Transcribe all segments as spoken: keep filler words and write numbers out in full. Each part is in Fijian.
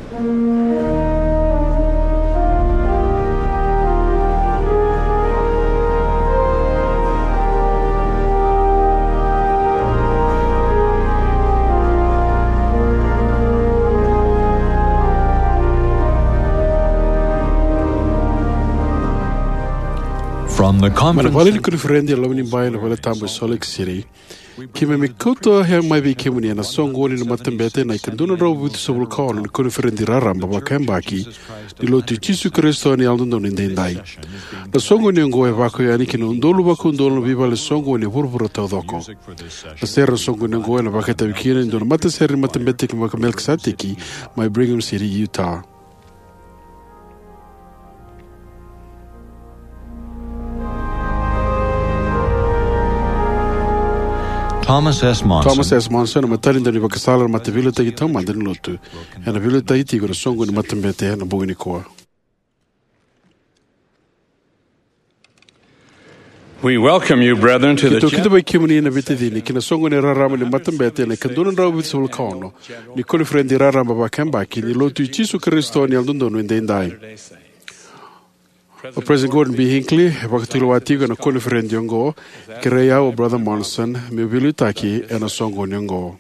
From the Mai na conference vale ni center koniferedi e loma ni bai ena vale tabu e Salt Lake City, keimami kauta mai vei kemuni ena soqoni ni matabete na ikadua na drau vitusagavulu ka ono ni koniferedi raraba vakayabaki ni Lotu i Jisu Karisito ni Yalododonu Edaidai. Na soqoni oqo e lako yani ki na udolu vakaudolu na veivale soqoni e vuravura taucoko. Na sere ena soqoni oqo ena vakaitavi kina e dua na matasere ni Matabete i Melikiseteki mai Brigham City, Utah. Thomas S. Monson. Thomas S. Monson, na matanitu ni vakasala na mataveiliutaki taumada ni Lotu, ena veiliutaki tiko ena soqoni ni matabete ena bogi nikua. We welcome you, brethren, to the Keitou kidavaki kemuni na veitacini ki na soqoni raraba ni matabete ena ikadua na drau vitusagavulu ka ono ni koniferedi raraba vakayabaki ni Lotu i Jisu Karisito ni Yalododonu Edaidai. O President Gordon B. Hinckley e vakatulewa tiko ena koniferedi oqo, kerei au o Brother Monson meu veiliutaki ena soqoni oqo.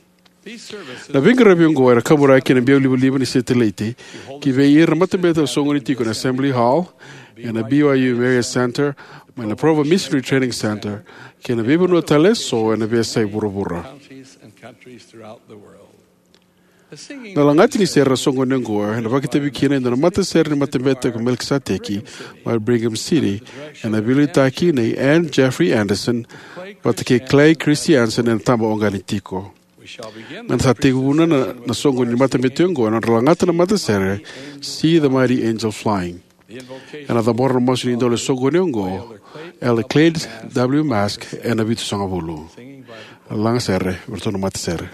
Na veiqaravi oqo era kaburaki ena biau livaliva ni setilaiti ki vei ira na matabete era soqoni tiko ena Assembly Hall, ena B Y U Marriott Center, mai na Provo Missionary Training Center, kei na veivanua tale eso ena veiyasai vuravura. Na lagati ni sere ena soqoni oqo ena vakaitavi kina e dua na matasere ni Matabete i Melikiseteki mai Brigham City, ena veiliutaki nei Ann Jeffrey Anderson vata kei Clay Christiansen ena taba oqo ni tiko. Meda sa tekivuna na, na soqoni ni matabete oqo ena nodra lagata na matasere See the Mighty Angel Flying. Ena cabora na masu ni idola ni soqoni oqo Elder Clyde W. Mask ena vitusagavulu. Lagasere vei iratou na matasere.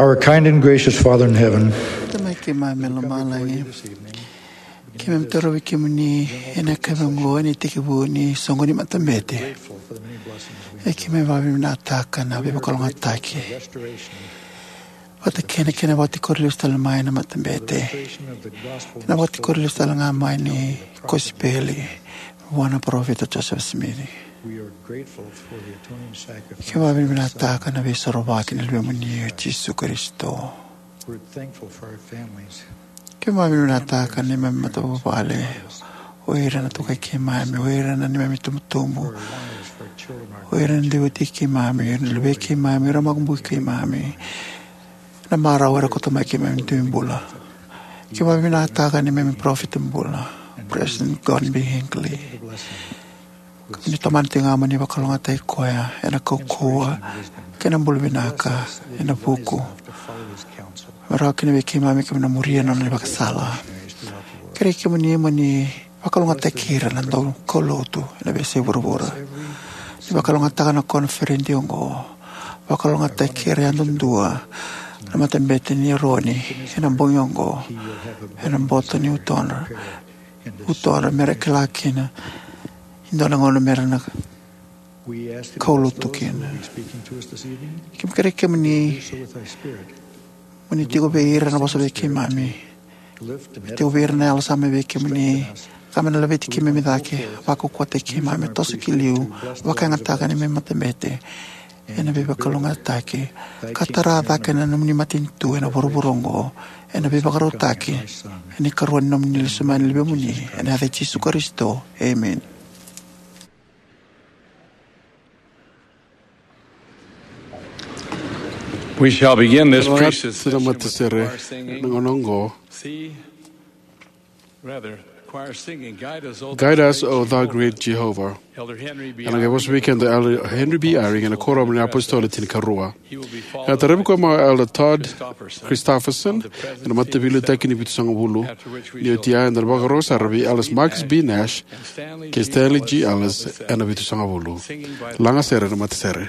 Our kind and gracious Father in heaven, Tamai keimami mai lomalagi, keimami torovi kemuni ena yakavi oqo ena itekivu ni soqo ni matabete. E keimami vakavinavinakataka na veivakalougatataki vata kei na kena vakatikori lesu tale mai na matabete, na vakatikori lesu tale ga mai ni kosipeli vua na parofita Joseph Smith. Keimami vakavinavinakataka na veisorovaki ni Luvemuni o Jisu Karisito. Keimami vakavinavinakataka na neimami matavuvale, o ira na tukai keimami, o ira na neimami itubutubu, o ira na dui wati keimami, o ira na luvei keimami, o ira na makubui keimami, na marau era kauta mai keimami dui bula. Keimami vakavinavinakataka na neimami parofita bula, President Gordon B. Hinckley. Keimami tomana tiko ga mo ni vakalougatataki koya ena kaukauwa kei na bula vinaka ena vuku, me rawa kina vei keimami keimami na muria na nona ivakasala. Kerei kemuni mo ni vakalougatataki ira na daukaulotu ena veiyasai vuravura. Ni vakalougatataka na koniferedi oqo. Vakalougatataki ira yadudua na matabete ni Eroni ena bogi oqo, ena boto ni utodra, utodra mera kila kina e dua na gauna mera na kaulotu kina. Keimami kerei kemuni mo ni tiko vei ira na vosa vei keimami. Me tiko vei ira na yalo sa mai vei kemuni, ka me na laveti keimami cake, vakaukauwataki keimami, toso ki liu, vakayagataka na neimami matabete ena veivakalougatataki, ka tara cake na nomuni matanitu ena vuravura oqo ena veivakarautaki ena ikarua ni nomuni lesu mai na Luvemuni, ena yaca i Jisu Karisito. Emeni. We shall begin this Ena priesthood session with the matasere choir singing, na gauna oqo. C, rather, choir singing, "Guide us, O Thou Great Jehovah." Elder Henry B. Ena qai vosa vei keda o Elder Henry B. Eyring ena Kuoramu ni iApositolo Tinikarua. Ena taravi koya mai o Elder Todd Christofferson ena mataveiliutaki ni Vitusagavulu. Ni oti ya, eda na vakarorogo sara vei Elders Marcus B. Nash kei Stanley G. Ellis ena Vitusagavulu. Lagasere na matasere.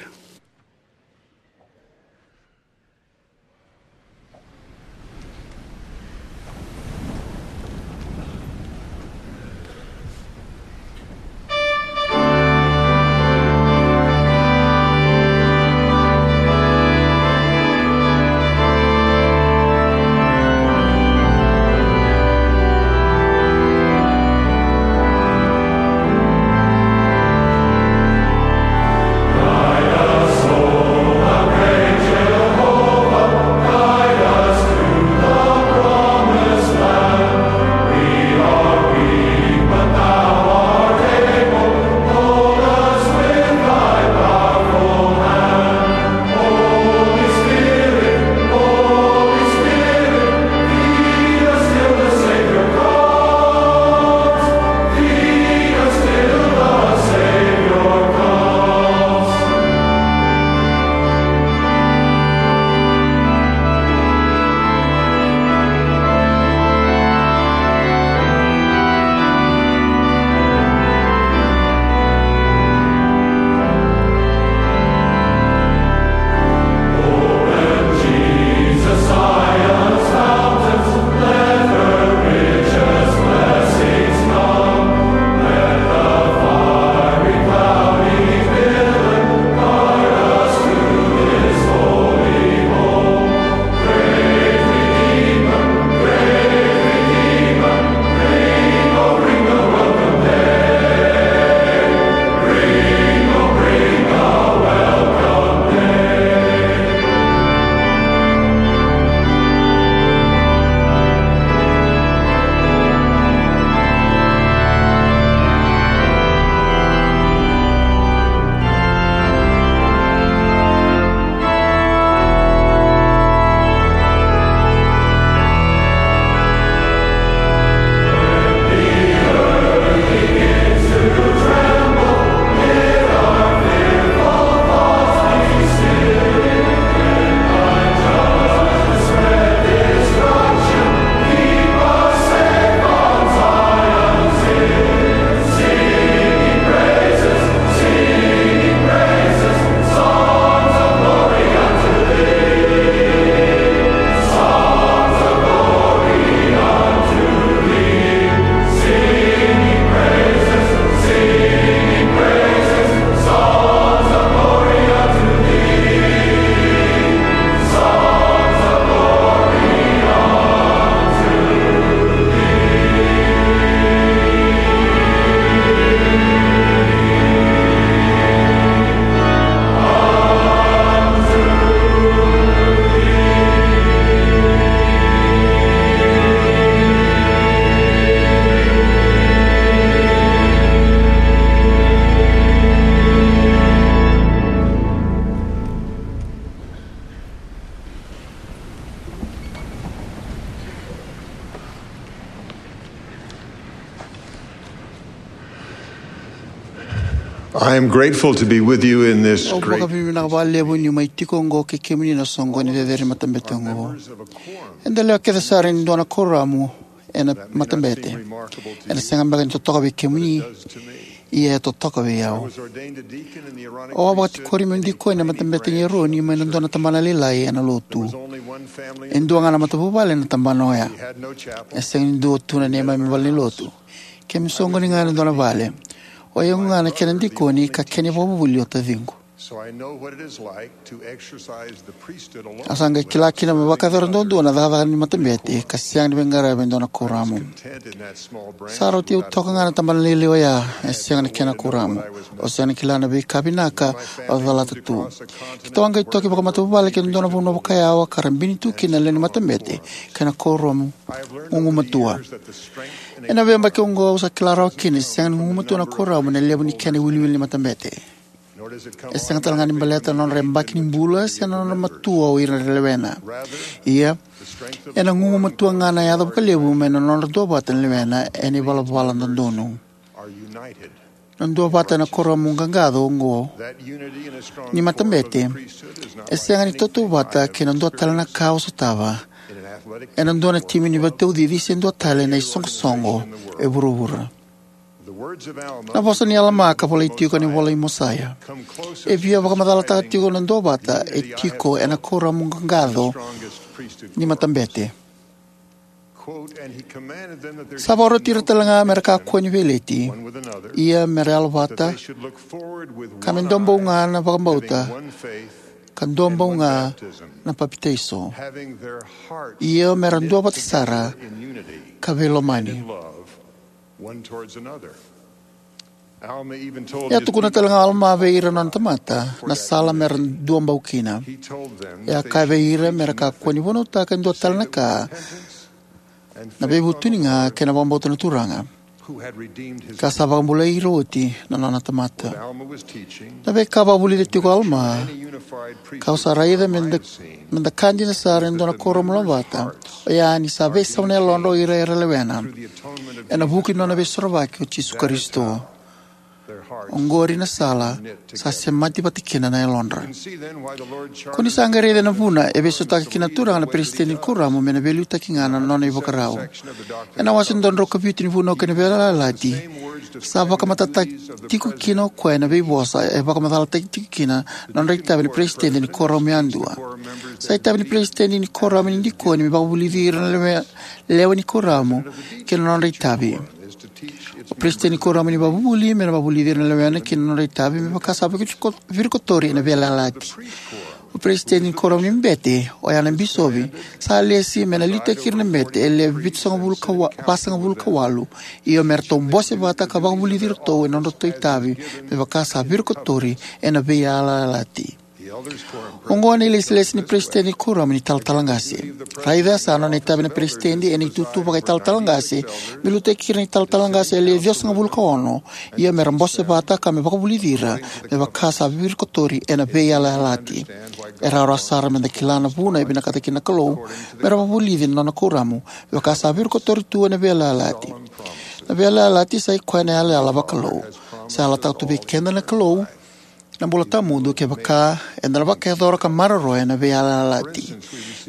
I am grateful to be with you in this Au great vakavinavinaka vakalevu niu mai tiko oqo kei kemuni na soqoni cecere ni matabete oqo. Eda lewe kece sara ni dua na kuoramu ena matabete. Ena sega beka ni totoka vei kemuni, ia e totoka vei au. Au a vakatikori meu dikoni ena matabete ni Eroni mai na dua na tabana lailai ena lotu. E dua ga na matavuvale ena tabana oya. E sega ni dua tu na neimami valenilotu. Keimami soqoni ga ena dua na vale. O yau ga na kena dikoni ka kena ivakavuvuli o taciqu. So I know what it is like to exercise the priesthood alone. Au sa qai kila kina me vakayacora duadua na cakacaka ni matabete ka sega ni veiqaravi e dua na kuoramu. Sa rauti au toka ga na tabana lailai oya, e sega na kena kuoramu. Au sega ni kila na veika vinaka au calata tu. Keitou a qai toki vakamatavuvale ki na dua na vanua vakayawa ka rabini tu kina na lewe ni matabete kei na kuoramu gugumatua. Ena veiyabaki oqo au sa kila rawa kina ni sega ni gugumatua na kuoramu ena levu ni kena iwiliwili ni matabete. E sega tale ga ni baleta na nodra yabaki ni bula se na nodra matua o ira era lewena. Ia, ena gugumatua ga na yaca vakalevu mai na nodra duavata na lewena ena ivalavala dodonu. Na duavata ena kuoramu qaqaco oqo ni matabete e sega ni tautauvata kei na dua tale na ka o sotava ena dua na timi ni veitaucici se dua tale na isoqosoqo e vuravura. Na vosa ni Alama ka volai tiko ena ivola i Mosaia e via vakamacalataka tiko na duavata e tiko ena kuoramu qaqaco ni matabete. Sa vakaroti ira tale ga me ra kakua ni veileti, ia me ra yalovata, ka me dua bau ga na vakabauta, ka dua bau ga na papitaiso, ia me ra duavata sara ka veilomani. E a tukuna tale ga o Alama vei ira na nona tamata na sala me ra duabau kina. E a kaya vei ira me ra kakua ni vunautaka e dua tale na ka, na veivutuni ga kei na vakabauta na Turaga, ka sa vakabulai ira oti na nona tamata. Na veika vakavulica tiko o Alama, kau sa raica me da, me da ka dina sara e dua na kuoramu lomavata, oya ni sa veisau na yalodra o ira era lewena ena vuku ni nona veisorovaki o Jisu Karisito. Oqori na sala sa semati vata kina na yalodra. Ko ni sa qai raica na vuna e veisautaka kina na Turaga na peresitedi ni kuoramu me na veiliutaki ga na nona ivakarau. Ena wase dua na drau ka vitu ni Vunau kei na Veiyalayalati, sa vakamatatataki tiko kina o koya ena veivosa e vakamacalataki tiko kina na nodra itavi na peresitedi ni kuoramu yadua. Sa itavi ni peresitedi ni kuoramu ni dikoni me vakavulici ira na lewe, lewe ni kuoramu kei na nodra itavi. O peresitedi ni kuoramu ni vakavuvuli me na vakavulici ira na lewena kei na nodra itavi me vaka sa viriko-, virikotori ena veiyalayalati. O peresitedi ni kuoramu ni bete, oya na bisovi, sa lesi me na liutaki ira na bete e lewe vitusagavulu ka wa-, vasagavulu ka walu, io me ratou bose vata ka vakavulici iratou ena nodratou itavi me vaka sa virikotori ena veiyalayalati. Oqo na ilesilesi ni peresitedi ni kuoramu ni talatala qase. Raica sa nona itavi na peresitedi ena itutu vakaitalatala qase me liutaki ira na italatala qase e lewe ciwasagavulu ka ono, ia me ra bose vata ka me vakavulici ira me vaka sa virikotori ena veiyalayalati. E rawarawa sara me da kila na vuna e vinakata kina na Kalou me ra vakavulici na nona kuoramu me vaka sa virikotori tu ena veiyalayalati. Na veiyalayalati sa i koya na yalayala vakalou. Sa yalataka tu vei keda na Kalou na bula tawamudu kevaka eda na vakayacora ka maroroya na veiyalayalati.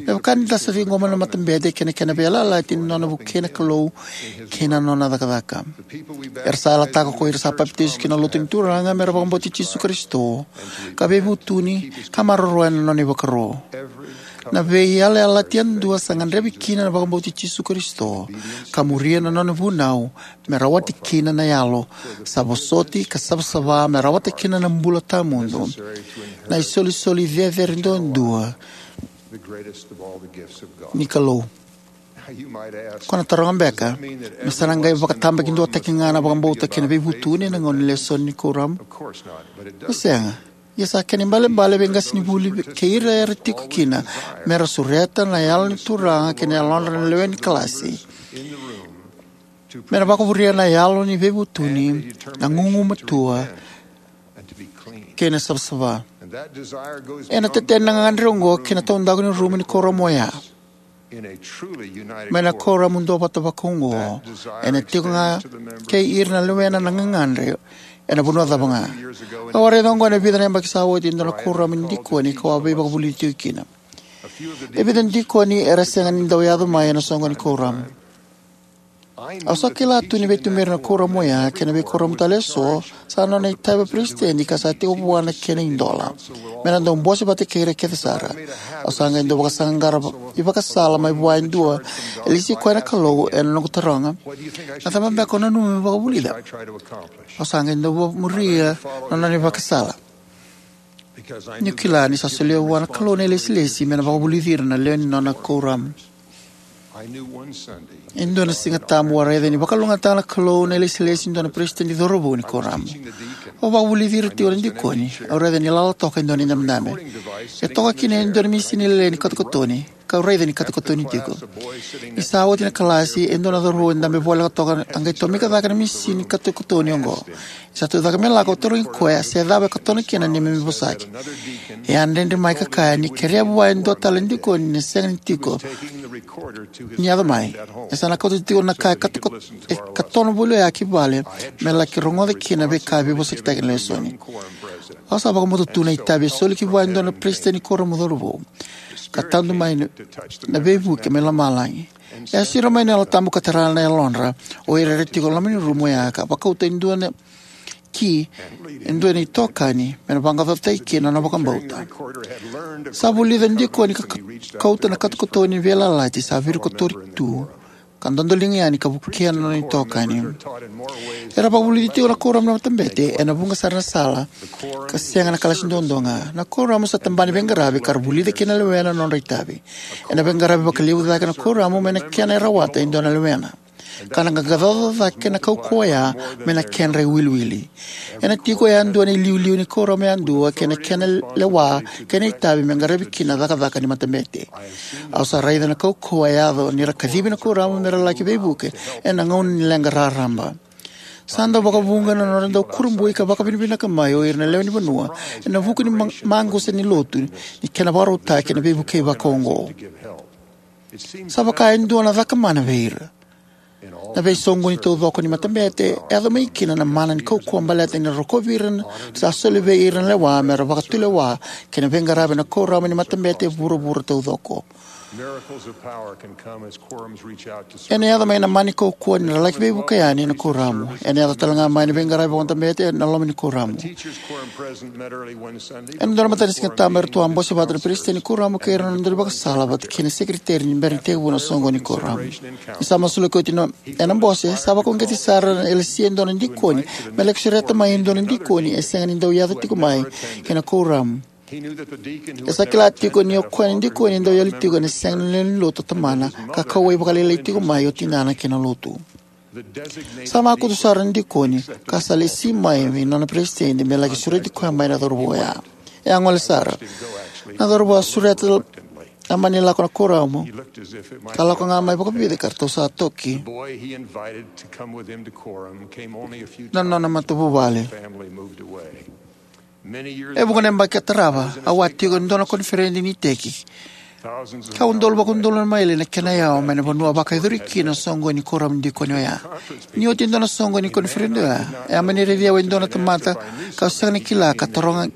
Me vaka ni da sa ciqoma na matabete kei na kena veiyalayalati ni nona vukei na Kalou kei na nona cakacaka. Era sa yalataka ko ira sa papitaiso ki na lotu ni Turaga me ra vakabauti Jisu Karisito, ka veivutuni, ka maroroya na nona ivakaro. Na veiyalayalati yadua sa gadrevi kina na vakabauti Jisu Karisito, ka muria na nona vunau, me rawati kina na yalo sa vosoti ka savasava me rawata kina na bula tawamudu, na isolisoli cecere duadua ni Kalou. Ko na taroga beka, me sa na qai vakatabakidua taki ga na vakabauta kei na veivutuni ena gauna ni lesoni ni kuoramu? E sega. Ia sa kena ibalebale vei qasenivuli kei ira era tiko kina me ra sureta na Yalo ni Turaga kei na yalodra na lewe ni kalasi, me ra vakavuria na yalo ni veivutuni, na gugumatua kei na savasava. Ena teteni na gagadre oqo kei na taudaku ni rumu ni kuoramu oya. Mai na kuoramu duavata vakaoqo, ena tiko ga kei ira na lewena na gagadre Ena vanua cava ga. Au a raica oqo ena vica na yabaki sa oti e dua na kuoramu ni dikoni kau a veivakavulici tiko kina. E vica na dikoni era sega ni dau yaco mai ena soqoni ni kuoramu. Au sa kila tu ni veituberi na kuoramu oya kei na veikuoramu tale eso, sa nona itavi vakaperesitedi ka sa tiko vua na kena idola me na dau bose vata kei ira kece sara. Au sa qai dau vakasaqara ivakasala mai vua e dua e lesi koya na Kalou ena noqu taroga, "Na cava beka o nanuma meu vakavulica?" Au sa qai dau vakamuria na nona ivakasala, niu kila ni sa solia vua na Kalou na ilesilesi me na vakavulici ira na lewe ni nona kuoramu. E dua na Siga Tabu au a raica ni vakalougatataka na Kalou na ilesilesi ni dua na peresitedi cauravou ni kuoramu. Au vakavulici ira tiko na dikoni, au raica ni lala toka e dua na idabedabe. E toka kina e dua na misini lailai ni katokatoni, kau raica ni katokatoni tiko. Ni sa oti na kalasi, e dua na cauravou e dabe voleka toka a qai tomika cake na misini katokatoni oqo. Ni sa tucake me lako, au tarogi koya se cava e katona kina na neimami vosaki. E a dredre mai ka kaya ni kerea vua e dua tale na dikoni ni sega ni tiko ni yaco mai. E sa na kauta tiko na ka e kato-, e katona voli oya ki vale me laki rogoca kina na veika e veivosakitaki ena lesoni. Au sa vakabauta tu na itavi e soli ki vua e dua na peresitedi ni kuoramu cauravou, ka tadu mai na, na veivuke mai lomalagi. E a siro mai na Yalo Tabu ka tara na yalodra o ira era tiko e loma ni rumu oya ka vakauta e dua na ki, e dua na itokani me na vaqaqacotaki kina na nona vakabauta. Sa vulica na dikoni ka ka-, kauta na katokatoni ni veiyalayalati sa virikotori tu ka dodoliga yani ka vukea na nona itokani. Era vakavulici tiko na kuoramu na matabete ena vuqa sara na sala, ka sega na kalasi duadua ga. Na kuoramu sa tabana ni veiqaravi ka ra vulica kina na lewena na nodra itavi. Ena veiqaravi vakalevu cake na kuoramu mai na kena e rawata e dua na lewena, ka na qaqacoca cake na kaukauwa oya mai na kedra iwiliwili. Ena tiko yadua na iliuliu ni kuoramu yadua kei na kena lewa kei na itavi me qaravi kina na cakacaka ni matabete. Au sa raica na kaukauwa e yaco ni ra kacivi na kuoramu me ra laki veivuke ena gauna ni leqa raraba. Sa dau vakavuqa na nodra dau kurabui ka vakavinavinaka mai o ira na lewe ni vanua ena vuku ni ma-, maqusa ni lotu ni kena vakarautaki ena veivukei vakaoqo. Sa vaka e dua na cakamana vei ira. Na veisoqoni taucoko ni matabete e yaco mai kina na mana ni kaukauwa baleta ni ra rokovi ira na, sa soli vei ira na lewa me ra vakatulewa kei na veiqaravi ena kuoramu ni matabete e vuravura taucoko. Ena yaco mai na mana ni kaukauwa ni ra laki veivuke yani ena kuoramu. Ena yaco tale ga mai na veiqaravi vakamatabete ena loma ni kuoramu. Ena dua na mataka ni Siga Tabu eratou a bose vata na peresitedi ni kuoramu kei ira na nodra ivakasala vata kei na sekeriteri ni bera ni tekivu na soqoni ni kuoramu. Ni sa masulaki oti na, ena bose, sa vakauqeti sara na L C e dua na dikoni me laki sureta mai e dua na dikoni e sega ni dau yaco tiko mai kei na kuoramu. E sa kila tiko ni o koya na dikoni e dau yali tiko ena sega ni lewe ni lotu o tamana, ka kauwai vakalailai tiko mai o tinana kei na lotu. Sa makutu sara na dikoni ka sa lesi mai vei nona peresitedi me laki sureti koya mai na cauravou oya. E a gole sara. Na cauravou a sureta a mani lako na kuoramu, ka lako ga mai vakavica ka ratou sa toki na nona matavuvale. E vuqa na yabaki ka tarava, au a tiko e dua na koniferedi ni iteki. Ka udolu vakaudolu na maile na kena yawa mai na vanua a vakayacori kina na soqoni ni kuoramu ni dikoni oya. Ni oti e dua na soqoni ni koniferedi oya, e a mani raici au e dua na tamata kau sega ni kila ka taroga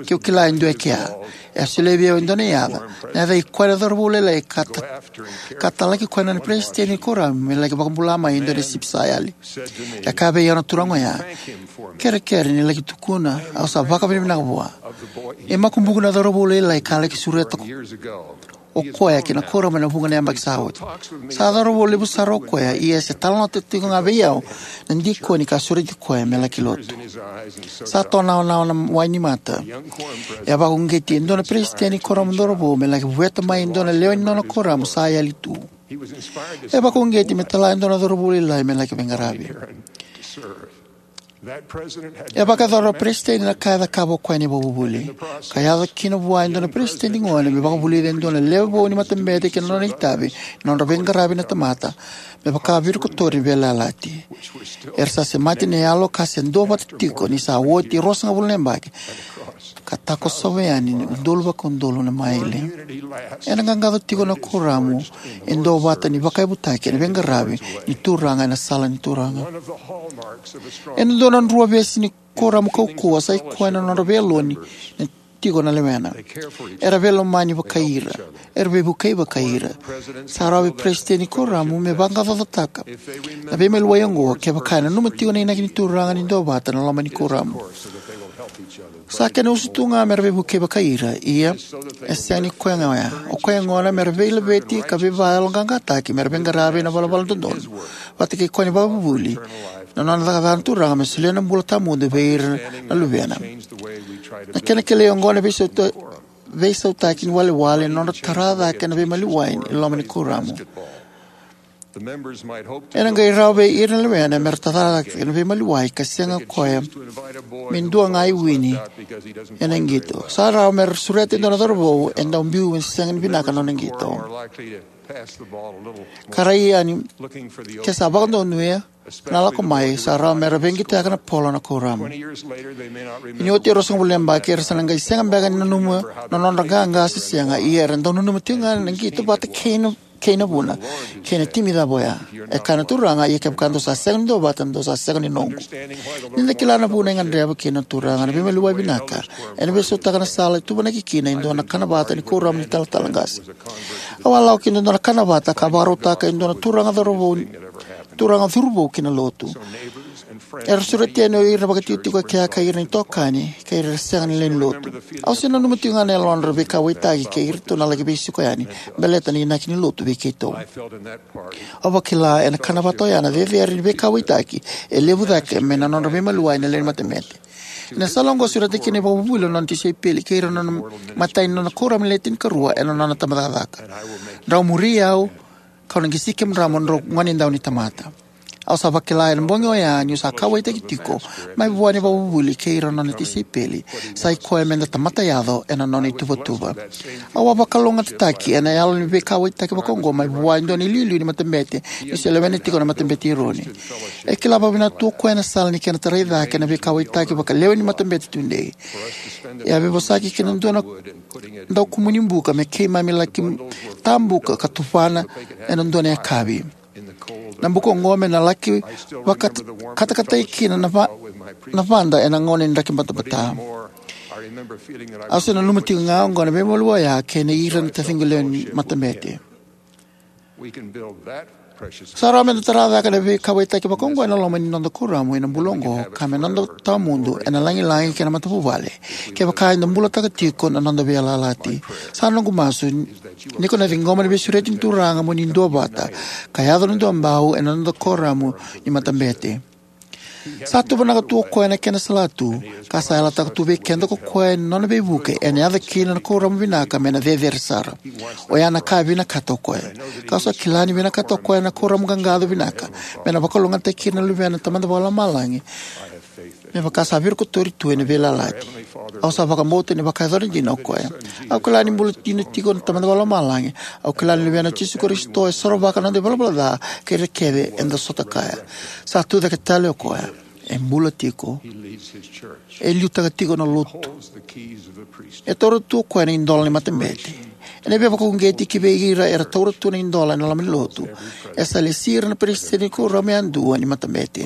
keu kila e dua e kea. E a solia vei au e dua na yaca. Na yaca i koya na cauravou lailai ka ta-, ka talaki koya na nona peresitedi ni kuoramu me laki vakabula mai e dua na sipi sa yali. E kaya vei au na turaga oya, "Kerekere ni laki tukuna, au sa vakavinavinaka vua." E makubuqu na cauravou lailai ka laki sureta ko-, o koya ki na kuoramu ena vuqa na yabaki sa oti. Sa cauravou levu sara o koya, ia se talanoa tiko ga vei au na dikoni ka sureti koya me laki lotu. Sa tonawanawa na wai ni mata. E a vakauqeti e dua na peresitedi ni kuoramu cauravou me laki vueta mai e dua na lewe ni nona kuoramu sa yali tu. E vakauqeti me tala e dua na cauravou lailai me laki veiqaravi. E vakayacora na peresitedi na ka e cakava o koya ena ivakavuvuli. Ka yaco kina vua e dua na peresitedi gone me vakavulica e dua na lewe vou ni matabete kei na nona itavi, na nodra veiqaravi na tamata me vaka virikotori ni veiyalayalati. Era sa semati na yalo ka se duavata tiko ni sa oti e ruasagavulu na yabaki. ka takosova yani na udolu vakaudolu na maile. Ena qaqaco tiko na kuoramu e duavata ni vakayavutaki ena veiqaravi ni Turaga ena sala ni Turaga. Ena dua na drua vesi ni kuoramu kaukauwa sa i koya na nodra veiyaloni na tiko na lewena. Era veilomani vakai ira. Era veivukei vakai ira. Sa rawa vei peresitedi ni kuoramu me vaqaqacotaka na veimaliwai oqo kevaka e nanuma tiko na inaki ni Turaga ni duavata na loma ni kuoramu. Sa kena usutu ga mera veivukei vakai ira, ia e sega ni koya ga oya. O koya gona mera veilaveti ka veivakayaloqaqataki mera veiqaravi ena valavala dodonu vata kei koya ni vakavuvuli, na nona cakacaka na Turaga me solia na bula tawamudu vei ira na luvena. Na kena kilai oqo na veisauta-, veisautaki ni walewale na nodra tara cake na veimaliwai ni loma ni kuoramu. Ena qai rawa vei ira na lewena mera tara cake na veimaliwai ka sega koya me dua ga e wini ena qito. Sa rawa mera sureta e dua na cauravou e dau biu me sega ni vinaka na nona qito. Ka rai yani, ke sa vakadonuya na lako mai, sa rawa mera veiqitaka na polo na kuoramu. Ni oti e ruasagavulu na yabaki, era sa na qai sega beka ni nanuma na nodra qaqa se sega, ia era dau nanuma tiko ga na qito vata kei na, kei na vuna, kei na timi cava oya. E kaya na Turaga, ia kevaka dou sa sega ni duavata, dou sa sega ni noqu. Ni da kila na vuna e gadreva kina na Turaga na veimaliwai vinaka, ena veisautaka na sala e tuvanaki kina e dua na kana vata ni kuoramu ni talatala qase. Au a lako ki na dua na kana vata ka vakarautaka e dua na turaga cauravou, turaga curuvou ki na lotu. Era sureti yani o ira na vakatikotiko e kea kei ira na itokani kei ira era sega ni lewe ni lotu. Au se nanuma tiko ga na yalodra veikauwaitaki kei iratou na laki veisiko yani baleta na inaki ni lotu vei keitou. Au vakila ena kana vata oya na cecere ni veikauwaitaki e levu cake mai na nodra veimaliwai na lewe ni matabete. Ena sala oqo sureta kina na ivakavuvuli na nona tisaipeli kei ira na nona imatai ni nona kuoramu ni le tinikarua ena nona tabacakacaka: Drau muri au, kau na qisi kemudrau mo drau gonedau ni tamata. Au sa vakila ena bogi oya niu sa kauwaitaki tiko mai vua na ivakavuvuli kei ira na nona tisaipeli, sa i koya meda tamata yaco ena nona ituvatuva. Au a vakalougatataki ena yalo ni veikauwaitaki vakaoqo mai vua e dua na iliuliu ni matabete ni se lewena tiko na Matabete i Eroni. E kila vakavinaka tu o koya na sala ni kena tarai cake na veikauwaitaki vakalewe ni matabete tudei. E a veivosaki kina dua na daukumuni buka me keimami laki tabuka ka tuvana ena dua na yakavi. Na buka oqo me na laki vakatakatai kina na va-, na vada ena gauna ni draki batabata. Au se nanuma tiko ga oqo na veimaliwai oya kei na ira na taciqu lewe ni matabete. Sa rawa meda tara cake na veikauwaitaki vakaoqo ena loma ni noda kuoramu ena bula oqo, ka me noda tawamudu ena lagilagi kei na matavuvale, kevaka eda bulataka tiko na noda veiyalayalati. Sa noqu masu ni ko na ciqoma na veisureti ni Turaga mo ni duavata ka yaco na duabau ena noda kuoramu ni matabete. Sa tuvanaka tu o koya na kena salatu, ka sa yalataka tu vei keda ko koya ena nona veivuke ena yaco kina na kuoramu vinaka me na cecere sara. Oya na ka e vinakata o koya. Kau sa kila ni vinakata o koya na kuoramu qaqaco vinaka me na vakalougatataki ira na luvena na Tamada Vakalomalagi, me vaka sa virikotori tu ena veiyalayalati. Au sa vakabauta ni vakayacora dina o koya. Au kila ni bula dina tiko na Tamada Vakalomalagi. Au kila ni luvena o Jisu Karisito e sorovaka na noda ivalavala ca kei ira kece eda sota kaya. Sa tucake tale o koya. E bula tiko. E liutaka tiko na lotu. E taura tu o koya na idola ni matabete. Ena veivakauqeti ki vei ira era taura tu na idola ena loma ni lotu, e sa lesi ira na peresitedi ni kuoramu yadua ni matabete.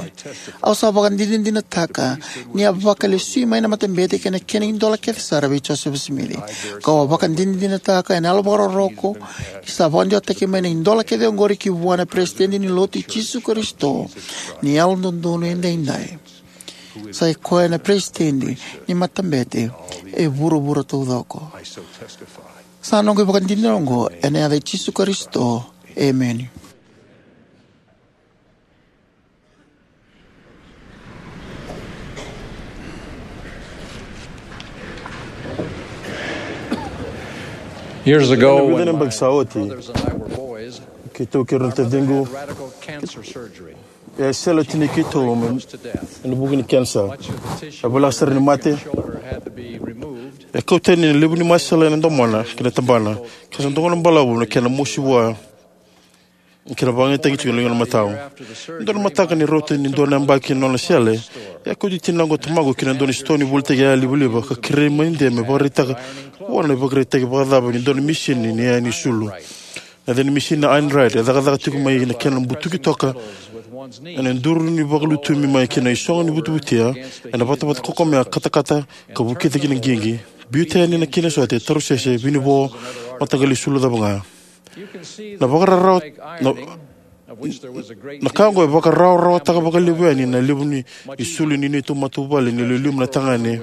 Au sa vakadinadinataka ni a vakalesui mai na matabete kei na kena idola kece sara vei Josefa Simici. Kau a vakadinadinataka ena yalo vakarokoroko ni sa vakadewataki mai na idola kece oqori ki vua na Peresitedi ni Lotu i Jisu Karisito ni Yalododonu Edaidai. Sa i koya na Peresitedi ni matabete e vuravura taucoko. Sa noqu ivakadinadina oqo ena yaca i Jisu Karisito. Emeni. Years ago, ena vica na yabaki sa oti, keitou kei ira na taciqu, e a sele o tinai keitou ena vuku ni kenisa. E voleka sara ni mate. E kau tani na levu ni masela ena domona kei na tabana, ka sa dogona balavu na kena mosi vua. Kena vakayagataki tiko na ligana matau. Dua na mataka ni rauta ni dua na yabaki na nona sele, e a kauti tinaqu ka tamaqu ki na dua na sitoa ni volitaki yalolivaliva ka kerei manidia me vakaraitaka vua na ivakaraitaki vakacava ni dua na misini ni yaya ni sulu. Na yaca ni misini na Einheit, e cakacaka tiko mai na kena butuki toka ena duru ni vakalutumi mai ki na isogo ni vutivutia, ena vatavata kokomea, katakata ka vukica ki na qiqi, biuta yani na kena sote, tarusese, vinivo, mataqali sulu cava ga. Na vakararawa na, na ka oqo e vakarawarawataka vakalevu yani na levu ni, ni sulu ni neitou matavuvale ni liuliu na tagane,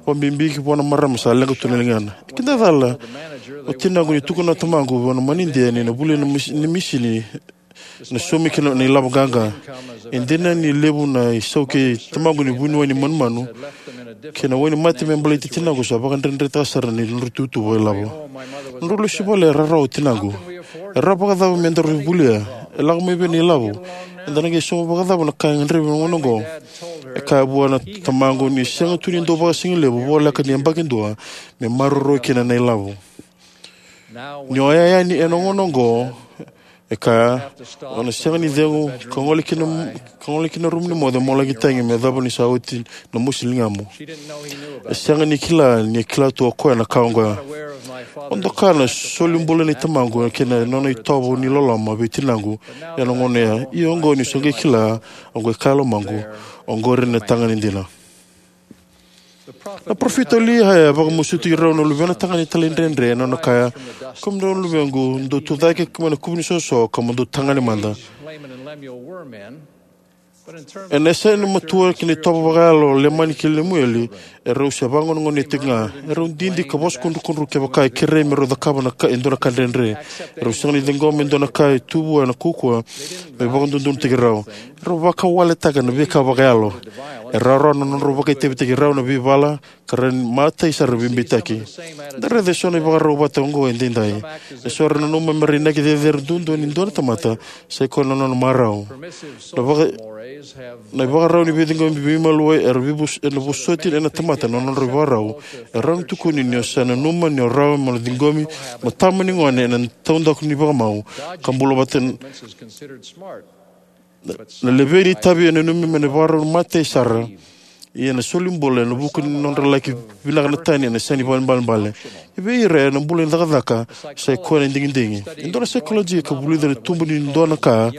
vakabibi ki vua na marama sa leqa tu na ligana. E kidacala o tinaqu ni tukuna na tamaqu vua na manidia ni na vuli na mis-, ni misini na sumi kina na ilavo qaqa. E dina ni levu na isau kei tamaqu ni vuniwai ni manumanu kei na wai ni mate me baleti tinaqu, sa vakadredretaka sara ni nodra tutu vakailavo. Nodrau lesu i vale e rarawa o tinaqu. E rawa vakacava me daru volia? E lako mai vei na ilavo? Eda na qai sauma vakacava na ka e gadrevi ena gauna oqo? E kaya vua na tamaqu ni sega tu ni dau vakasigalevu voleka ni yabaki dua me maroroi kina na ilavo. Ni o yaya yani ena gauna oqo, e kaya, o na sega ni cegu ka gole ki na, ka gole ki na rumu ni moce mo laki tagi me yacova ni sa oti na mosi ligamu. E sega ni kila ni kila tu o koya na ka oqo. O doka na soli bula nei tamaqu kei na nona itovo ni loloma vei tinaqu ena gauna ya. Ia oqo niu sa qai kila, oqo e kaya lomaqu, oqori na tagane dina. Na parofita o Liaia e vakamasuti rau na luvena tagane talaidredre ena nona kaya, kemudrau na luvequ, dou tucake mai na kuvu ni soso ka mo dou tagane mada. Ena yasa ni matua kei na itovo vakayalo o Leimani kei Lemueli, erau se vakagonegonei tiko ga. Erau didi ka vosokudrukudru kevaka e kerei me rau cakava na ka, e dua na ka dredre. Erau sega ni ciqoma e dua na ka e tu vua na kaukauwa me vakadodonutaki rau. Erau vakawaletaka na veika vakayalo. E rawarawa na nodrau vakaitavitaki rau na veivala, ka ra matai sara veibeitaki. Da raica eso na ivakarau vata oqo edaidai. Eso era nanuma me ra inaki cecere duadua ni dua na tamata, sa i koya na nona marau. Na vaka-, na ivakarau ni veiciqomi veimaliwai era veivos-, ena vosoti ena tamata na nodra ivakarau. E rawa ni tukuni ni o sa nanuma ni o rawa mo na ciqomi mo tama ni gone ena taudaku ni vakamau ka bula vata na, na levei ni itavi e nanumi me na ivakarau matai sara. Ia na soli bula ena vuku ni nodra laki vinaka na tani ena sega ni vakaibalebale. E vei ira ena bula ni cakacaka sa i koya na digidigi. E dua na saikolojia ka vulica na tubu ni dua na ka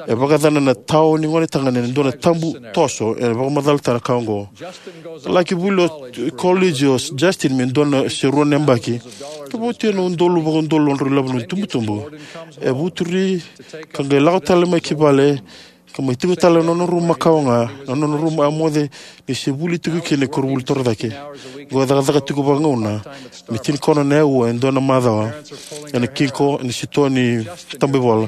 e vakayacana na tao ni gone tagane ena dua na tabu toso. E vakamacalataka na ka oqo. Laki vuli o koliji o Justin me dua na se rua na yabaki. Ka vautia na udolu vakaudolu nodrau ilavo na itubutubu. E vuturi ka qai lako tale mai ki vale ka mai tiko tale na nona rumu makawa ga, na nona rumu a moce ni se vuli tiko kina e koronivuli torocake. Qo e cakacaka tiko vakagauna me tinikaono na aua e dua na macawa ena kiko ena sitoa ni tabaivola.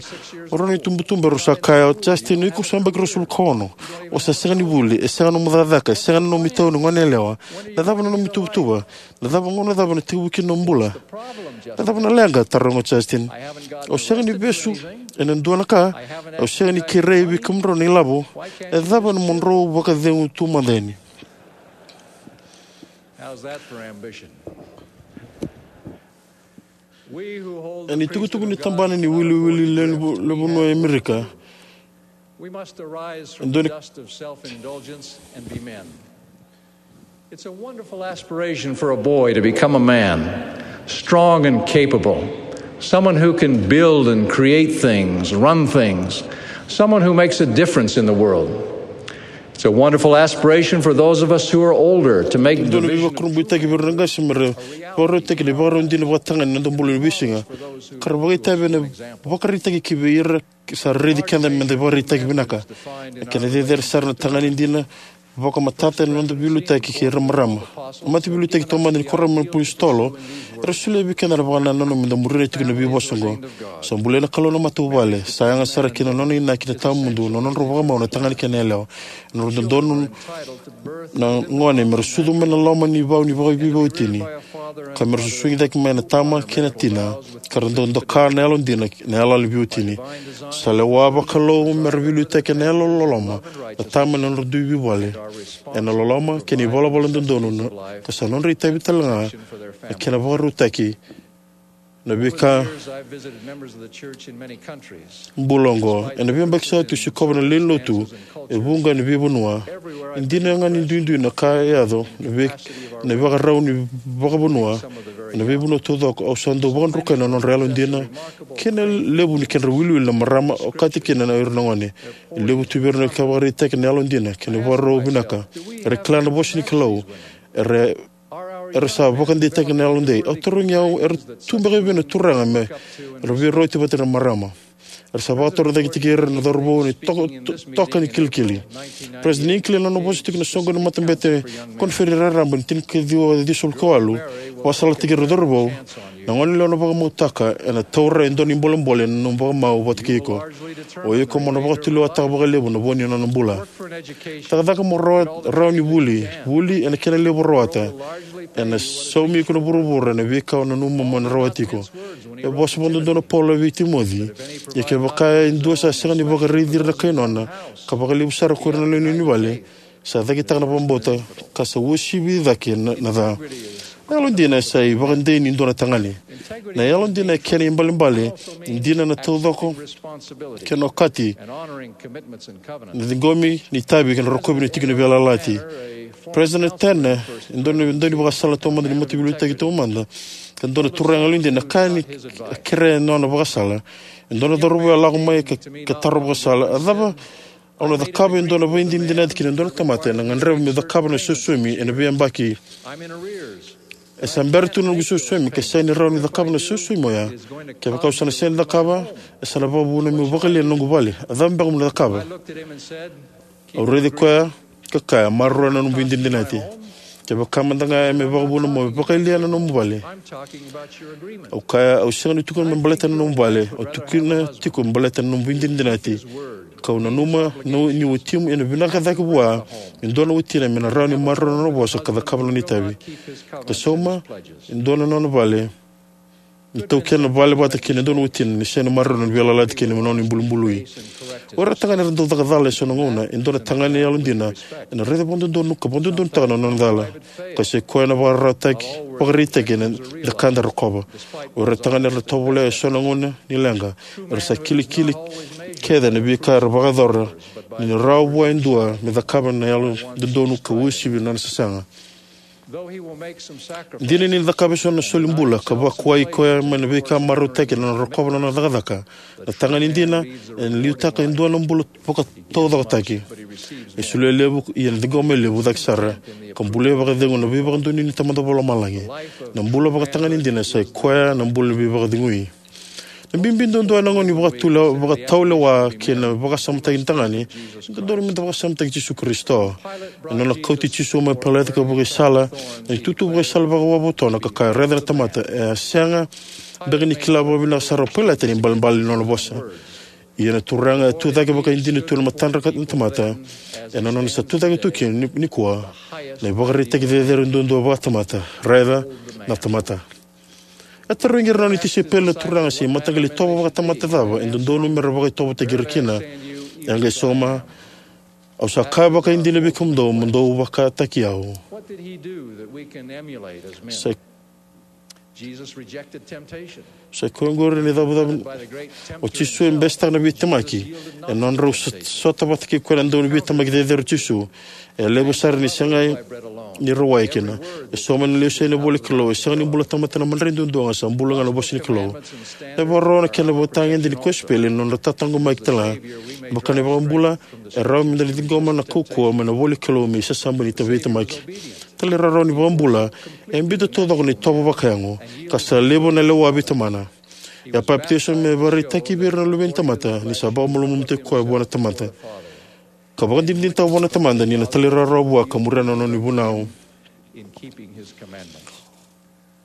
O rau na itubutubu erau sa kaya, o Justin, o iko sa yabaki ruasagavulu ka ono. O sa sega ni vuli, e sega na nomu cakacaka, e sega na nomu itavi ni goneyalewa. Na cava na nomu ituvatuva? Na cava, gauna cava na tekivu kina nomu bula? Na cava na leqa? Taroga o Justin. Au sega ni vesu ena dua na ka. Au sega ni kerei vei kemudrau na ilavo. E cava na nomudrau vakacegu tu mada yani? Ena itukutuku ni tabana ni wiliwili lewe ni vu-, lewe ni vanua e Amerika, It's a wonderful aspiration for a boy to become a man, strong and capable, someone who can build and create things, run things, someone who makes a difference in the world. It's a wonderful aspiration for those of us who are older to make dua na veivakurabuitaki vei ira na qase me ra vakarautaki na ivakarau dina vakatagane ena noda bula ni veisiga. Ka ra vakaitavi ena vakaraitaki ki vei ira sa raici keda me da ivakaraitaki vinaka. Na kena cecere sara na tagane dina, vakamatata ena noda veiliutaki kei ira na marama. Na mate veiliutaki taumada ni Kuoramu na iApositolo era solia vei keda na vakanananu me da muria tiko na veivosa oqo. Sa bulia na Kalou na matavuvale, sa yaga sara kina na nona inaki na tawamudu na nodrau vakamau na tagane kei na yalewa. Ena nodrau dodonu na gone me ra sucu mai na loma ni vau ni vakaveiveitini, ka me ra susugi cake mai na tama kei na tina, ka ra dau doka na yalodina na iyaloyalo ni veiwatini. Sa lewa vakalou me ra veiliutaki ena yalololoma na tama ena nodra dui veivale, ena loloma kei na ivalavala dodonu, ka sa nodra itavi talega na kena vakarautaki na veika bula oqo. Ena veiyabaki sa oti, au sikova na lewenilotu e vuqa ena veivanua. E dina ga ni duidui na ka e yaco ena vei, na ivakarau ni vakavanua. Ena veivanua taucoko au sa dau vakadrukai na nodra yalodina kei na levu ni kedra iwiliwili na marama, okati kina na ira na gone. E levu tu vei ira na ka vakaraitaki na yalodina kei na ivakarau vinaka. Era kila na vosa ni Kalou. Era era sa vakadeitaki na yalodei. Au tarogi au, era tu beka vei na turaga me ra veirauti vata na marama? Era sa vakatorocaketaki ira na cauravou ni toka, to-, toka ni kilikili. President Hinckley, na nona vosa tiko na soqo ni matabete koniferedi raraba ni tinikaciwa ciwasagavulu ka walu, vakasalataki ira na cauravou: Na gone lewa na vakamautaka ena taura e dua na bolebole ena nomu vakamau vata kei iko. O iko mo na vakatulewataka vakalevu na vo ni nona bula. Cakacaka mo rawa, rawa ni vuli, vuli ena kena levu rawata. Ena saumi iko na vuravura ena veika o nanuma mo na rawati iko. E vosa vakadodonu o Paula vei Timoci: Ia kevaka e dua sa sega ni vakaraici ira na kai nona, ka vakalevu sara ko ira na lewe ni vale, sa cakitaka na vakabauta, ka sa uasivi cake na, na ca. Na yalodina e sa ivakadei ni dua na tagane. Na yalodina e kena ibalebale, dina na taucoko, kena okati, na ciqomi ni itavi kei na rokovi ni tiki ni veiyalayalati. President Tanner, e dua na, e dua ni vakasala taumada ni mataveiliutaki taumada, ka dua na turaga yalodina, ka ni kerea na nona vakasala. E dua na cauravou a lako mai ka, ka taro vakasala: A cava au na cakava e dua na veidinadinati kina dua na tamata ena gadreva meu cakava na sausaumi ena veiyabaki? E sa bera tu na noqu sausaumi, ka sega ni rawa niu cakava na sausaumi oya. Kevaka au sa na sega ni cakava, e sa na vakavuna meu vakayalia na noqu vale. A cava beka mo na cakava? Au raici koya ka kaya: Maroroya na nomu veidinadinati. Kevaka mada ga e me vakavuna mo vakayalia na nomu vale. Au kaya: Au sega ni tukuna me baleta na nomu vale. Au tukuna tiko me baleta na nomu veidinadinati. Kau nanuma ni watimu ena vinaka cake vua e dua na watina me na rawa ni maroroya na nona vosa ka cakava na nona itavi. Ka sauma e dua na nona vale, me taukena vale vata kei na dua na watina ni sega ni maroroya na veiyalayalati kei na nona ibulubului. O ira na tagane era dau caka cala e so na gauna, e dua na tagane yalodina ena raica vakadodonu ka vakadodonutaka na nona cala. Ka sa i koya na vakaraitaki, vakaraitaki ena cakada rokova. O ira na tagane era tovolea e so na gauna ni leqa. Era sa kilikili kece ena veika era vakayacora, ni na rawa vua e dua me cakava na yalododonu ka uasivi na nona sasaga. Dina ni na cakava e so na soli bula ka vakuwai koya mai na veika marautaki ena nona rokova na nona cakacaka, na tagane dina ena liutaka e dua na bula vakataucokotaki. E solia e levu, ia na ciqoma e levu cake sara, ka bulia vakacegu na veivakadonui ni Tamada Vakalomalagi. Na bula vakatagane dina sa i koya na bula ni veivakacegui. Na bibi duadua ena gauna ni vakatule-, vakataulewa kei na vakasamataki ni tagane, e dodonu meda vakasamataki Jisu Karisito. Ena nona kauti Jisu mai Pailata ka vakaisala, na itutu vakaisala vakawavotona ka kaya: Raica na tamata. E a sega beka ni kila vakavinaka sara o Pailata na ibalebale ni nona vosa. Ia na Turaga e tucake vakaidina tu ena matadra na tamata, ena nona sa tucake tu kina ni, nikua na ivakaraitaki cecere duadua vakatamata: Raica na tamata. E tarogi ira na nona tisaipeli na Turaga se mataqali itovo vakatamata cava e dodonu mera vakaitovotaki ira kina. E a qai sauma: Au sa kaya vakaidina vei kemudou, mo dou vakataki au. What did he do that we can emulate as men? Sa, Jesus rejected temptation. Sa i koya oqori na icavucavu. O Jisu e besetaka na veitemaki. E nodrau sot-, sota vata kei koya na dauniveitemaki cecere o Jisu. E levu sara ni sega ni rawai kina. E sauma na lesu ena ivola ni Kalou: E sega ni bula tamata ena madrai duadua ga, sa bula ga ena vosa ni Kalou. E vakarau na kena ivakatagedegede ni kosipeli ena nodra tataqomaki talega. Vaka na iVakabula, e rawa meda na ciqoma na kaukauwa mai na ivola ni Kalou me isasaba ni veitemaki. Talairawarawa ni iVakabula e biuta taucoko na itovo vakayago, ka sa levu na lewa veitamana. E a papitaiso me vakaraitaki vei ira na luve ni tamata ni sa vakamalumalumutaki koya vua na tamata, ka vakadinadinataka vua na Tamada ni na talairawarawa vua ka muria na nona ivunau.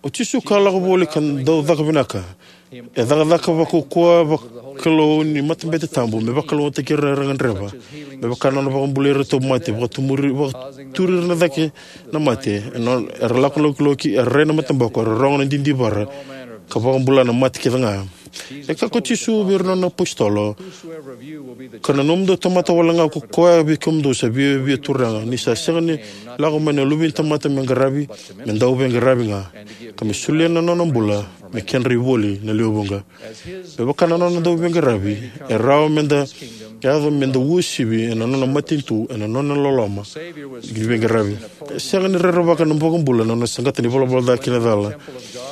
O Jisu ka lako voli ka dau caka vinaka. E cakacaka vakaukauwa vakalou ni matabete tabu me vakalougatataki ira era gadreva. Me vaka na nona vakabulai ira na tauvimate, vakatumuri, vakaturi ira na cake na mate, e nona, era lako lokiloki, era rai na mataboko, era rogo na didivara, ka vakabula na mate kece ga. E kaya ko Jisu vei ira na nona apositolo, ka na nomudou tamata wale ga ko koya vei kemudou sa viavia turaga, ni sa sega ni lako mai na Luve ni tamata me qaravi, me dau veiqaravi ga, ka me solia na nona bula me kedra ivoli na lewe vuqa. Me vaka na nona dau veiqaravi, e rawa meda yaco meda uasivi ena nona matanitu ena nona loloma ni veiqaravi. E sega ni rerevaka na iVakabula na nona saqata na ivalavala ca kei na cala.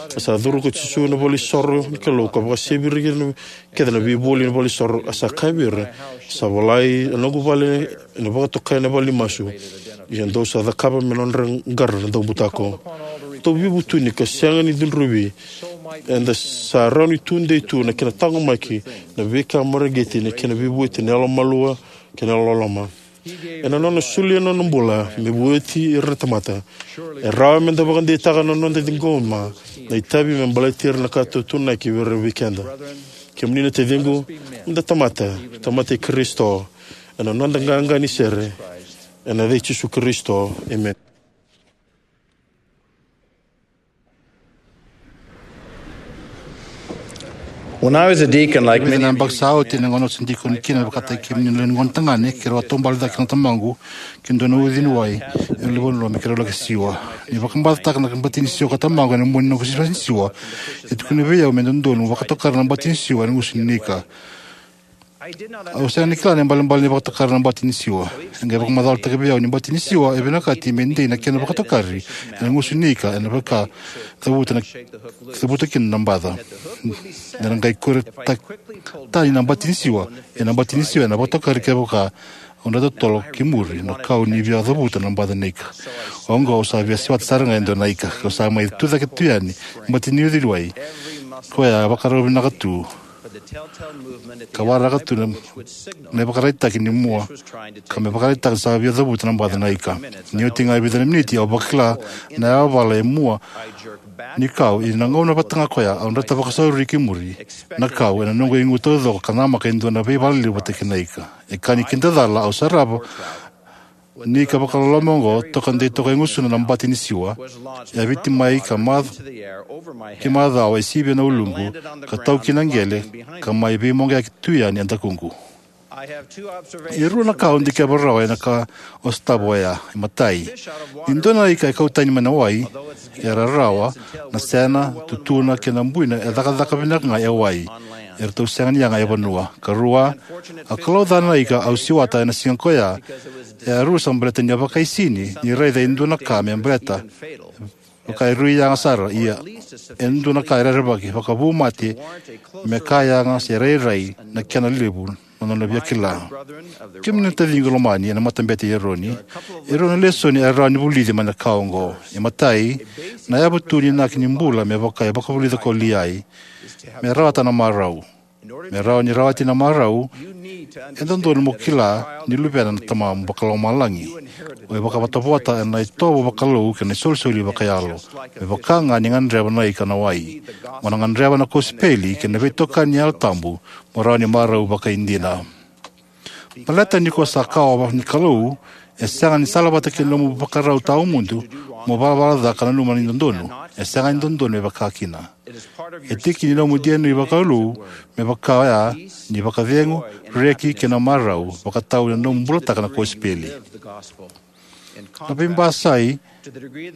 A sa curu ko Jisu ena valenisoro ni Kalou ka vakasevi ira kece na veivoli ena valenisoro. A sa kaya vei ira, sa volai a noqu vale ena vakatokai na vale ni masu. Ia dou sa cakava me nodra qara na daubutako. Dou veivutuni ka sega ni cudruvi, eda sa rawa ni tudei tu na kena taqomaki na veika mareqeti, na kena veivueti, na yalomalua kei na yalololoma. Ena nona solia na nona bula me vueti ira na tamata, e rawa meda vakadeitaka na noda ciqoma na itavi me baleti ira na ka tautuanaki vei ira vei keda. Kemuni na taciqu, meda tamata, tamata i Karisito, ena noda qaqa ni sere, ena yaca i Jisu Karisito, emeni. When I was a deacon, like Vica many na of yabaki you, sa oti, ena gauna au se dikoni kina, vakataki kemuni na lewe ni gone tagane, keirau a taubale cake na tamaqu ki na dua na uciwai e Luvena, me keirau laki siwa. Ni vakabatataka na bati ni siwa ko tamaqu ena mua ni noqu bati ni siwa, e tukuni vei au me dodonu vakatokara na bati ni siwa ena gusu ni ika. Au sega ni kila na ibalebale ni vakatokara na bati ni siwa. E qai vakamacalataki vei au ni bati ni siwa e vinakati me dei na kena vakatokari ena gusu ni ika, ena vaka cavuta na, cavuta kina na baca. Ena qai kure ta-, tani na bati ni siwa, ena bati ni siwa ena vakatokari kevaka au dra totolo ki muri na kau ni via cavuta na baca na ika. Oqo au sa via siwata sara ga e dua na ika, kau sa mai tucake tu yani bati ni uciwai. Koya e vakarau vinaka tu ka waraka tu na, na ivakaraitaki ni mua, ka me vakaraitaka ni sa via cavuta na baca na ika. Ni oti ga e vica na miniti, au vakila na yavala e mua ni kau, ia na gauna vata ga koya au drata vakasauri ki muri na kau ena noqu igu taucoko ka namaka e dua na veivala levu vata kei na ika. E ka ni kida cala, au sarava ni ika vakaloloma oqo toka dei toka e gusuna na bati ni siwa, e yaviti mai ka mac-, ki macawa, e sivia na uluqu, ka tau ki na qele, ka mai veimoqeaki tu yani e dakuqu. E rua na ka au dikeva rawa ena ka o sotava oya. E matai, ni dua na ika e kau tani mai na wai, e rarawa, na sena, tutuna kei na buina e cakacaka vinaka ga e wai. Eratou sega ni yaga e vanua. Ka rua, a kalouca na ika au siwata ena siga koya, e a rusa baleta ni a vakaisini ni raica e dua na ka me baleta, vaka e rui yaga sara, ia e dua na ka e rerevaki vakavu mate, me ka yaga se rairai na kena levu na nona via kila. Kemuni na taciqu lomani ena matabete i Eroni, e rua na lesoni e rawa ni vulici mai na ka oqo. E matai, na yavu tu ni inaki ni bula me vaka e vakavulica ko Liai, me rawata na marau. Me rawa ni rawati na marau, e dodonu mo kila ni luvena na Tamamu Vakalomalagi. O iko e vakavotavota ena itovo vakalou kei na isolisoli vakayalo, me vaka ga ni gadreva na ika na wai. Mo na gadreva na kosipeli kei na veitokani ni Yalo Tabu, mo rawa ni marau vakaidina. Baleta ni ko sa kawa ni Kalou, e sega ni salavata kei na nomu vakarau tawamudu mo valavala ca ka nanuma ni dodonu. E sega ni dodonu me vaka kina. E tiki ni nomu D N A vakalou me vaka oya ni vakacegu, reki kei na marau, vakatau ena nomu bulataka na kosipeli. Na veibasai,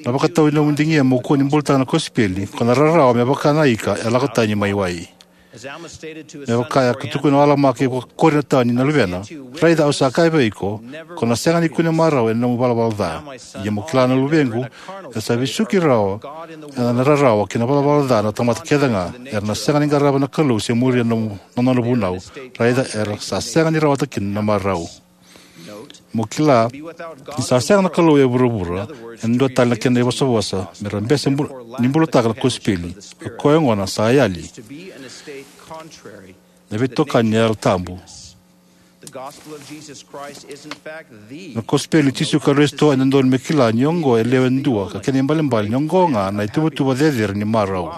na vakatau ni nomu digia mo kua ni bulataka na kosipeli, ko na rarawa me vaka na ika e lako tani mai wai. Me vaka e a tukuna o Alama ki vakaKorinitoni na luvena, raica au sa kaya vei iko, ko na sega ni kune marau ena nomu valavala ca. Ia mo kila na luvequ, era sa vesuki rawa ena rarawa kei na valavala ca na tamata kece ga, era na sega ni qarava na Kalou se muria na, na nona vunau. Raica era sa sega ni rawata kina na marau. Mo kila, ni sa sega na Kalou e vuravura, ena dua tale na kena ivosavosa, me ra bese bu-, ni bulataka na kosipeli. O koya gona sa yali. Na veitokani ni Yalo Tabu. Na kosipeli i Jisu Karisito e dodonu me kila ni oqo e lewe dua, ka kena ibalebale ni oqo ga na ituvatuva cecere ni marau.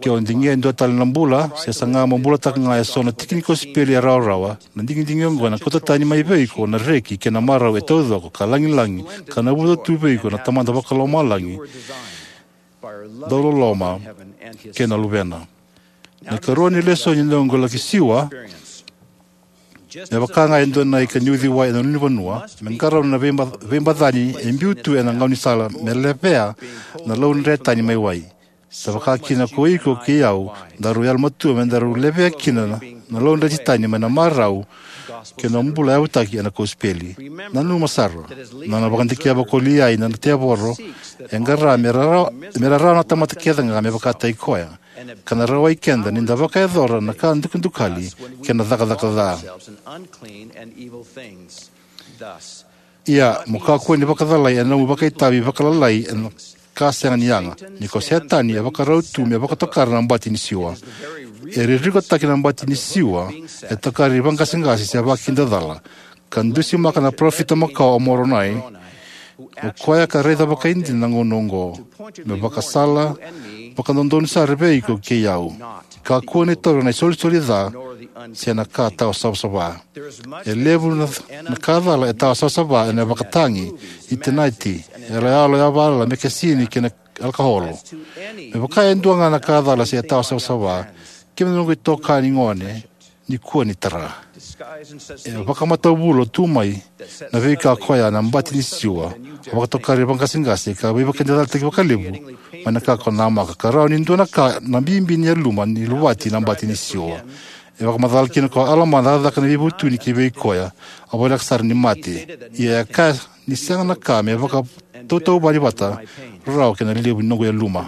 Ke o digia e dua tale na bula, se saga mo bulataka ga eso na tiki ni kosipeli e rawarawa, na digidigi oqo ena kauta tani mai vei iko na reki kei na marau e taucoko ka lagilagi ka navuca tu vei iko na Tamada Vakalomalagi, dauloloma, kei na Luvena. Na ikarua ni lesoni ni noqu laki siwa, me vaka ga e dua na ika ni uciwai ena ulunivanua, me qarauna na veiba-, veibacani e biu tu ena gaunisala me levea na laudre tani mai wai. Sa vaka kina ko iko kei au, daru yalomatua me daru levea kina na, na laudre tani mai na marau kei na bula yavutaki ena kosipeli. Nanuma sara, na nona vakadikeva ko Liai na tevoro e qara me rarawa, me rarawa na tamata kece ga me vakataki koya, ka na rawai keda ni da vakayacora na ka dukadukali kei na cakacaka ca. Ia, mo kakua ni vakacalai ena nomu vakaitavi vakalalai ena ka sega ni yaga, ni ko Setani e vakarau tu me vakatokara na bati ni siwa. E ririkotaki na bati ni siwa, e tokari vaqaseqase se vakidacala, ka dusimaka na parofita makawa o Moronai, o koya ka raica vakaidina na gauna oqo, me vakasala vakadodonu sara vei iko kei au. Kakua ni taura na isolisoli ca se na ka tawa savasava. E levu na, na ka cala e tawa savasava ena vakatagi, itinati, yaloyalo yavala, mekesini kei na alakaholo. Me vaka e dua ga na ka cala se tawa savasava, kemuni noqu itokani gone, ni kua ni tara. E vakamatavulo tu mai na veika koya na bati ni siwa, a vakatokari vaqaseqase ka veivakadinadinataki vakalevu mai na ka ko namaka, ka rawa ni dua na ka na bibi ni yaluma ni luvati na bati ni siwa. E vakamacala kina ko Alama na cakacaka ni veivutuni ki vei koya a voleka sara ni mate. Ia e kaya ni sega na ka me vakatautauvani vata rawa kei na levu ni noqu yaluma.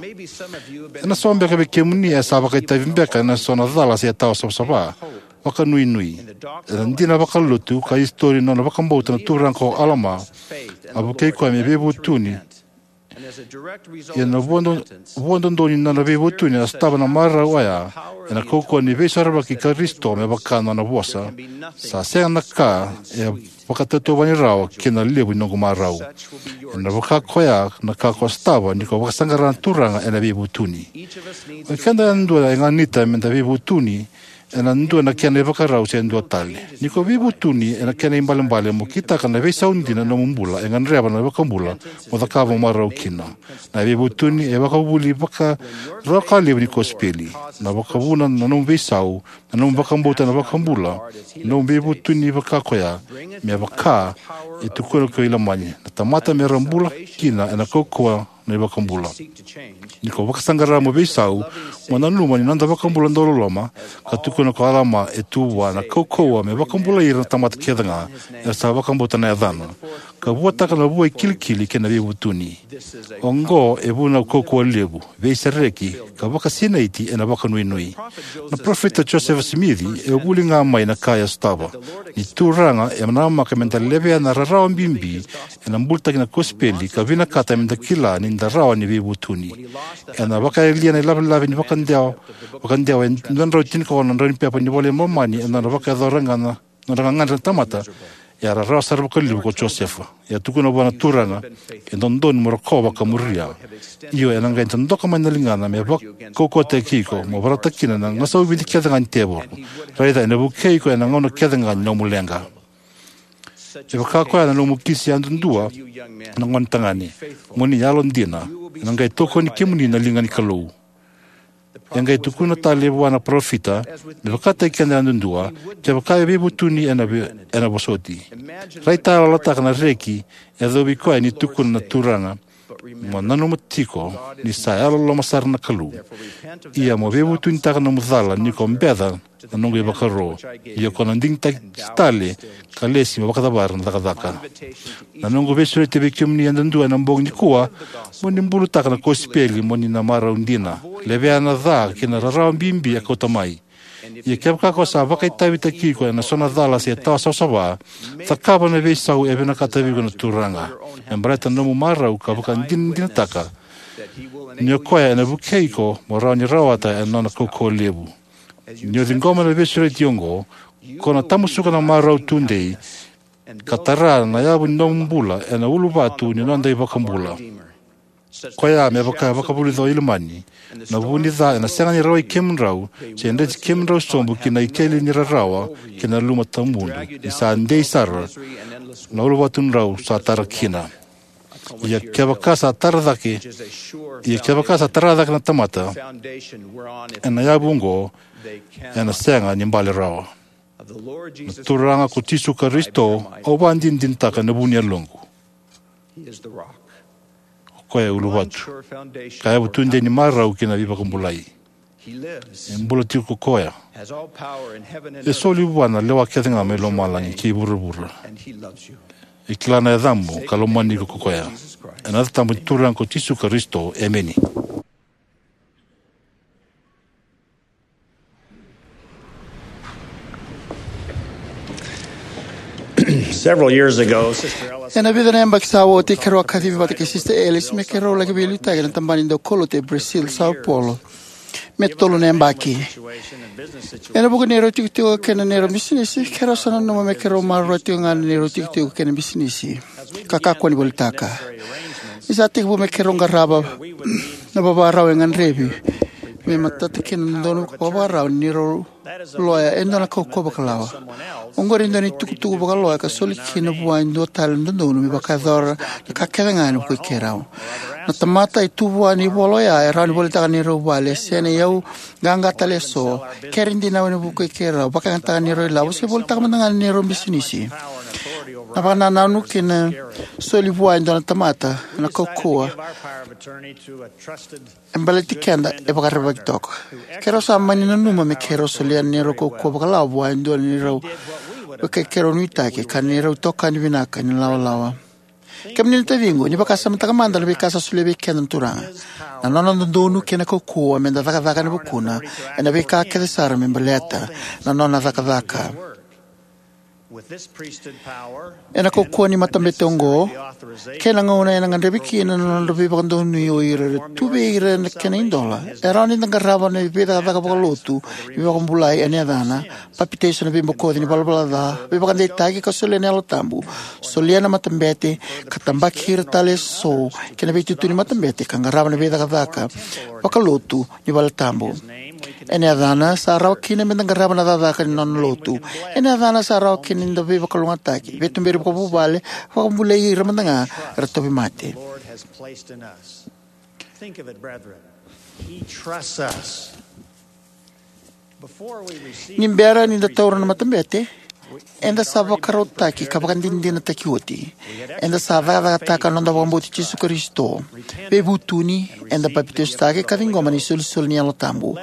Ena so beka vei kemuni e sa vakaitavi beka ena so na cala se tawa savasava, vakanuinui. Ena dina vakalotu ka isitori na nona vakabauta na turaga ko Alama, a vukei koya me veivutuni. Ia na vuado-, vuadodonu ni nona veivutuni a sotava na marau oya ena kaukauwa ni veisorovaki i Karisito me vaka na nona vosa, sa sega na ka e vakatautauvani rawa kei na levu ni noqu marau. Ena vaka koya na ka ko sotava ni ko vakasaqara na Turaga ena veivutuni. O keda yadua e ganita meda veivutuni ena dua na kena ivakarau se dua tale. Ni ko veivutuni ena kena ibalebale mo kitaka na veisau dina na nomu bula e gadreva na iVakabula mo cakava mo marau kina. Na veivutuni e vakavuvuli vakarawa ka levu ni kosipeli. Na vakavuna na nomu veisau, na nomu vakabauta na iVakabula, na nomu veivutuni vaka koya, me vaka e tukuna ko Ilamani, na tamata me ra bula kina ena kaukauwa na iVakabula. Ni ko vakasaqara mo veisau, mo nanuma ni noda iVakabula dauloloma, ka tukuna ko Alama e tu vua na kaukauwa me vakabulai ira na tamata kece ga era sa vakabauta na yacana, ka vuataka na vua e kilikili kei na veivutuni. Oqo e vunau kaukauwa levu, veisereki, ka vakasinaiti ena vakanuinui. Na parofita Josefa Simici e vuli ga mai na ka e sotava. Ni Turaga e namaka meda levea na rarawa bibi ena bulitaki na kosipeli ka vinakata meda kila ni da rawa ni veivutuni. Ena vakayalia na ilavelave ni vakadewa, vakadewa e dua na drau tinikaono na drau ni pepa ni iVola i Momani ena nona vakayacora ga na nodra gagadre na tamata, e a rarawa sara vakalevu ko Josefa. E a tukuna vua na Turaga, e dodonu mo rokova ka muria. Io, ena qai dodoka mai na ligana me vakaukauwataki iko, mo vorata kina na gasau vidi kece ga ni tevoro. Raica, ena vukei iko ena gauna kece ga ni nomu leqa. E vaka koya na nomu kisi yadudua na gone tagane. Mo ni yalodina, ena qai tokoni kemuni na liga ni Kalou. E qai tukuna tale vua na parofita, me vakataki keda yadudua, kevaka e veivutuni ena ve-, ena vosoti. Raitayaloyalotaka na reki e yacovi koya ni tukuna na Turaga, mo nanuma tiko ni sa yalololoma sara na Kalou. Ia mo veivutunitaka na nomu cala ni ko beca na noqu ivakaro. Ia ko na digitaki tale ka lesi mo vakacavara na cakacaka. Na noqu veisureti vei kemuni yadudua ena bogi nikua, mo ni bulutaka na kosipeli, mo ni na marau dina. Levea na ca kei na rarawa bibi e kauta mai. Ia kevaka ko sa vakaitavitaki iko ena so na cala se tawa savasava, cakava na veisau e vinakata vei iko na Turaga. Me baleta na nomu marau ka vakadinadinataka ni o koya ena vukei iko mo rawa ni rawata ena nona kaukauwa levu. Ni o ciqoma na veisureti oqo, ko na tamusuka na marau tudei, ka tara na yavu ni nomu bula ena uluvatu ni noda iVakabula. Koya me vaka vakavulica o Ilamani, na vu ni ca ena sega ni rawai kemudrau, se dreti kemudrau sobu ki na ikeli ni rarawa kei na luma tawamudu, ni sa dei sara na uluvatudrau sa tara kina. Ia kevaka sa tara cake, ia kevaka sa tara cake na tamata ena yavu oqo, ena sega ni bale rawa. Na Turaga ko Jisu Karisito, au vakadinadinataka ena vu ni yaloqu. O koya e uluvatu ka yavu tudei ni marau ki na veivakabulai. E bula tiko ko koya. E soli vua na lewa kece ga mai lomalagi kei vuravura. E kila na yacamu ka lomani iko ko koya. Ena yaca tabu ni Turaga ko Jisu Karisito, emeni. Several years ago, Sister Ellis Ena vica na yabaki sa oti, keirau a kacivi vata kei Sister Ellis me keirau laki veiliutaki ena tabana ni daukaulotu e Brazil, Sao Paulo, me tolu na yabaki. Ena vuku ni neirau itikotiko kei na neirau bisinisi, keirau sa nanuma me keirau maroroya tiko ga na neirau itikotiko kei na bisinisi ka kakua ni volitaka. Ni sa tekivu me keirau qarava na vakavakarau e gadrevi me matata kina na dodonu vakavakarau ni neirau loya e dua na kaukauwa vakalawa. Oqori e dua na itukutuku vakaloya ka soli kina vua e dua tale na dodonu me vakayacora na ka kece ga ena vukei keirau. Na tamata e tu vua na ivola oya e rawa ni volitaka na neirau vale, se na iyau qaqa tale eso, kere dinau ena vukei keirau, vakayagataka na neirau ilavo, se volitaka mada ga na neirau bisinisi. Na vakanananu kei na soli vua e dua na tamata na kaukauwa e baleti keda e vakarerevaki toka. Keirau sa mani nanuma me keirau solia na neirau kaukauwa vakalawa vua e dua na neirau veika keirau nuitaki ka neirau itokani vinaka ni lawalawa. Kemuni na taciqu, ni vakasamataka mada na veika sa solia vei keda na Turaga. Na nona dodonu kei na kaukauwa meda cakacaka ena vukuna ena veika kece sara me baleta na nona cakacaka. Ena kaukauwa ni matabete oqo kei na gauna ena gadrevi kina na nodra veivakadonui o ira era tu vei ira na kena idola, e rawa ni da qarava na veicakacaka vakalotu ni veivakabulai ena yacana, papitaiso ena veibokoci ni valavala ca, veivakadeitaki ka solia na Yalo Tabu, solia na matabete ka tabaki ira tale eso ki na veitutu ni matabete, ka qarava na veicakacaka vakalotu ni valetabu. Ena yacana sa rawa kina meda qarava na cakacaka ni nona lotu. Ena yacana sa rawa kina ni da veivakalougatataki, veituberi vakavuvale, vakabulai ira mada ga era tauvimate. Think of it, brethren. He trusts us. Ni bera ni da taura na matabete, eda sa vakarautaki ka vakadinadinataki oti. Eda sa cakacakataka na noda vakabauti Jisu Karisito, veivutuni, eda papitaisotaki ka ciqoma na isolisoli ni Yalo Tabu.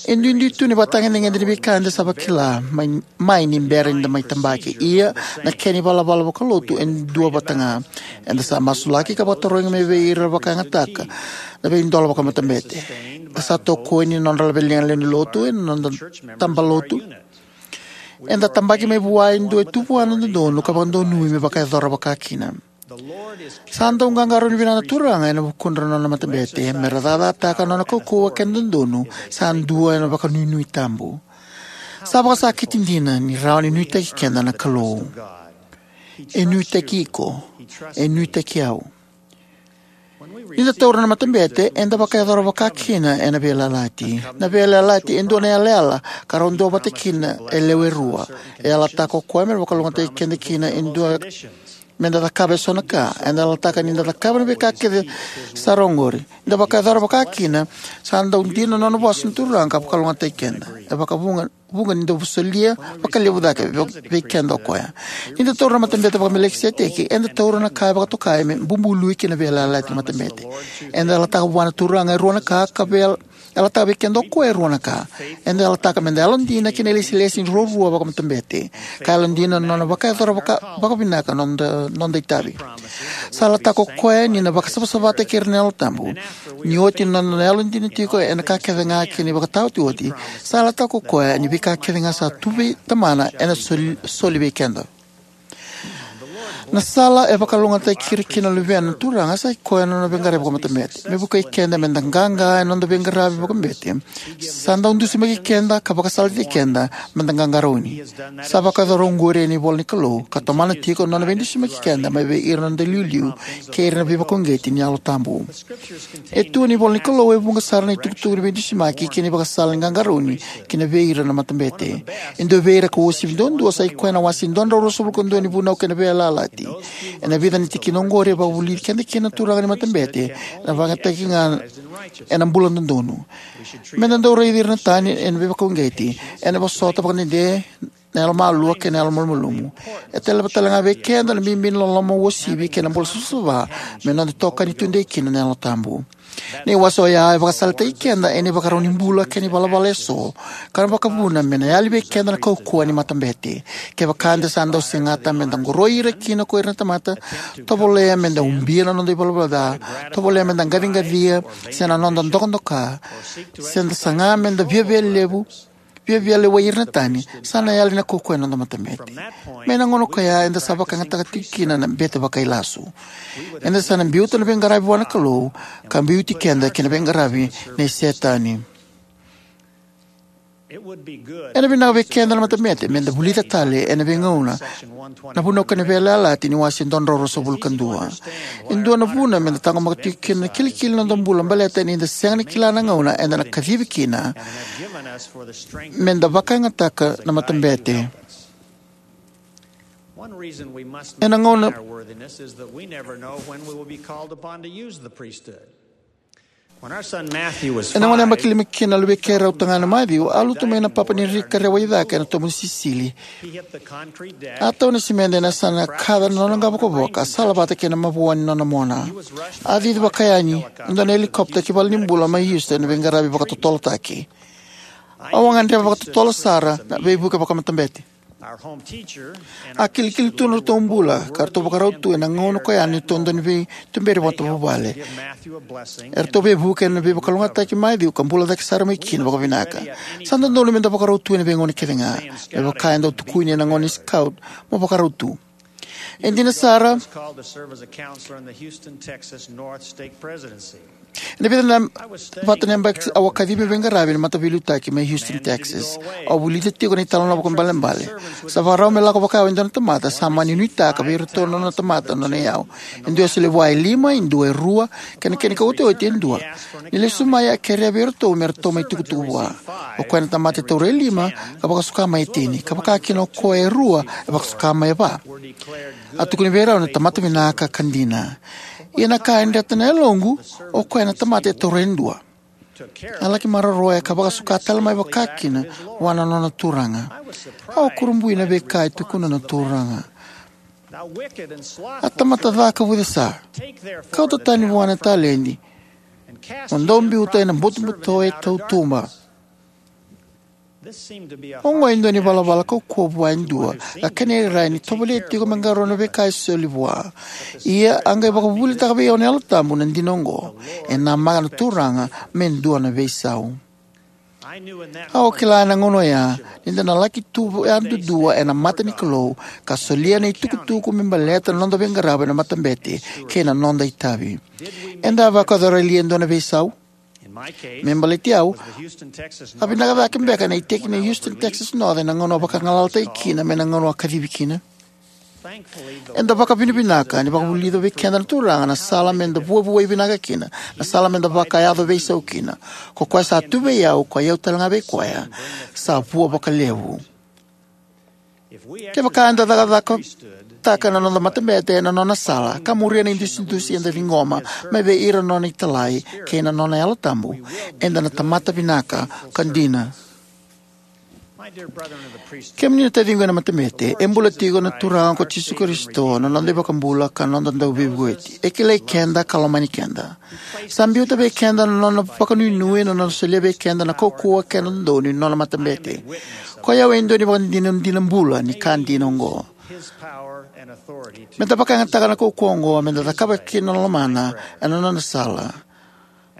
E duidui tu na ivakatagedegede ni veika eda sa vakila mai, mai ni bera ni da mai tabaki. Ia, na kena ivalavala vakalotu e dua vata ga. Eda sa masulaki ka vakatarogi mai vei ira vakayagataka na veidola vakamatabete. Eda sa tokoni ena nodra laveliga na lewe ni lotu ena noda taba lotu. Eda tabaki mai vua e dua e tu vua na dodonu ka vakadonui me vakayacora vakakina. Sa dau qaqarauni vinaka na Turaga ena vukudra na nona matabete mera cakacakataka na nona kaukauwa kei na dodonu sa dua ena vakanuinui tabu. Sa vakasakiti dina ni rawa ni nuitaki keda na Kalou. E nuitaki iko. E nuitaki au. Ni da taura na matabete, eda vakayacora vakakina ena veiyalayalati. Na veiyalayalati e dua na yalayala ka rau duavata kina e lewe rua. E yalataka o koya me vakalougatataki keda kina e dua meda cakava eso na ka. Eda yalataka ni da cakava na veika kece sara oqori. Ni da vakayacora vakakina, sa dau dina na nona vosa na Turaga ka vakalougatataki keda. E vakavuqa, vuqa ni dau solia vakalevu cake vei, vei keda o koya. Ni da taura na matabete vakaMelekiseteki, eda taura na ka e vakatokai me bubului kina veiyalayalati na matabete. Eda yalataka vua na Turaga e rua na ka, ka vei yalataka vei keda o koya e rua na ka. Eda yalataka meda yalodina ki na ilesilesi ni ruarua vakamatabete, ka yalodina na nona vakayacora vaka, vakavinaka na noda, noda itavi. Sa yalataka o koya ni na vakasavasavataki ira na Yalo Tabu. Ni oti na noda yalodina tiko ena ka kece ga kei na ivakataotioti, sa yalataka o koya ni veika kece ga sa tu vei Tamana ena soli, soli vei keda. Na sala e vakalougatataki ira kina na luvena na Turaga sa i koya na nona veiqaravi vakamatabete. Me vukei keda meda qaqa ena noda veiqaravi vakamatabete, sa dau dusimaki keda ka vakasalataki keda meda qaqarauni. Sa vakayacora oqori ena ivola ni Kalou, ka tomana tiko na nona veidusimaki keda mai vei ira na noda iliuliu kei ira na veivakauqeti ni Yalo Tabu. E tu ena ivola ni Kalou e vuqa sara na itukutuku ni veidusimaki kei na ivakasala ni qaqarauni kina vei ira na matabete. E dua vei ira ka uasivi duadua sa i koya na wase dua na drau ruasagavulu ka dua ni Vunau kei na Veiyalayalati. Ena vica na tikina oqori e vakavulici keda kina na turaga ni matabete, na vakayagataki ga ena bula dodonu. Meda dau raici ira na tani ena veivakauqeti, ena vosota vakadede na yalomalua kei na yalomalumalumu. E taleva tale ga vei keda na bibi ni loloma uasivi kei na bula savasava me noda itokani tudei kina na Yalo Tabu. Na iwase oya e vakasalataki keda ena ivakarau ni bula kei na ivalavala eso, ka na vakavuna me na yali vei keda na kaukauwa ni matabete. Kevaka eda sa dau segata meda qoroi ira kina ko ira na tamata, tovolea meda ubia na noda ivalavala ca, tovolea meda qaciqacia, se na noda dokadoka, se da saga meda viavia levu, viavia lewai ira na tani, sa na yali na kaukauwa ena noda matabete. Mai na gauna ko ya eda sa vakayagataka tiko kina na bete vakailasu. Eda sa na biuta na veiqaravi vua na Kalou, ka biuti keda ki na veiqaravi nei Setani. Ena vinaka vei keda na matabete meda vulica tale ena veigauna na Vunau kei na Veiyalayalati ni wase dua na drau ruasagavulu ka dua. E dua na vuna meda taqomaka tiko kina na kilikili ni noda bula baleta ni da sega ni kila na gauna eda na kacivi kina meda vakayagataka na matabete. One reason we must Ena gauna maintain our worthiness is that we never know when we will be called upon to use the priesthood. When our son Matthew was Ena gauna e five, vakilima kina na luvei keirau tagane o Maciu, a lutu mai na papa ni rika rewai cake ena tobu ni sisili. He hit the concrete deck. A tau na simede ena yasana, kaca na nona qavokavoka, salavata kei na mavoa ni nona mona. A cici vakayani e dua na helicopter ki valenibula mai Houston ena veiqaravi vakatotolotaki. Au a gadreva vakatotolo sara na veivuke vakamatabete. Our home teacher and A kilikili tu na nodratou bula, ka ratou vakarau tu ena gauna ko ya na neitou dau ni veituberi vakavuvale. Eratou veivuke ena veivakalougatataki mai Maciu ka bula cake sara mai kina vakavinaka. Sa dodonu meda vakarau tu ena veigauna kece ga. Me vaka e dau tukuni ena gauna ni scout, mo vakarau tu. E dina sara, Called to serve as a counselor in the Houston, Texas North Stake Presidency. Ena vica na, vata na yabaki au a kacivi meu veiqaravi ena mataveiliutaki mai Houston, Texas. Au vulica tiko na italanoa vakaibalebale. Sa vakarau me lako vakayawa e dua na tamata, sa mani nuitaka vei iratou na nona tamata na nona iyau. E dua e solia vua e lima, e dua e rua, kei na kena ikaotioti e dua. Ni lesu mai a kerea vei iratou me ratou mai tukutuku vua. O koya na tamata e taura e lima, ka vakasuka mai e tini, ka vaka kina o koya e rua, e vakasuka mai e va. A tukuni vei rau na tamata vinaka ka dina. Ia na ka e dreta na yaloqu, o koya na tamata e taura e dua. A laki maroroya ka vakasuka tale mai vakakina vua na nona turaga. Au kurabui na veika e tukuna na turaga. A tamata ca ka vucesa, kauta tani vua na taledi, mo dau biuta ena butobuto e tautuba. Oqo e dua na ivalavala kaukauwa vua e dua, ka kena irairai ni tovolea tiko me qarauna na veika e soli vua. Ia a qai vakavuvulitaka vei au na Yalo Tabu na dina oqo. E namaka na Turaga me dua na veisau. Au kila ena gauna oya ni da na laki tu yadudua ena mata ni Kalou, ka solia na itukutuku me baleta na noda veiqaravi ena matabete kei na noda itavi. Eda a vakayacora li e dua na veisau? Me baleti au, a vinaka cake beka na iteki ni Houston, Texas North ena gauna a vakagalalataki kina mai na gauna a kacivi kina? Eda vakavinavinaka ni vakavulica vei keda na Turaga na sala meda vuavuai vinaka kina, na sala meda vakayaco veisau kina. Ko koya sa tu vei au, ko i au talega vei koya, sa vua vakalevu. Kevaka eda cakacakataka na noda matabete ena nona sala, ka muria na idusidusi eda ciqoma mai vei ira na nona italai kei na nona Yalo Tabu, eda na tamata vinaka ka dina. Kemuni na taciqu ena matabete, e bula tiko na Turaga ko Jisu Karisito, na noda iVakabula ka noda Dauveivueti. E kilai keda ka lomani keda. Sa biuta vei keda na nona vakanuinui, na nona solia vei keda na kaukauwa kei na dodonu ni nona matabete. Ko i au e dua ni vakadinadina bula ni ka dina oqo. Meda vakayagataka na kaukauwa oqo meda cakava kina na lomana ena nona sala.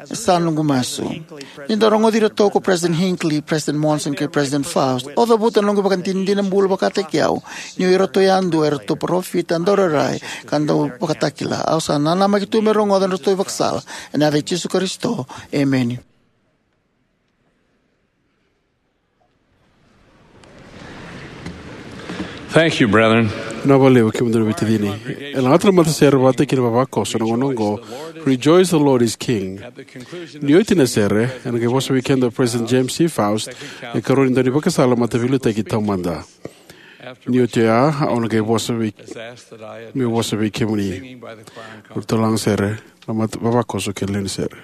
Sa noqu masu. Ni da rogoci iratou ko President Hinckley, President Monson kei President Faust, au cavuta na noqu ivakadinadina bula vakataki au ni o iratou yadua eratou parofita, daurairai ka dauvakatakila. Au sa nanamaki tu me rogoca na nodratou ivakasala. Ena yaca i Jisu Karisito, emeni. Thank you, brethren. Vinaka vakalevu kemudou na veitacini. E lagata na matasere vata kei na vavakoso ena gauna oqo, Rejoice, the Lord is King. Ni oti na sere, ena qai vosa vei keda o President James C. Faust, na ikarua ni daunivakasala mataveiliutaki taumada. Ni oti oya, au na qai vosa vei, meu vosa vei kemuni. Ura turaga sere, vavakoso kei na lewe ni sere.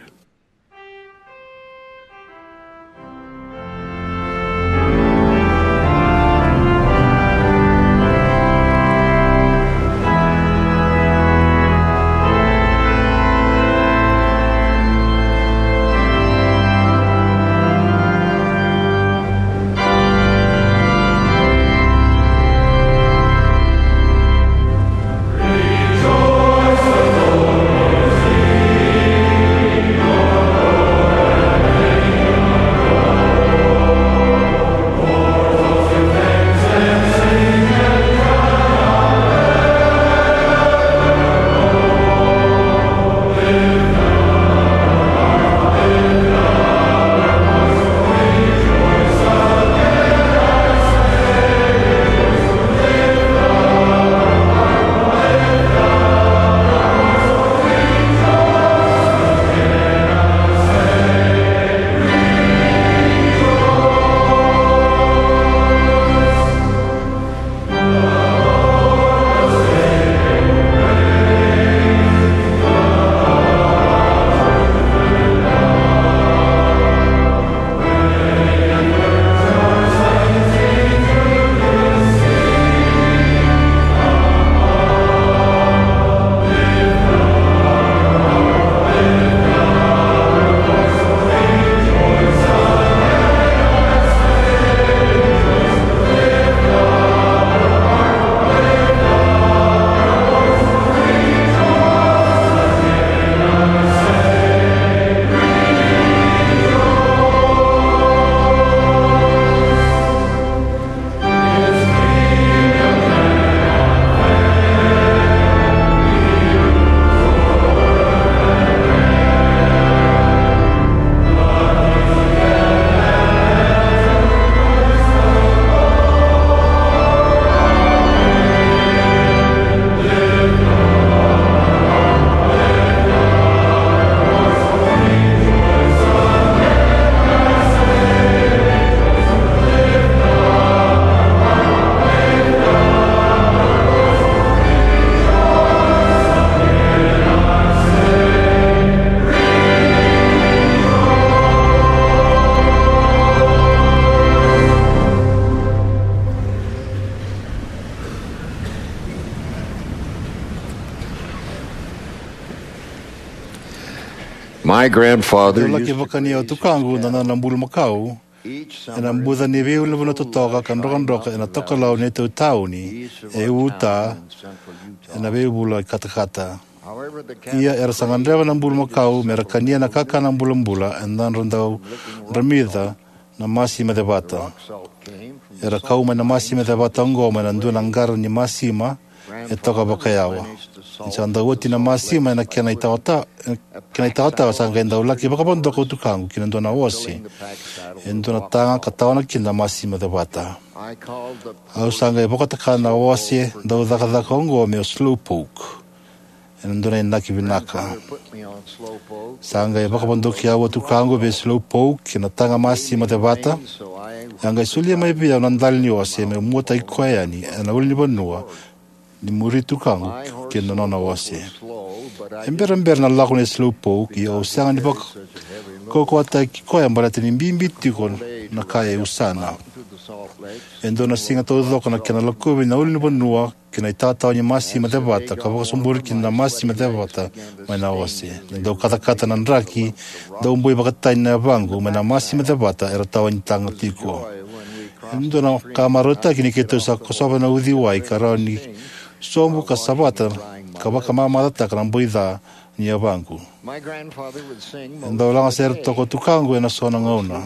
My grandfather Dau laki used to vakania o tukaqu na nona bulumakau ena buca ni veiulunivanua totoka ka drokadroka ena tokalau ni neitou tauni e Utah ena veivula i katakata. Ia era sa gadreva na bulumakau me ra kania na kakana bulabula ena nodra dau dramica na masima cevata. Era kau mai na masima cevata oqo mai na dua na qara ni masima e toka vakayawa. Ni sa dau oti na masima ena kena itawatawa, kena itawatawa sa qai dau laki vakavodoka o tukaqu ki na dua na ose e dua na taga ka tawana kina na masima cevata. Au sa qai vakatakana na ose dau cakacaka oqo me o Slowpoke ena dua na inaki vinaka. Sa qai vakavodoki au o tukaqu vei Slowpoke ena taga masima cevata. E a qai solia mai vei au na dali ni ose meu muataki koya yani ena ulunivanua ni muri tukaqu kei na nona ose. E berabera na lako nei Slowpoke, ia au sega ni vakaukauwataki koya baleta ni bibi tiko na ka e usana. E dua na siga taucoko na kena lakovi na ulunivanua kei na itawatawa ni masima cevata ka vakasoburi kina na masima cevata mai na ose. Ni dau katakata na draki, dau boi vakatani na yavaqu mai na masima cevata era tawa ni taga tiko. E dua na ka marautaki ni keitou sa kosova na uciwai ka rawa ni sobu ka savata ka vakamamacataka na boi ca ni yavaqu. E dau lagasere toka o tukaqu ena so na gauna.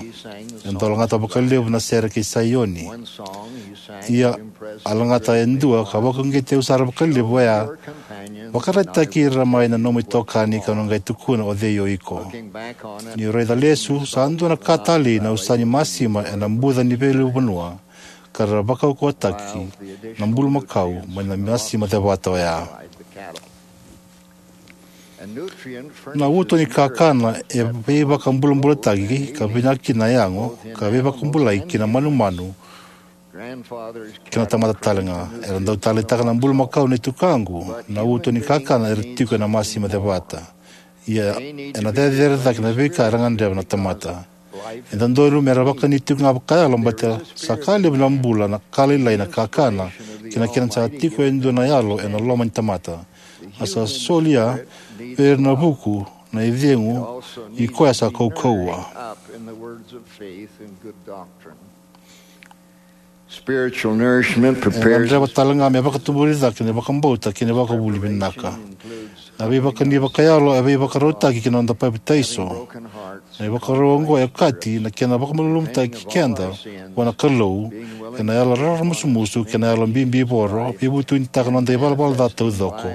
E dau lagata vakalevu na sere kei Saioni. Ia, a lagata e dua ka vakauqeti au sara vakalevu oya: Vakaraitaki ira mai na nomu itokani ka na qai tukuna o cei o iko. Niu raica lesu, sa dua na ka talei na usa ni masima ena buca ni veiulunivanua ka ra vakaukauwataki na bulumakau mai na masima cevata oya. Na uto ni kakana e veivakabulabulataki ka vinaka kina na yago ka veivakabulai ki na manumanu kei na tamata tale ga. Era dau taleitaka na bulumakau nei tukaqu na uto ni kakana era tiko ena masima cevata. Ia, ena cecere cake na veika era gadreva na tamata. E dodonu me ra vakani tiko ga vakayalo baleta sa ka levu na bula, na ka lailai na kakana, kei na kena sa tiko e dua na yalo ena loma ni tamata. A sa solia vei ira na vuku na icegu i koya sa kaukauwa. Spiritual nourishment E prepares gadreva tale ga me vakatuburi cake na vakabauta kei na vakavuvuli vinaka. Na veivakani vakayalo e veivakarautaki ki na noda papitaiso. Na ivakarau oqo e okati na kena vakamalumalumutaki keda vua na Kalou, ena yalo raramusumusu kei na yalo bibivoro, veivutunitaka na noda ivalavala ca taucoko,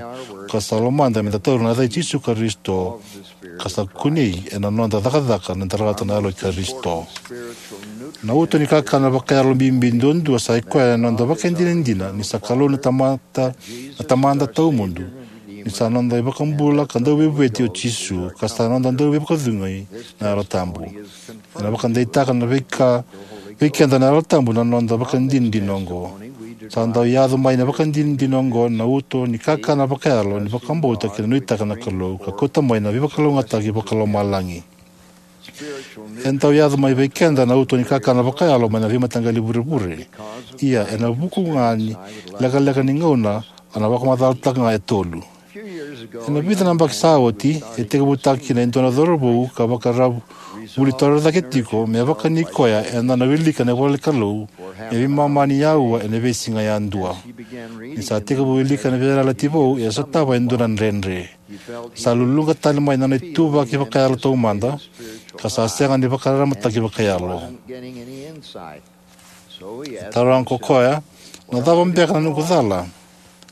ka sa lomada meda taura na yaca i Jisu Karisito, ka sa kunei ena noda cakacaka na darata na yalo i Karisito. Na uto ni kakana vakayalo bibi duadua sa ikoya na noda vakadinadina ni sa Kalou na Tamata, na Tamada tawamudu, ni sa noda iVakabula ka Dauveivueti o Jisu, ka sa noda Dauveivakacegui na Yalo Tabu. Ena vakadeitaka na veika vei keda na Yalo Tabu na noda vakadinadina oqo. Sa dau yaco mai na vakadinadina oqo na uto ni kakana vakayalo ni vakabauta kei na nuitaka na Kalou, ka kauta mai na veivakalougatataki vakalomalagi. E dau yaco mai vei keda na uto ni kakana vakayalo mai na veimataqali vurevure. Ia, ena vuku ga ni lekaleka ni gauna, a na vakamacalataka ga e tolu. Ena vica na yabaki sa oti, e tekivutaka kina e dua na cauravou ka vakararavuli torocake tiko me vakani koya e dua na wilika na ivola ni Kalou me veimama ni aua ena veisiga yadua. Ni sa tekivu wilika na Veiyalayalati Vou, e sotava e dua na dredre. Sa luluqa tale mai na nona ituvaki vakayalo taumada, ka sa sega ni vakararamataki vakayalo. E taroga ko koya, "Na cava beka na noqu cala?"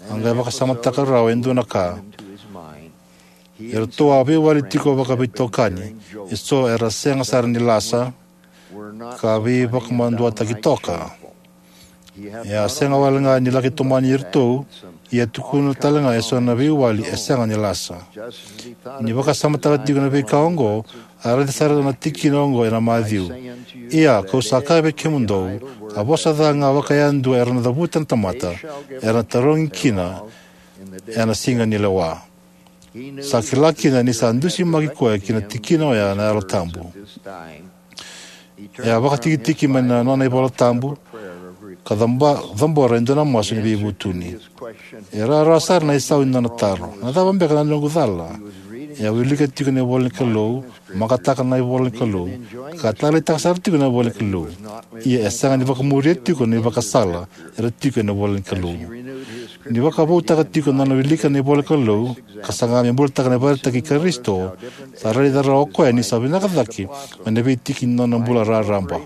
A qai vakasamataka rawa e dua na ka. E ratou a veiwali tiko vakaveitokani, eso era sega sara ni lasa, ka veivakamaduataki toka. E a sega wale ga ni laki tomani iratou, ia e tukuna tale ga eso na veiwali e sega ni lasa. Ni vakasamataka tiko na veika oqo, a raica sara na tikina oqo ena Maciu: "Ia, kau sa kaya vei kemudou, a vosa ca ga vakayadua era na cavuta na tamata, era na tarogi kina ena siga ni lewa." Sa kila kina ni sa dusimaki koya ki na tikina oya na Yalo Tabu. E a vakatikitiki mai na nona iVola Tabu, ka caba-, cabora e dua na masu ni veivutuni. E rawarawa sara na isau ni nona taro: "Na cava beka na noqu cala?" E a wilika tiko na ivola ni Kalou, makataka na ivola ni Kalou, ka taleitaka sara tiko na ivola ni Kalou. Ia e sega ni vakamuria tiko na ivakasala era tiko ena ivola ni Kalou. Ni vakavoutaka tiko na nona wilika na ivola ni Kalou, ka saga me bulataka na ivakaraitaki i Karisito, sa raica rawa o koya ni sa vinaka cake mai na veitiki ni nona bula raraba.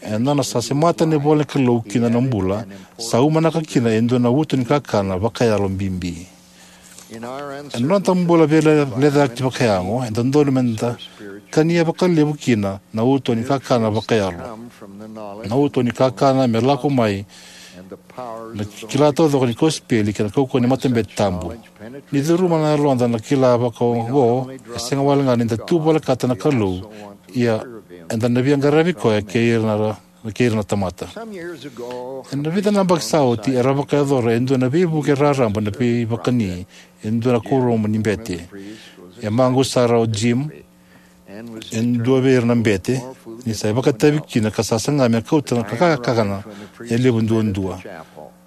Ena nona sa semata na ivola ni Kalou ki na nona bula, sa umanaka kina e dua na uto ni kakana vakayalo bibi. Ena noda bula veilecayaki vakayago, e dodonu meda kania vakalevu kina na uto ni kakana vakayalo. Na uto ni kakana me lako mai na kila taucoko ni kosipeli kei na kaukauwa ni matabete tabu. Ni curuma na yaloda na kila vakaoqo, e sega wale ga ni da tu volekata na Kalou, ia eda na via qaravi koya kei ira na, kei ira na tamata. Ena vica na yabaki sa oti, era vakayacora e dua na veivuke raraba na veivakani e dua na kuoramu ni bete. E maqusa sara o Jim, e dua vei ira na bete, ni sa ivakatavi kina ka sa saga me kauta na ka-, kakana e levu duadua.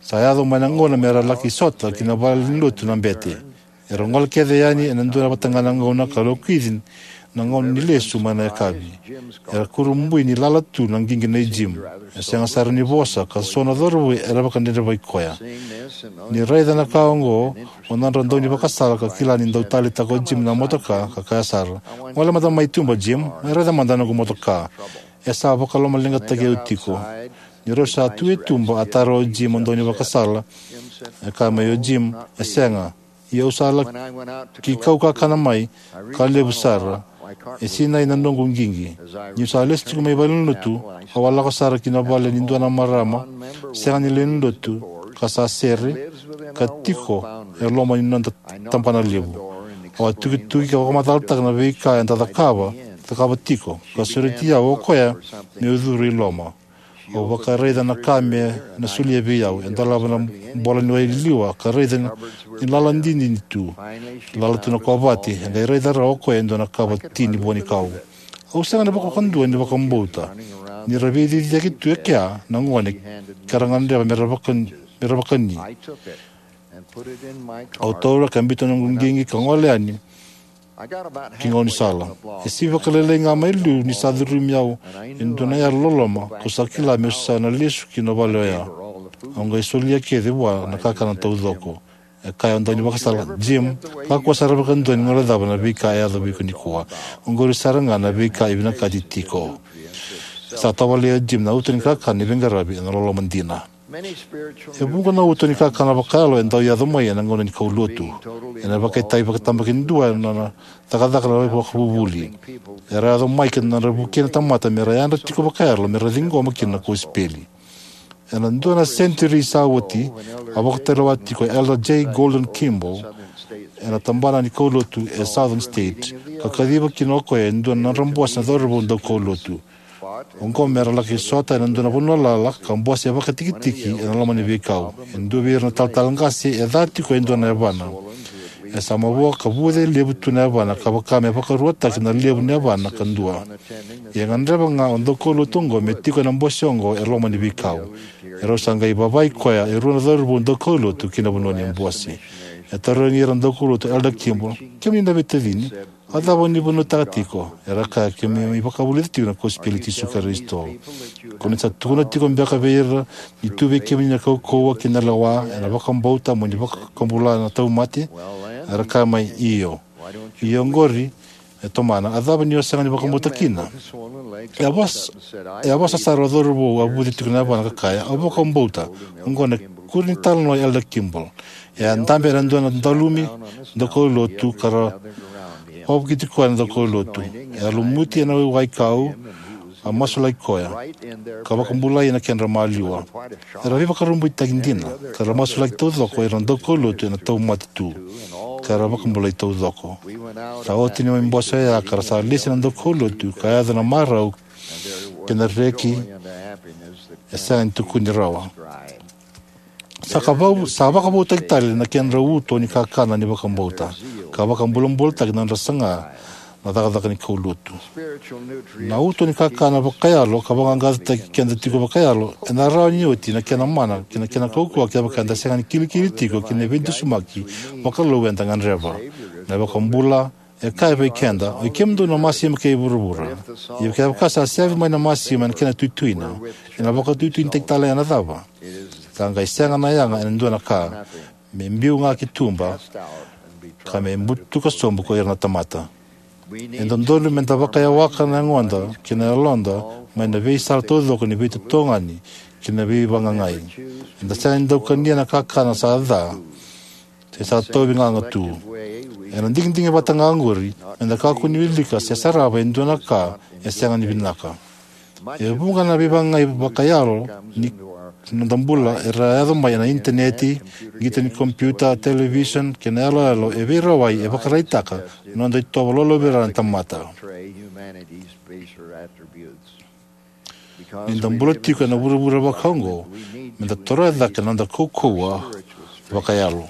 Sa yaco mai na gauna me ra laki sota ki na valenilotu na bete. Era gole kece yani ena dua vata ga na gauna ka lokici na gauna ni lesu mai na yakavi. Era kurabui ni lala tu na qiqi nei Jim. E sega sara ni vosa, ka so na cauravou era vakadredrevaki koya. Ni raica na ka oqo, o nodra daunivakasala ka kila ni dau taleitaka o Jim na motoka, ka kaya sara, "Gole mada mai tuba, Jim, me raica mada na noqu motoka. E sa vakalomaleqataki au tiko." Ni rau sa tu e tuba, a tara o Jim o daunivakasala. E kaya mai o Jim, "E sega. Ia au sa laki kau kakana mai, ka levu sara. E sinai na noqu qiqi. Niu sa lesu tiko mai valenilotu, au a lako sara ki na vale ni dua na marama sega ni lewenilotu, ka sa sere, ka tiko e loma ni noda tabana levu. Au a tukituki ka vakamacalataka na veika eda cakava, cakava tiko, ka sureti au o koya meu curu i loma. Au vakaraica na ka me na solia vei au. E dolava na bola ni wai liwa, ka raica ni lala didini tu. Lala tu na kovate, e qai raica rawa o koya e dua na kava tini vua ni kau. Au sega ni vakavakadua ni vakabauta ni ra veiciciyaki tu e kea na gone ka ra gadreva me ra vaka-, me ra vakani. Au taura ka biuta na noqu qiqi ka gole yani ki gaunisala. E sivaka lailai ga mai liu ni sa curumi au e dua na yalo loloma kau sa kila meu sa na lesu ki na vale oya. Au qai solia kece vua na kakana taucoko. E kaya o daunivakasala, "Jim, kakua sara vakadua ni guilecava na veika e yaco vei iko nikua. Oqori sara ga na veika e vinakati tiko." Sa tavalea o Jim na uto ni kakana ni veiqaravi ena loloma dina. E vuqa na uto ni kakana vakayalo e dau yaco mai ena gauna ni kaulotu. Ena vakaitavi vakatabakidua ena nona cakacaka na vakavuvuli. Era yaco mai ki na nodra vukei na tamata me ra yadra tiko vakayalo me ra ciqoma kina na kosipeli. Ena dua na senituri sa oti, a vakatulewa tiko o Elder J Gordon Kimball ena tabana ni kaulotu e Southern State, ka kaciva kina o koya e dua na nodra bose na cauravou daukaulotu. Oqo me ra laki sota ena dua na vanua lala ka bose vakatikitiki ena loma ni veikau. E dua vei ira na talatala qase e ca tiko e dua na yavana. E sa mavoa ka vuce levu tu na yavana ka vaka me vakaruataki na levu ni yavana ka dua. Ia e gadreva ga o daukaulotu oqo me tiko ena bose oqo e loma ni veikau. E rau sa qai vavai koya e rua na cauravou daukaulotu ki na vanua ni bose. E tarogi ira na daukaulotu o Elder Kimball, "Kemuni na veitacini, a cava ni vanua taka tiko?" Era kaya, "Keimami vakavulica tiko na kosipeli i Jisu Karisito." "Ko ni sa tukuna tiko beka vei ira ni tu vei kemuni na kaukauwa kei na lewa ena vakabauta mo ni vakabula na tauvimate?" Era kaya mai, "Io." "Io, oqori," e tomana, "a cava ni o sega ni vakabauta kina?" E a vosa, e a vosa sara o cauravou a vuce tiko na yavana ka kaya, "Au vakabauta." Oqo na ikuri ni talanoa i Elder Kimball. E a dabe ena dua na dalumi daukaulotu ka ra vakavukiti koya na daukaulotu. E a lumuti ena wai kau, a masulaki koya, ka vakabulai ena kedra maliwa. Era veivakurabuitaki dina, ka ra masulaki taucoko o ira na daukaulotu ena tauvimate tu, ka ra vakabulai taucoko. Sa oti na bose oya ka ra sa lesi na daukaulotu ka yaco na marau kei na reki e sega ni tukuni rawa. Sa ka vau-, sa vakavoutaki tale na kedra uto ni kakana ni vakabauta, ka vakabulabulataki na nodra saga na cakacaka ni kaulotu. Na uto ni kakana vakayalo ka vaqaqacotaki keda tiko vakayalo, ena rawa ni oti na kena mana kei na kena kaukauwa kevaka eda sega ni kilikili tiko ki na veidusimaki vakalou eda gadreva. Na iVakabula e kaya vei keda, "O i kemudou na masima kei vuravura. Ia kevaka sa sevi mai na masima ena kena tuituina, ena vakatuituinitaki tale ena cava? Sa qai sega na yaga ena dua na ka, me biu ga ki tuba, ka me butuka sobu ko ira na tamata." E dodonu meda vakayawaka na yagoda kei na yaloda mai na veisala taucoko ni veitotogani kei na veivagagai. Eda sega ni dau kania na kakana sa ca, se sa tauvi gaga tu. Ena digidigi vata ga oqori, meda kakua ni wilika se sarava e dua na ka e sega ni vinaka. E vuqa na veivagagai vakayalo ni noda bula era yaco mai ena initaneti, qito ni kompiuta, television, kei na yaloyalo e veirawai e vakaraitaka na noda itovo lolovira na tamata. Ni da bula tiko ena vuravura vakaoqo, me da toroya cake na noda kaukauwa vakayalo.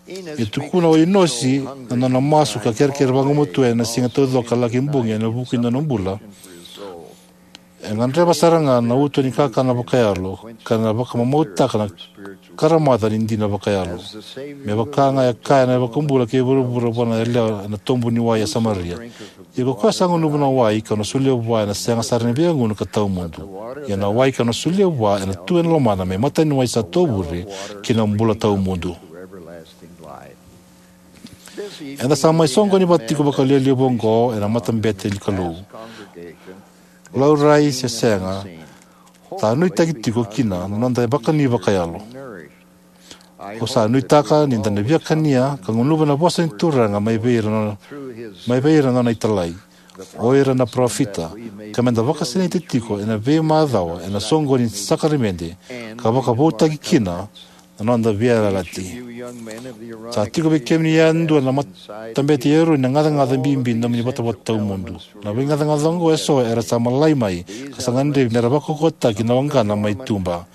E tukuna o Inosi na nona masu ka kerekere vagumatua ena siga taucoko ka laki bogi ena vuku ni nona bula. E gadreva sara ga na uto ni kakana vakayalo ka na vakamamautaka na karamaca ni dina vakayalo. Me vaka ga e kaya na iVakabula kei vuravura vua na yalewa ena tobu ni wai e Samaria. Ia ko koya sa gunuva na wai kau na solia vua ena sega sara ni via gunu ka tawamudu. Ia na wai kau na solia vua ena tu ena lomana me mataniwai sa tovure ki na bula tawamudu. Eda sa mai soqoni vata tiko vakalialiai oqo ena matabete ni Kalou. Laurai se sega, sa nuitaki tiko kina na noda vakani vakayalo. Au sa nuitaka ni da na via kania ka gunuva na vosa ni Turaga mai vei ira na, mai vei ira na nona italai, o ira na parofita, ka me da vakasinaiti tiko ena veimacawa ena soqoni ni sakaramede, ka vakavoutaki kina na noda veiyalayalati. Sa tiko vei kemuni yadua na matabete i Eroni na gacagaca bibi ni nomuni vatavata tawamudu. Na veigacagaca oqo eso era sa malai mai ka sa gadrevi me ra vakaukauwataki na waqana mai tuba.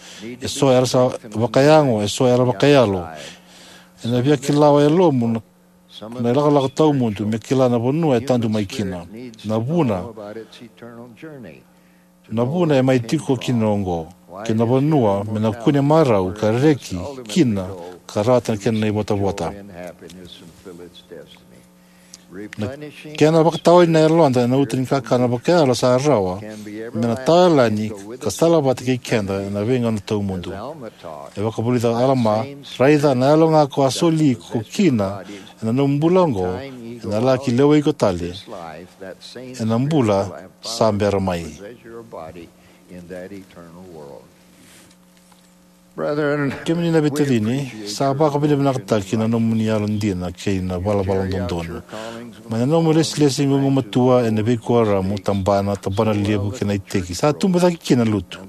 Eso era sa vakayago, eso era vakayalo. Ena via kila o yalomu na, na ilakolako tawamudu me kila na vanua e tadu mai kina, na vuna, na vuna e mai tiko kina oqo, kei na vanua me na kune marau ka reki kina ka rawata na kena ivotavota. Na kena vakataoni na yaloda ena uto ni kakana vakayalo sa rawa me na tawa yalani ka salavata kei keda ena veigauna tawamudu. E vakavulica o Alama, raica na yalo ga ko a soli iko kina ena nomu bula oqo, ena laki lewai iko tale ena bula sa bera mai. Kemuni na veitacini, sa vakavinavinakataki na nomuni yalodina kei na valavala dodonu. Mai na nomu lesilesi gugumatua ena veikuoramu, tabana, tabanalevu kei na iteki, sa tubu cake kina na lotu,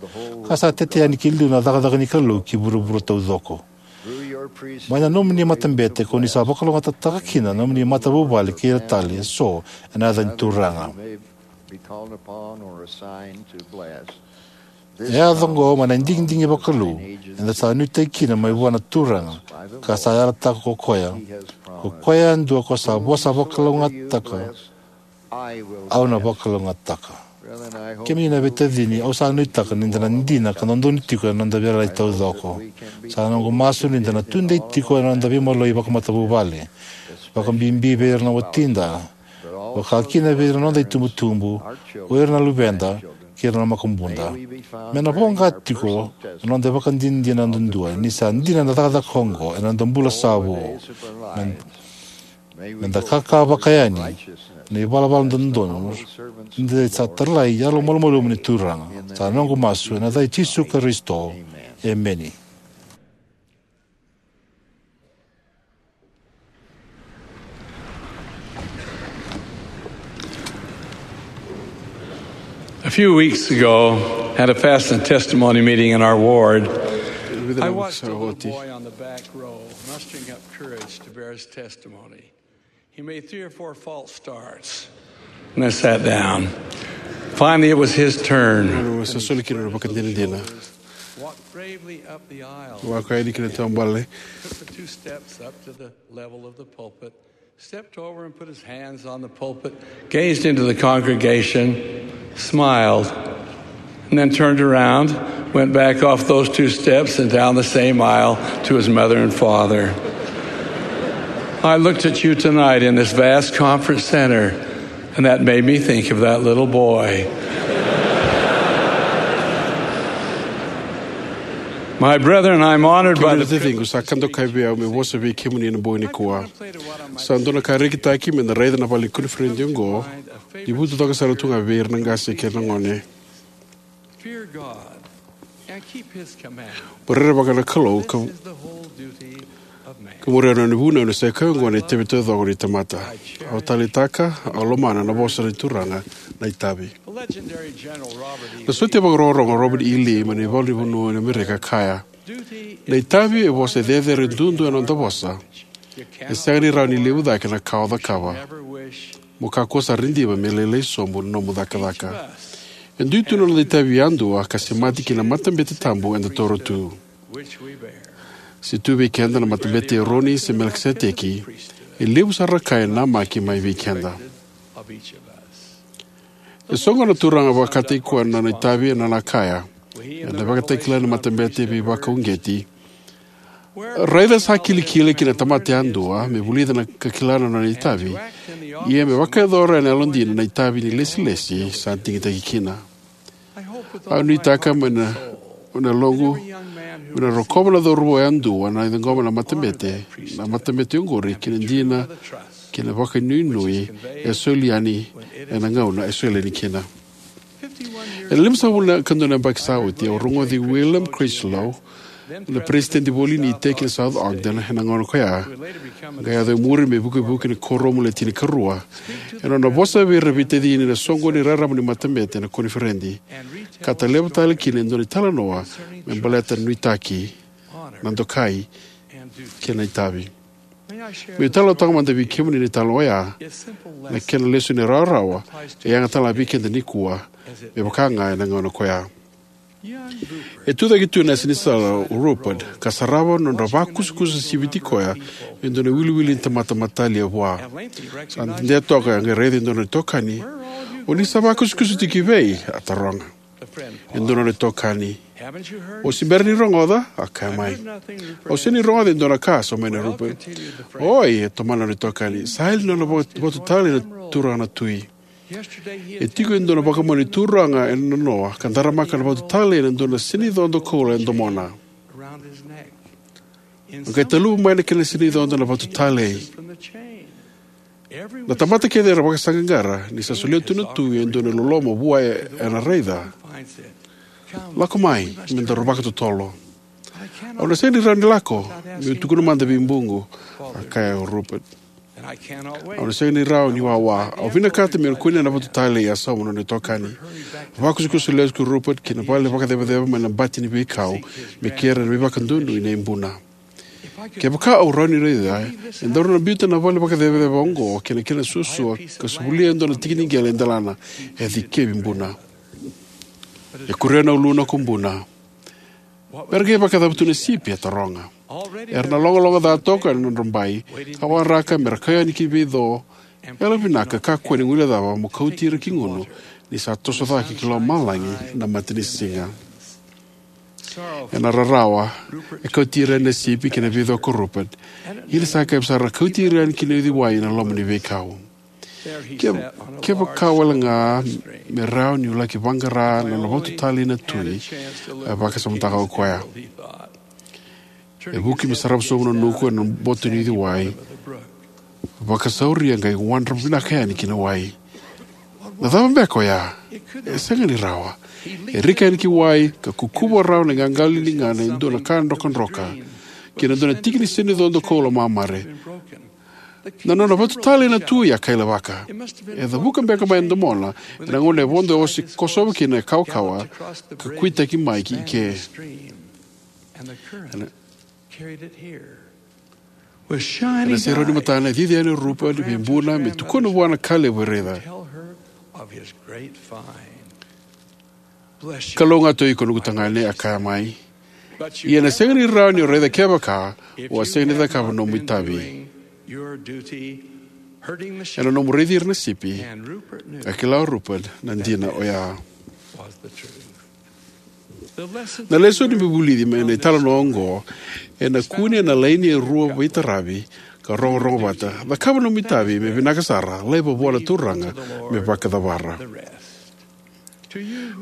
ka sa tete yani ki liu na cakacaka ni Kalou ki vuravura taucoko. Mai na nomuni matabete ko ni sa vakalougatataka kina na nomuni matavuvale kei ira tale eso ena yaca ni Turaga. E yaco oqo mai na digidigi vakalou eda sa nuitaki kina mai vua na Turaga, ka sa yalataka ko koya, ko koya yadua ko sa vosa vakalougatataka, au na vakalougatataka. Kemuni na veitacini, au sa nuitaka ni da na dina ka dodonu tiko ena noda veiyalayalati taucoko. Sa noqu masu ni da na tudei tiko ena noda veimaloi vakamatavuvale, vakabibi vei ira na watida, vaka kina vei ira na noda itubutubu, o ira na luveda, kei ira na makubuda. Me na voqa tiko na noda ivakadinadina duadua ni sa dina na cakacaka oqo ena noda bula sa vo. Me, me da kaka vakayani na ivalavala dodonu ni da sa talai yalomalumalumu ni Turaga. Sa noqu masu ena yaca i Jisu Karisito. Emeni. A few weeks ago, at a fast and testimony meeting in our ward, I watched a little boy on the back row mustering up courage to bear his testimony. He made three or four false starts and then sat down. Finally, it was his turn. Sa soli kina na vakadinadina. Walked bravely up the aisle. Lako yani ki na taubale. Took the two steps up to the level of the pulpit, stepped over and put his hands on the pulpit, gazed into the congregation, smiled, and then turned around, went back off those two steps and down the same aisle to his mother and father. I looked at you tonight in this vast conference center, and that made me think of that little boy. My brethren, I'm honored by the privilege. Kemuni na taciqu, sa ka dokai vei au meu vosa vei kemuni ena bogi nikua. Sa dua na ka rekitaki me da raica na vale ni koniferedi oqo, ni vutucaka sara tu ga vei ira na qase kei na gone. Fear God and keep his commandments. Mo rerevaka na Kalou ka, this is the whole duty of man. Ka muria na nona vunau, ni sa i koya oqo na itavi taucoko ni tamata. Au taleitaka, au lomana na vosa ni Turaga na itavi. The legendary General Robert E. Na sotia vakarorogo Robert E. Lee mai na ivalu ni vanua ni Amerika kaya, na itavi e vosa cecere duadua ena noda vosa. E sega ni rawa ni levu cake na ka o cakava. Mo kakua sara ni diva me lailai sobu na nomu cakacaka. E dui tu na noda itavi yadua ka semati ki na matabete tabu eda toro tu. Se tu vei keda na matabete i Eroni se Melikiseteki, e levu sara na ka e namaki mai vei keda. E soqona na Turaga vakataki koya na nona itavi ena nona kaya, ena vakatakila na matabete veivakauqeti. Raica sa kilikili ki na tamata yadua me vulica na ka kila na nona itavi, ia me vakayacora ena yalodina na itavi ni lesilesi sa digitaki kina. Au nuitaka mai na, na loqu me na rokova na cauravou yadua na ciqoma na matabete, na matabete oqori ki na dina kei na vakanuinui e soli yani ena gauna e soli yani kina. Ena limasagavulu ka dua na yabaki sa oti, au rogoci William Critchlow, na peresitedi voli ni iteki na South Ogden ena gauna ko ya, qai yaco e muri me vukivuki ni kuoramu le tinikarua, ena nona vosa vei ira na veitacini ena soqoni raraba ni matabete ena koniferedi, ka taleva tale kina e dua na italanoa me baleta na nuitaki na dokai, kei na itavi. Meu talanoataka mada vei kemuni na italanoa oya, na kena lesoni rawarawa, e yaga tale ga vei keda nikua, me vaka ga ena gauna koya. E tucake tu ena yasa ni sala o Rupert, ka sarava na nodra vakusakusa siviti koya, e dua na iwiliwili ni tamata matalia vua. Sa dede toka, a qai raica e dua na itokani. "O ni sa vakusakusa tiko ki vei?" a taroga. E dua na itokani. "O se bera ni rogoca?" a kaya mai. "Au sega ni rogoca e dua na ka," a sauma mai o Rupert. "Oi," e tomana na itokani. "Sa yali na nona va-, vatu tale na turaga na tui. E tiko e dua na vakamau ni turaga ena noa, ka daramaka na vatu talei ena dua na sinaicodo koula e domona. A qai taluva mai na kena sinaicodo na vatu talei. Na tamata kece era vakasaqaqara ni sa solia tu na tui e dua na iloloma vua ena raica. Lako mai, me daru vakatotolo." "Au na sega ni rawa ni lako, meu tukuna mada vei Buqu," a kaya o Rupert. "Au na sega ni rawa ni wawa. Au vinakata meu na kunea na vatu talei," a sauma na nona itokani. Vakusakusa lesu ko Rupert ki na vale vakacevaceva mai na bati ni veikau, me kerea na veivakadonui nei Buna. "Kevaka au rawa ni raica, e daru na biuta na vale vakacevaceva oqo kei na kena suasua, ka sa volia e dua na tiki ni qele e delana," e dikevi Buna. E kuria na uluna ko Buna. "Mera qai vakacava tu na sipi?" a taroga. "Era na logaloga ca toka ena nodra bai, ka waraka mera kau yani ki veico. Yalovinaka, kakua ni guilecava mo kauti ira ki gunu, ni sa toso cake ki lomalagi na matanisiga." Ena rarawa, e kauti ira yani na sipi kei na veico ko Rupert. Ia ni sa kacivi sara, kauti ira yani ki na uciwai ena loma ni veikau. "Ke, kevaka wale ga me rawa niu laki vaqara na nona vatu talei na tui," e vakasamataka o koya. E vuki me sarava sobu na nuku ena boto ni uciwai. Vakasauria qai wadra vinaka yani ki na wai. "Na cava beka oya? E sega ni rawa." E rika yani ki wai, ka kukuva rawa na iqaqalo ni ligana e dua na ka drokadroka, kei na dua na tiki ni sinaicodo koula mamare. "Na nona vatu talei na tui," a kailavaka. "E cavuka beka mai na domona, ena gauna e vodo ose kosova kina e kawakawa, ka kuitaki mai ki ke." Ena, ena serau ni matana, e cici yani o Rupert vei Buna me tukuna vua na ka levu e raica. "Kalougata o iko, noqu tagane," a kaya mai. "Ia ena sega ni rawa ni o raica kevaka o a sega ni cakava na nomu itavi ena nomu raici ira na sipi." A kila o Rupert na dina oya. Na lesoni me vulici mai na italanoa oqo ena kune ena laini e rua veitaravi ka rogorogo vata: cakava na nomu itavi me vinaka sara, laiva vua na Turaga me vakacavara.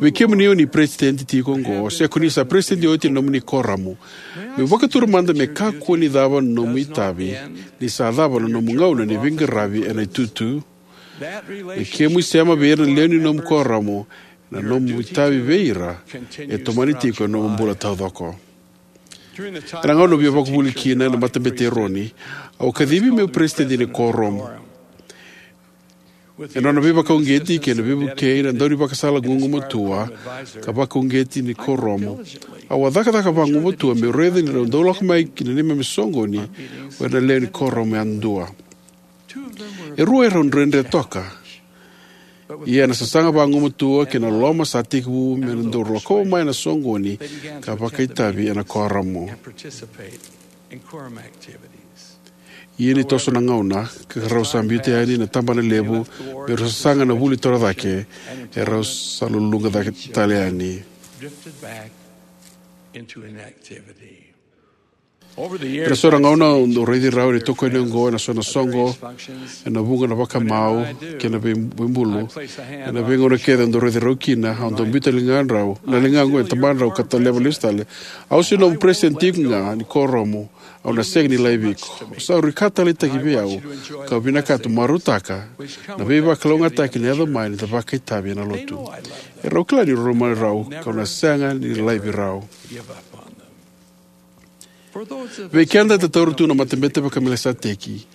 Vei kemuni o ni peresitedi tiko oqo, se ko ni sa peresitedi oti ena nomuni kuoramu, meu vakatura mada me kakua ni cava na nomu itavi ni sa cava na nomu gauna ni veiqaravi ena itutu. Me kemu isema vei ira na lewe ni nomu kuoramu, na nomu itavi vei ira e tomani tiko ena nomu bula taucoko. Ena gauna au via vakavuli kina ena Matabete i Eroni, au a kacivi meu peresitedi ni kuoramu. Ena nona veivakauqeti kei na veivukei na daunivakasala gugumatua ka vakauqeti ni kuoramu, au a cakacaka vagumatua meu raica ni rau dau lako mai ki na neimami soqoni o ira na lewe ni kuoramu yadua. E rua erau dredre toka. Ia na sasaga vagumatua kei na loloma sa tekivu me na dau lakova mai na soqoni ka vakaitavi ena kuoramu. Ia ni toso na gauna, ka rau sa biuta yani na tabanalevu me rau sasaga na vuli torocake, erau sa luluqa cake tale yani. Ena so na gauna au dau raici rau ena itokani oqo ena so na soqo, ena vuqa na vakamau kei na vei-, veibulu. Ena veigauna kece au dau raici rau kina, au dau biuta ligadrau, na ligaqu ena tabadrau ka taleva lesu tale. Au se nomu peresitedi tiko ga ni kuoramu, au na sega ni laivi iko. Au sa rui ka taleitaki vei au, kau vinakata marautaka na veivakalougatataki ni yaco mai ni da vakaitavi ena lotu. Erau kila ni rau marau, kau na sega ni laivi rau. Vei keda eda taura tu na Matabete vakaMelikiseteki,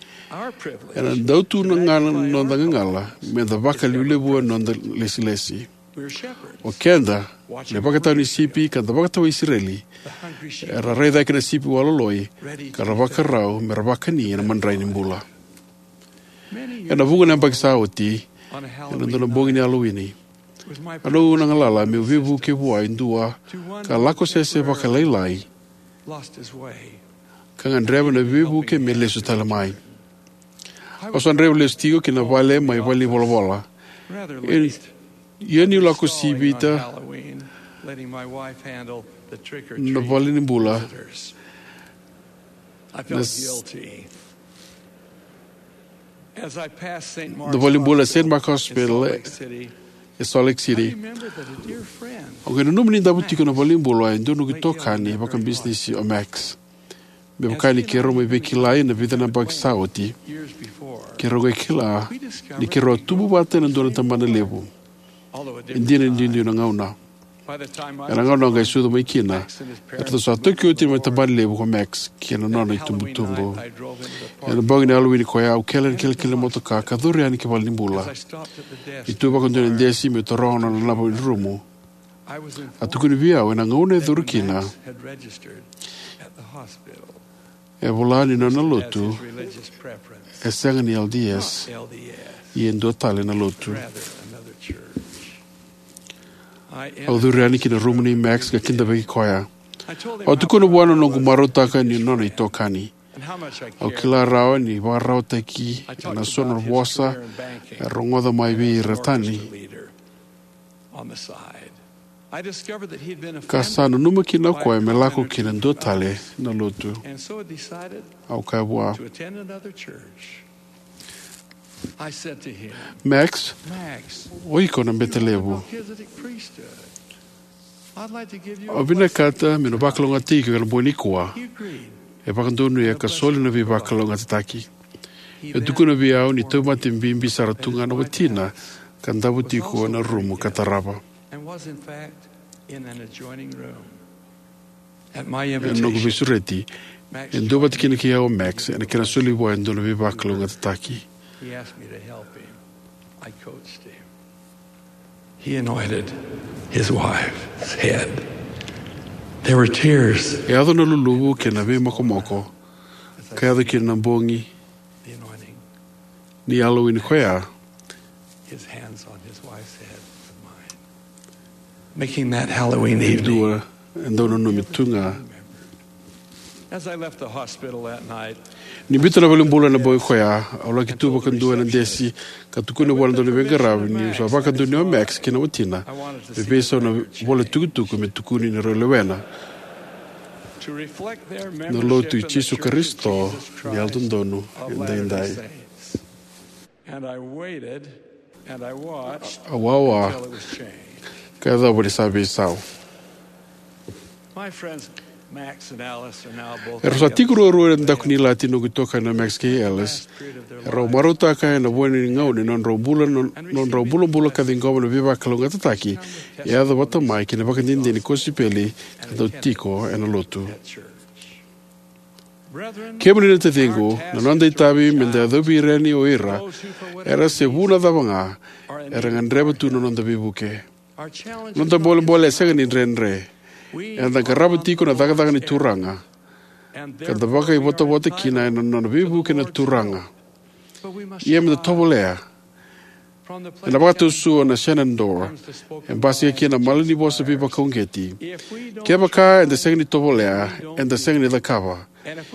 ena dau tu ga na noda gagala me da vakalevulevua na noda lesilesi. O keda na ivakatawa ni sipi ka da vakatawa Isireli, era raica cake na sipi wailoloi ka ra vakarau me ra vakani ena madrai ni bula. Ena vuqa na yabaki sa oti, ena dua na bogi ni Halloween, au na galala meu veivuke vua e dua ka lako sese vakalailai ka gadreva na veivuke me lesu tale mai. Au sa draiva lesu tiko ki na vale mai valenivolavola. Ia niu lako sivita na valenibula, na, na valenibula Saint Mark Hospital e Salt Lake City. Au qai nanuma ni davo tiko na valenibula e dua noqu itokani vakabisinisi o Max. Me vaka ni keirau mai veikilai na vica na yabaki sa oti, keirau qai kila ni keirau a tubu vata ena dua na tabana levu, e dina ni duidui na gauna. Ena gauna au qai sucu mai kina, eratou sa toki oti mai tabana levu ko Max kei na nona itubutubu. Ena bogi ni Halloween ko ya au kele ena kilikili ni motoka ka curu yani ki valenibula. Niu tu vakadua ena desi meu taroga nona naba ni rumu, a tukuni vei au ena gauna e curu kina e vola ni nona lotu e sega ni L D S, ia e dua tale na lotu. Au curu yani ki na rumu nei Max ka kidavaki koya. Au tukuna vua na noqu marautaka ni nona itokani. Au kila rawa ni vakararawataki ena so na vosa e rogoca mai vei ira tani, ka sa nanuma kina o koya me lako ki na dua tale na lotu. Au kaya vua, Max, o iko na bete levu. Au vinakata meu na vakalougatataki iko ena bogi nikua. E vakadonuya ka soli na veivakalougatataki. E tukuna vei au ni tauvimate bibi sara tu ga na watina ka davo tiko ena rumu ka tarava. Ena noqu veisureti, e duavata kina kei au o Max ena kena soli vua e dua na veivakalougatataki. He anointed his wife's head. There were tears. E yaco na luluvu kei na veimokomoko ka yaco kina na bogi ni Halloween koya. His hands on his wife's head and mine. Making that Halloween evening. Dua e dau nanumi tu ga. As I left the hospital that night, ni biuta na valenibula ena bogi koya, au laki tu vakadua ena desi ka tukuna vua na dua na veiqaravi niu sa vakadonui o Max kei na watina me veisau na vola tukutuku me tukuni ni rau lewena na Lotu i Jisu Karisito ni Yalododonu Edaidai. Au wawa ka yacova ni sa veisau. Erau sa tiko ruarua ena daku ni ilati noqu itokani o Max kei Alice. Erau marautaka ena vuqa na gauna ni nodrau bula, nodrau bulabula ka ciqoma na veivakalougatataki e yaco vata mai kei na ivakadinadina ni kosipeli ka dau tiko ena lotu. Kemuni na taciqu, na noda itavi me da yacovi ira yani o ira, era se vu na cava ga, era gadreva tu na noda veivuke. Noda bolebole e sega ni dredre. Eda qarava tiko na cakacaka ni Turaga ka da vakaivotavota kina ena nona veivuke na Turaga. Ia me da tovolea. Ena vakatau sua na Shenandoah e basika kina na malanivosa veivakauqeti. Kevaka eda sega ni tovolea, eda sega ni cakava.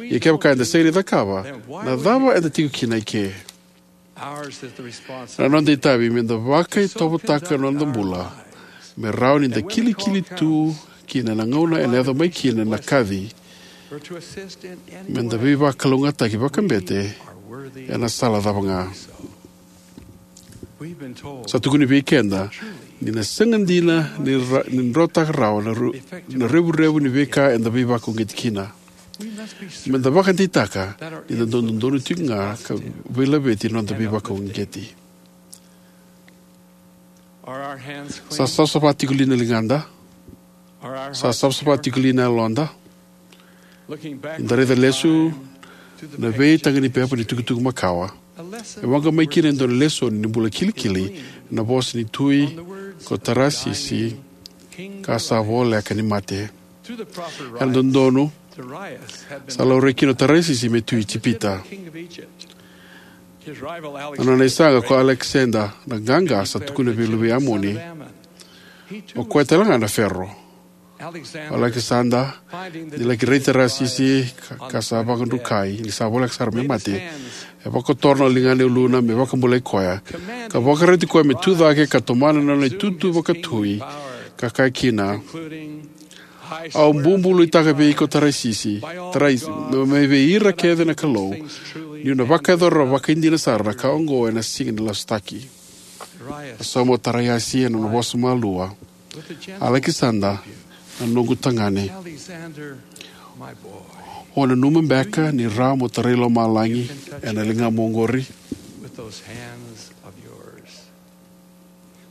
Ia kevaka eda sega ni cakava, na cava eda tiko kina eke? Na noda itavi me da vakaitovotaka na noda bula me rawa ni da kilikili tu kina ena gauna ena yaco mai kina na kaci, me da veivakalougatataki vakabete ena sala cava ga. Sa tukuni vei keda ni na sega dina ni ra-, ni drotaka rawa na ru-, na revurevu ni veika eda veivakauqeti kina. Me da vakadeitaka ni da dau dodonu tiko ga ka veilaveti na noda veivakauqeti. Sa savasava tiko li na ligada? Sa savasava tiko li na yaloda? Ni da raica lesu na veitaga ni pepa ni tukutuku makawa, e waqa mai kina e dua na lesoni ni bula kilikili, na vosa ni Tui ko Tarasisi ka sa voleka ni mate. Ena dodonu, sa laurai kina o Tarasisi me tui Ijipita. Na nona isaqa ko Alekisada na Qaqa sa tukuna vei luvei Amoni. O koya tale ga na Fero. O Alekisada, ni laki raici Tarasisi ka, ka sa vakadrukai, ni sa voleka sara me mate, e vakotora na ligana e uluna me vakabulai koya, ka vakaroti koya me tu cake ka tomana na nona itutu vakatui, ka kaya kina: Au bubuluitaka vei iko Tarasisi, Tarais, me, me vei ira kece na Kalou, niu na vakayacora vakaidina sara na ka oqo ena siga ni lasutaki. A sauma o Tarasisi ena nona vosa malua: Alekisada, na noqu tagane, o nanuma beka ni rawa mo tarai lomalagi ena ligamu oqori?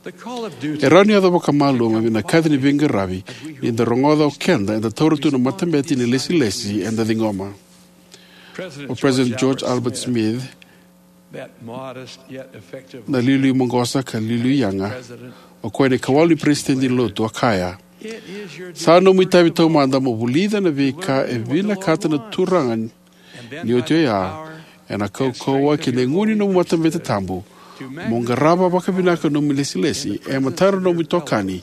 E rawa ni yaco vakamalua me vinakati ni veiqaravi ni da rogoca o keda eda taura tu na matabete ni lesilesi eda ciqoma. O President George Albert Smith, na liuliu maqosa ka liuliu yaga, o koya na ikawalu ni peresitedi ni Lotu, a kaya: Sa nomu itavi taumada mo vulica na veika e vinakata na Turaga, ni oti oya, ena kaukauwa kei na igu ni nomu matabete tabu, mo qarava vakavinaka na nomu ilesilesi e matadra na nomu itokani,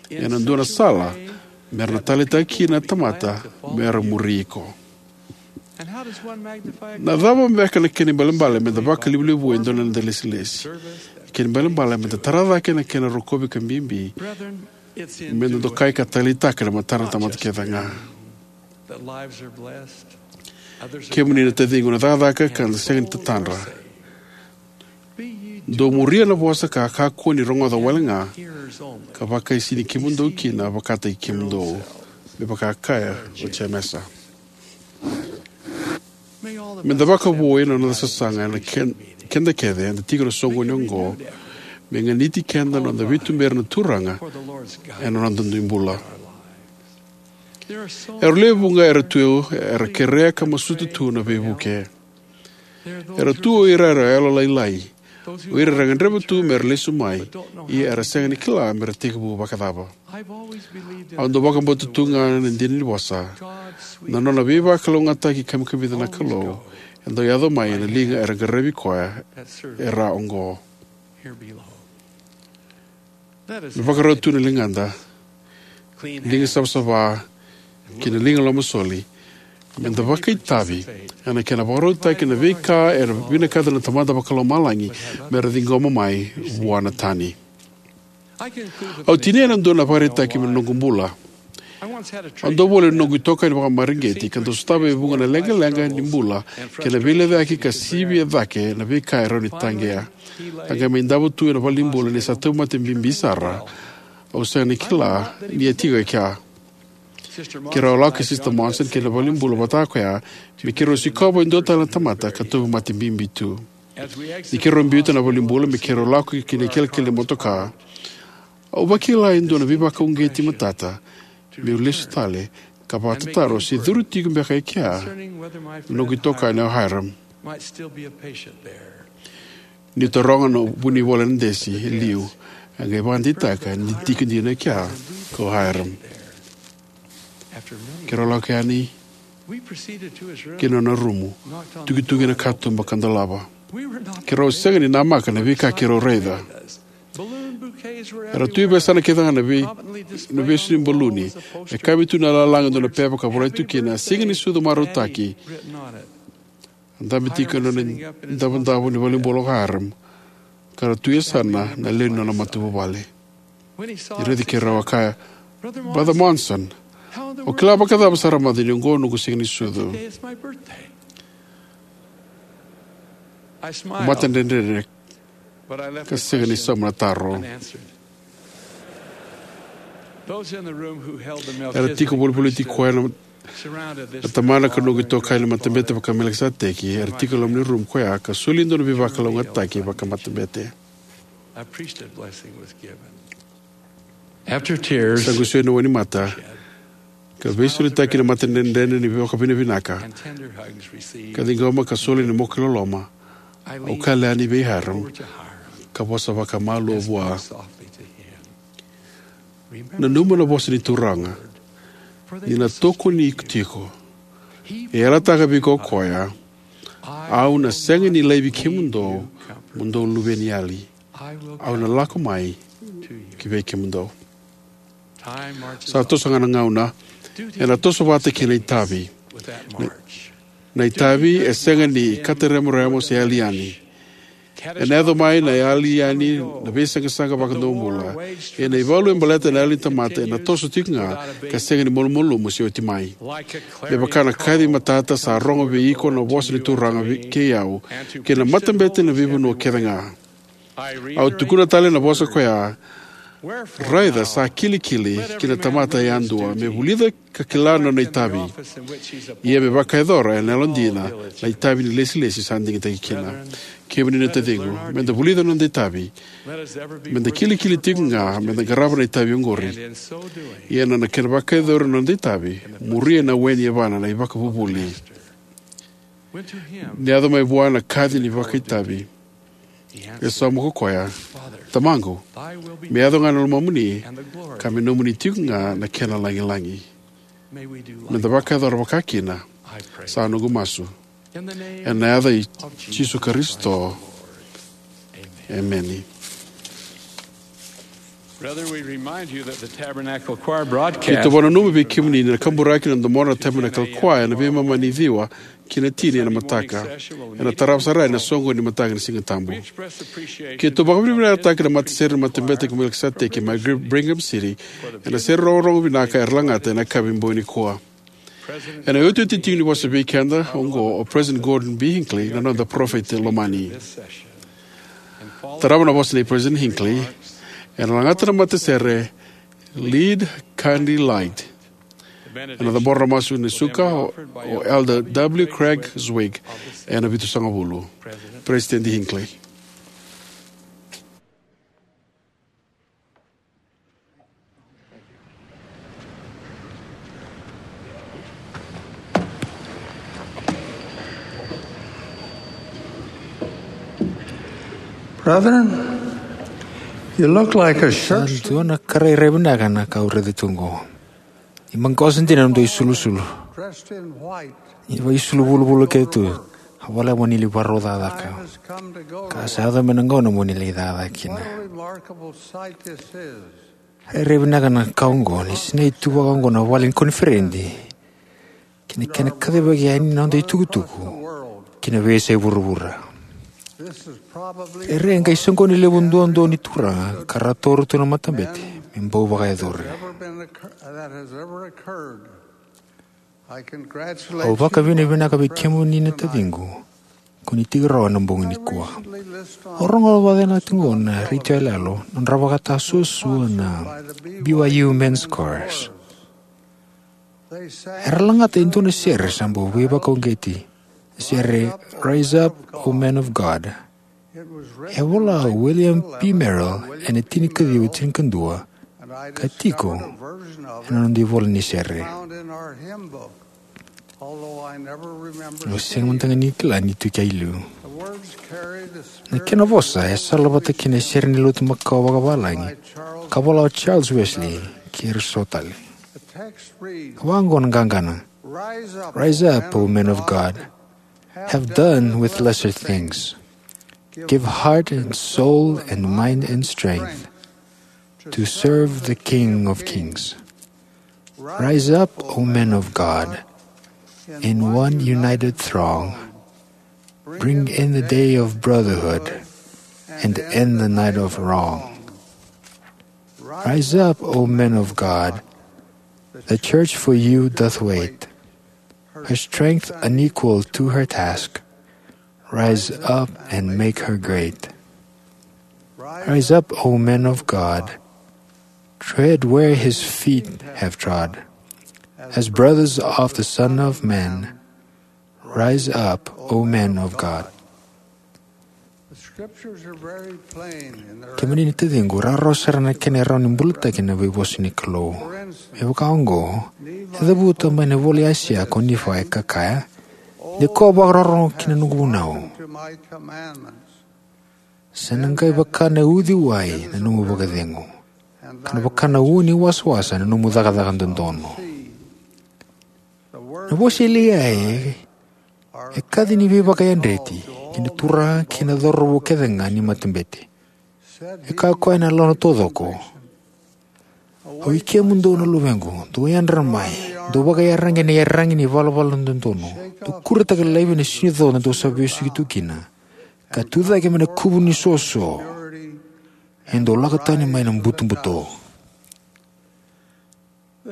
ena dua na sala me ra na taleitaka kina na tamata me ra muri iko. Na cava beka na kena ibalebale me da vakalevulevua e dua na noda ilesilesi? Na kena ibalebale me da tara cake na kena rokovi ka bibi me da dokai ka taleitaka e matadra na tamata kece ga. Kemuni na taciqu, na cakacaka ka da sega ni tatadra. Dou muria na vosa ka kakua ni rogoca wale ga, ka vakaisini kemudou kina vakataki kemudou, me vaka kaya o Jemesa. Me da vakavoui na noda sasaga ena ke-, keda kece eda tiko ena soqoni oqo, me ganiti keda na noda veituberi na Turaga ena noda dui bula. Era lewe vuqa era tu, era kerea ka masuta tu na veivuke. Era tu o ira era yalolailai, o ira era gadreva tu me ra lesu mai, ia era sega ni kila me ra tekivu vakacava. Au dau vakabauta tu ga na dina ni vosa: Na nona veivakalougatataki kamikamica na Kalou e dau yaco mai ena liga era qaravi koya e ra oqo. Me vakarau tu na ligada, liga savasava, kei na liga lomasoli, me da vakaitavi ena kena vakarautaki na veika era vinakata na Tamada Vakalomalagi me ra ciqoma mai vua na tani. Au tinia ena dua na ivakaraitaki mai na noqu bula. Au dau voli ena noqu itokani vakamareqeti ka dau sotava e vuqa na leqaleqa ni bula kei na veilecayaki ka sivia cake na veika e rawa ni taqea. A qai mai davo tu ena valenibula ni sa tauvimate bibi sara. Au sega ni kila ni a tiko e kea. Keirau lako kei Sister Monson ki na valenibula vata koya me keirau sikova e dua tale na tamata ka tauvimate bibi tu. Ni keirau biuta na valenibula me keirau lako ki na ikelekele ni motoka, au vakila e dua na veivakauqeti matata meu lesu tale ka vakatataro se curu tiko beka e kea na noqu itokani o Hyrum. Niu taroga na vunivola ena desi e liu, a qai vakadeitaka ni tiko dina e kea ko Hyrum. Keirau lako yani ki na nona rumu, tukituki ena katuba ka dolava. Keirau sega ni namaka na veika keirau raica. Era tu e veiyasana kece ga na vei, na veisu ni baluni. E kavi tu na lalaga e dua na pepa ka volai tu kina: Siga ni Sucu Marautaki. A dabe tiko ena nona idavodavo ni valenibula o Hyrum, ka ra tu e yasana na lewe ni nona matavuvale. Ni raici keirau, a kaya: Brother Monson, o kila vakacava sara mada ni oqo noqu siga ni sucu? Au matadredredre ka sega ni sauma na taro. Era tiko volivoliti koya na, na tamana ka noqu itokani na matabete vaka-Melikiseteki. Era tiko e loma ni rumu koya ka soli e dua na veivakalougatataki vakamatabete. Sa qusui na wainimata ka veisolitaki na matadredredre ni vakavinavinaka ka ciqoma ka soli na moke loloma. Au kala yani vei Hyrum ka vosa vakamalua vua. Nanuma na vosa ni Turaga, ni na tokoni iko tiko. E yalataka vei iko o koya, au na sega ni laivi kemudou mo dou luveniyali. Au na lako mai ki vei kemudou. Sa toso ga na gauna, ena toso vata kei na itavi. Na, na itavi e sega ni kata remoremo se yali yani. Ena yaco mai na yali yani na veisaqasaqa vakadomobula. Ena ivalu e baleta na yali ni tamata ena toso tiko ga ka sega ni malumalumu se oti mai. Me vaka na kaci matata sa rogo vei iko na vosa ni Turaga vei, kei au, kei na matabete na veivanua kece ga. Au tukuna tale na vosa koya, raica sa kilikili ki na tamata yadua me vulica ka kila na nona itavi. Ia me vakayacora ena yalodina na itavi ni lesilesi sa digitaki kina. Kemuni na taciqu, meda vulica na noda itavi. Meda kilikili tiko ga, meda qarava na itavi oqori. Ia na, na kena vakayacori na noda itavi, muria na we ni yavana na ivakavuvuli. Ni yaco mai vua na kaci ni vakaitavi, e sauma ko koya, Tamaqu, me yaco ga na lomamuni, ka me nomuni tiko ga na kena lagilagi. Meda vakayacora vakakina, sa noqu masu ena yaca i Jisu Karisito. Emeni. Brethren, we remind you that the Tabernacle Choir broadcast. Keitou vakananuma vei kemuni ni na kaburaki na domona na Tabernacle Choir ena veimama ni ciwa ki na tini ena mataka. Ena tarava sara ena soqo ni mataka ni Siga Tabu. Keitou vakavinavinakataka na matasere ni Matabete kei Melikiseteki mai Gr-, Brigham City ena sere rogorogo vinaka era lagata ena yakavi bogi nikua. Ena iotioti tiko ni vosa vei keda oqo o President Gordon B. Hinckley, na noda parofita lomani. Tarava na vosa nei President Hinckley, ena lagata na matasere Lead, Kindly Light. Ena cabora na masu ni suka o, o Elder W. Craig Zwig, ena vitusagavulu. President Hinckley. Brethren, you look like a Sa sharp dua na ka rairai vinaka na ka au raica tu oqo. Ni maqosa dina na dua isulusulu. Dressed in white. Ni vakaisulu vulavula kece tu. A voleka mo ni lai varau cakacaka. Time has come to go. Ka sa yaco mai na gauna mo ni lai cakacaka kina. What a remarkable sight this is. Rairai vinaka na ka oqo, ni sinai tu vaka oqo na vale ni koniferedi kei na kena kacivaki yani na noda itukutuku ki na veiyasai vuravura. This is probably Era e qai soqoni levu duadua ni Turaga ka ra toro tu na matabete me bau vakayacori. Ever been occur-, that has ever occurred. I congratulate Au you on vakavinavinaka vei kemuni na taciqu, ko ni tiko rawa na bogi nikua. Au rogo vakacegu tiko na retio yaloyalo, nodra vakatasuasua na B Y U Men's Chorus. Era lagata e dua na sere sa bau veivakauqeti, sere Rise Up, O Men of God. E vola o William P. Merrill ena tinikaciwa tinikadua, ka tiko ena noda ivola ni sere. Au sega mada ga ni kila ni tu kea i liu. Na kena vosa e salavata kei na sere ni lotu makawa vakavalagi ka vola o Charles Wesley kei ira so tale. Vaqo na qaqana: Rise up, O men of God. Have done with lesser things. Give heart and soul and mind and strength to serve the King of Kings. Rise up, O men of God, in one united throng. Bring in the day of brotherhood and end the night of wrong. Rise up, O men of God. The church for you doth wait. Her strength unequal to her task. Rise up and make her great. Rise up, O men of God. Tread where his feet have trod. As brothers of the Son of Man, rise up, O men of God. Kemuni na taciqu, rawarawa sara na kena rawa ni bulataki na veivosa ni Kalou. Me vaka oqo, e cavuta mai na ivola i Aisea ko Nifai ka kaya: Ni ko vakarorogo ki na noqu vunau, sa na qai vaka na uciwai na nomu vakacegu. ka na vaka na ua ni wasawasa na nomu cakacaka dodonu. Na vosa i Liai e kaci ni veivakayadreti kei na turaga kei na cauravou kece ga ni matabete. E kaya o koya ena loma ni taucoko: "Oi kemudou na luvequ, dou yadra mai, dou vakaiyaragi ena iyaragi ni valavala dodonu, dou kuretaka laivi na sinucodo dou sa vesuki tu kina, ka tucake mai na kuvu ni soso, e dou lako tani mai na butobuto."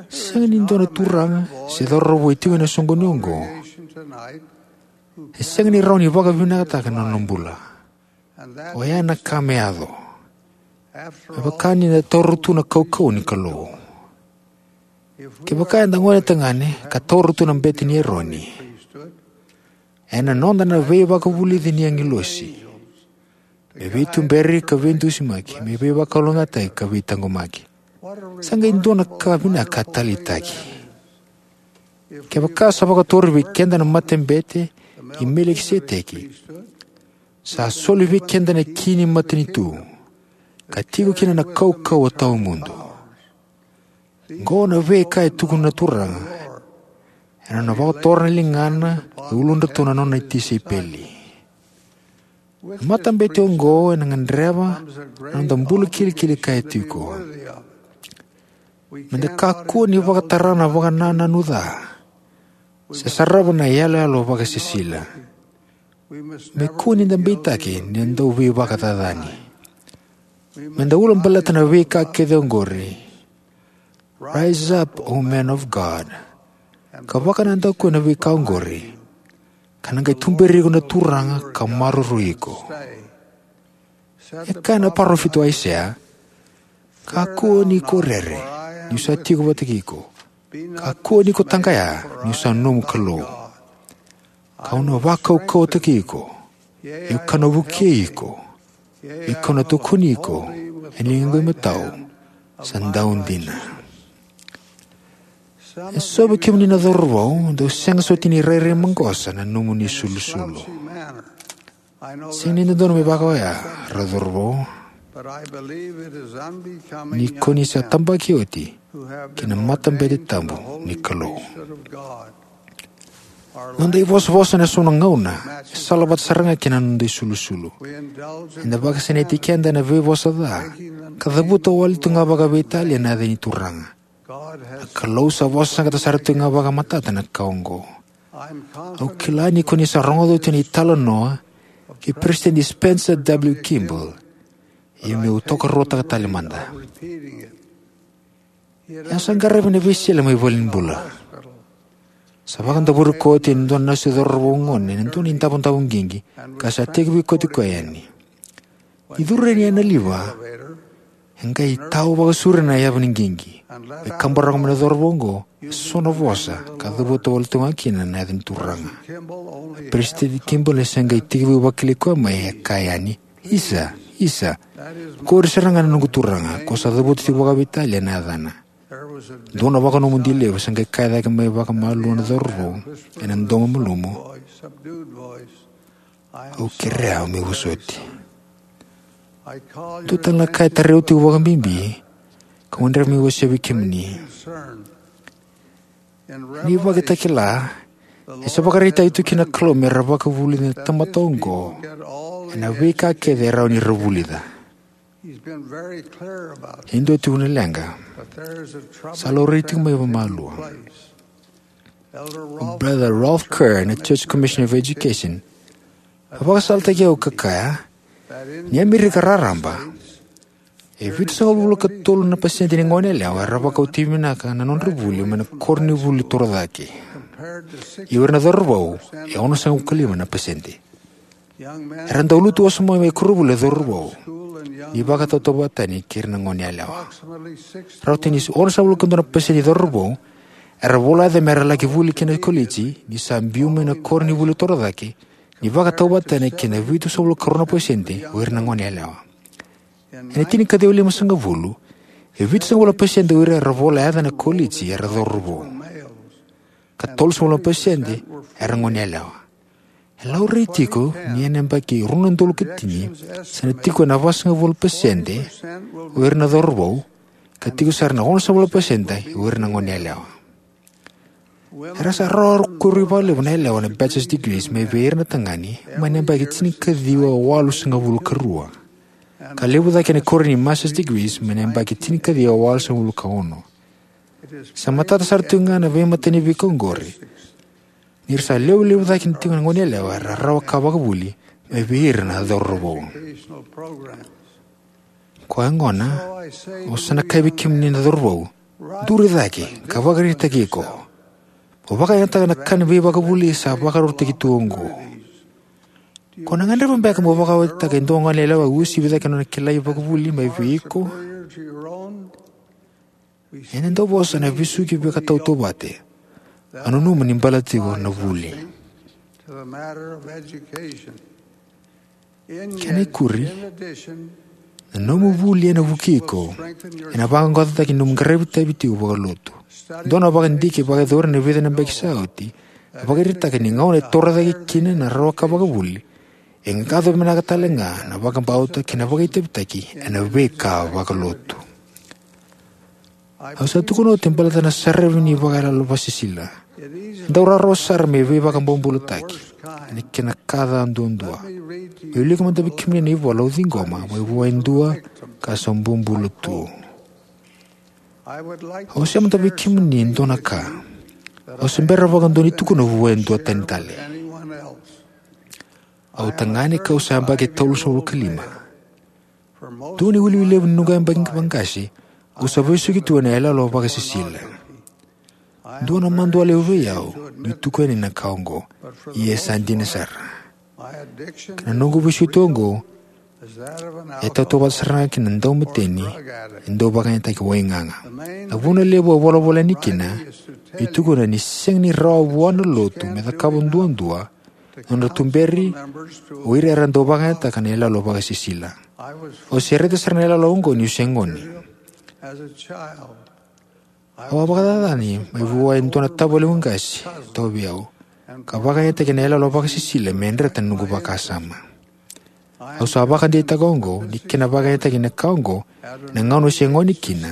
Sega ni dua na turaga se cauravou e tiko ena soqoni oqo e sega ni rawa ni vakavinakataka na nona bula. Oya na ka me yaco me vaka ni da taura tu na kaukauwa ni Kalou. Kevaka eda gone tagane ka taura tu na bete ni Eroni, ena noda na veivakavulici ni agilosi me veituberi ka veidusimaki, me veivakalougatataki ka veitaqomaki. Sa qai dua na ka vinaka ka taleitaki. Kevaka sa vakaturi vei keda na matabete i Melikiseteki, sa soli vei keda na ki ni matanitu, ka tiko kina na kaukauwa tawamudu. Oqo na veika e tukuna na Turaga ena nona vakatora na ligana e uludratou na nona tisaipeli. Na matabete oqo ena gadreva na noda bula kilikili kaya tiko. Meda kakua ni vakatara na vakanananu ca se sarava na iyaloyalo vakasisila. Me kua ni da beitaki ni da dau veivakacacani. Meda ulabaleta na veika kece oqori. Rise up, O man of God, ka vakanadaku ena veika oqori, ka na qai tuberi iko na Turaga ka maroroi iko. E kaya na parofita o Aisea: "Kakua ni ko rere, niu sa tiko vata kei iko. Kakua ni ko taqaya, niu sa nomu Kalou. Kau na vakaukauwataki iko, io kau na vukei iko, io kau na tokoni iko ena ligaqu imatau sa dau dina." E so vei kemuni na cauravou, dou sega soti ni rairai maqosa na nomuni sulusulu. Sega ni dodonu me vaka oya, rau cauravou, ni ko ni sa tabaki oti ki na matabete tabu ni Kalou. Noda ivosavosa ena so na gauna e salavata sara ga kei na noda isulusulu. Eda vakasinaiti keda ena veivosa ca, ka cavuta wale tu ga vakaveitalia na yaca ni Turaga. Na Kalou sa vosa saqata sara tu ga vakamatata na ka oqo. Au kila ni ko ni sa rogoca oti na italanoa kei Peresitedi Spencer W. Kimball, ia meu tokaruataka tale mada. E a sa qaravi na veisele mai valenibula. Sa vakadavori koya oti e dua na nasu cauravou gone ena dua na idavodavo qiqi, ka sa tekivu koya yani. Ni curu yani ena liva, e qai tau vakasauri na yavu ni qiqi. E kabaraka mai na cauravou oqo e so na vosa ka cavuta wale tu ga kina na yaca ni Turaga. Peresitedi Kimball e se qai tekivu vakilai koya mai, e kaya yani: "Isa, isa, qori sara ga na noqu Turaga, ko sa cavuta tiko vakaveitalia na yacana." Dua na vakanomodi levu sa qai kaya cake mai vakamalua na cauravou ena domo malumu: "Au kerea meu vosoti." Dua tale na ka e tarai au tiko vakabibi, kau gadreva meu wasea vei kemuni. Ni ivakatakila, e sa vakaraitaki tu kina na Kalou me ra vakavulica na tamata oqo ena veika kece e rawa ni ra vulica. E dua tiko na leqa sa laurai tiko mai vakamalua. O Brother Rolf Kerr na Church Commissioner of Education a vakasalataki au ka kaya ni Amerika raraba, e vitusagavulu ka tolu na pasede ni goneyalewa era vakauti vinaka na nodra vuli mai na koronivuli torocake. Ia o ira na cauravou e onosagavulu ka lima na pasede. Era dau lutu wasoma mai koronivuli na cauravou ni vakatautauvata tani kei ira na goneyalewa. Rauta ni onosagavulu ka dua na pasede ni cauravou era vola yaca me ra laki vuli ki na koliji ni sa biu mai na koronivuli torocake, ni vakatautauvata tani kei na vitusagavulu ka rua na pasede o ira na goneyalewa. Ena tinikaciwa limasagavulu, e vitusagavulu na pasede o ira era vola yaca ena koliji era cauravou, ka tolusagavulu na pasede era goneyalewa. E laurai tiko ni ena yabaki rua na udolu ka tini, sa na tiko ena vasagavulu na pasede o ira na cauravou ka tiko sara na ono sa vula pasede o ira na gone yalewa. Era sa rawa kuri vakalevu na yalewa na bachelor's degrees mai vei ira na tagane mai na yabaki tinikaciwa walusagavulu ka rua, ka levu cake na kori ni master's degrees mai na yabaki tinikaciwa walusagavulu ka ono. Sa matata sara tiko ga na veimatani veika oqori, ni ra sa levu levu cake tiko na gone yalewa era rawa ka vakavuli mai vei ira na cauravou. Koya gona, au sa na kaya vei kemuni na cauravou, duri cake ka vakaraitaki iko. Mo vakayagataka na ka ni veivakavuli sa vakarautaki tu oqo. Ko na gadreva beka mo vakarautaka e dua gone yalewa uasivi cake na nona kilai vakavuli mai vei iko? Ena dau vosa na vesuki veikatautauvata. A nanuma ni bala tiko na vuli. Kena ikuri, na nomu vuli ena vukei iko, ena vaqaqacotaki na nomu qaravi itavi tiko vakalotu. Dua na vakadidike vakayacori ena vica na yabaki sa oti e vakaraitaka ni gauna e torocake kina na rawa ka vakavuli, e qaqa vinaka tale ga na vakabauta kei na vakaitavitaki ena veika vakalotu. Au sa tukuna oti baleta na saravi ni vakayalo vakasisila. E dau rawarawa sara me veivakabobulataki ena kena ka ca duadua. Meu wilika mada vei kemuni na ivola au ciqoma mai vua e dua ka sa bobula tu. Au wasea mada vei kemuni e dua na ka. Au se bera vakadua ni tukuna vua e dua tani tale. Au tagane kau sa yabaki tolusagavulu ka lima. Dua na iwiliwili levu ni noqu yabaki vaqase, au sa vesuki tu ena iyaloyalo vakasisila. Dua na madua levu vei au niu tukuna yani na ka oqo, ia e sa dina sara. Ka na noqu vesuki tu oqo e tautauvata sara ga kina dau mateni e dau vakayagataki waigaga. Na vuna levu au volavola yani kina, niu tukuna ni sega ni rawa vua na lotu me cakava duadua na nodra tuberi o ira era dau vakayagataka na iyaloyalo vakasisila. Au se raica sara na iyaloyalo oqo niu se gone. Au a vakacacani mai vua e dua na tavalequ qase tauvi au, ka vakayagataki na iyaloyalo vakasisila me dreta na noqu vakasama. Au sa vakadeitaka oqo ni kena vakayagataki na ka oqo ena gauna au se gone kina,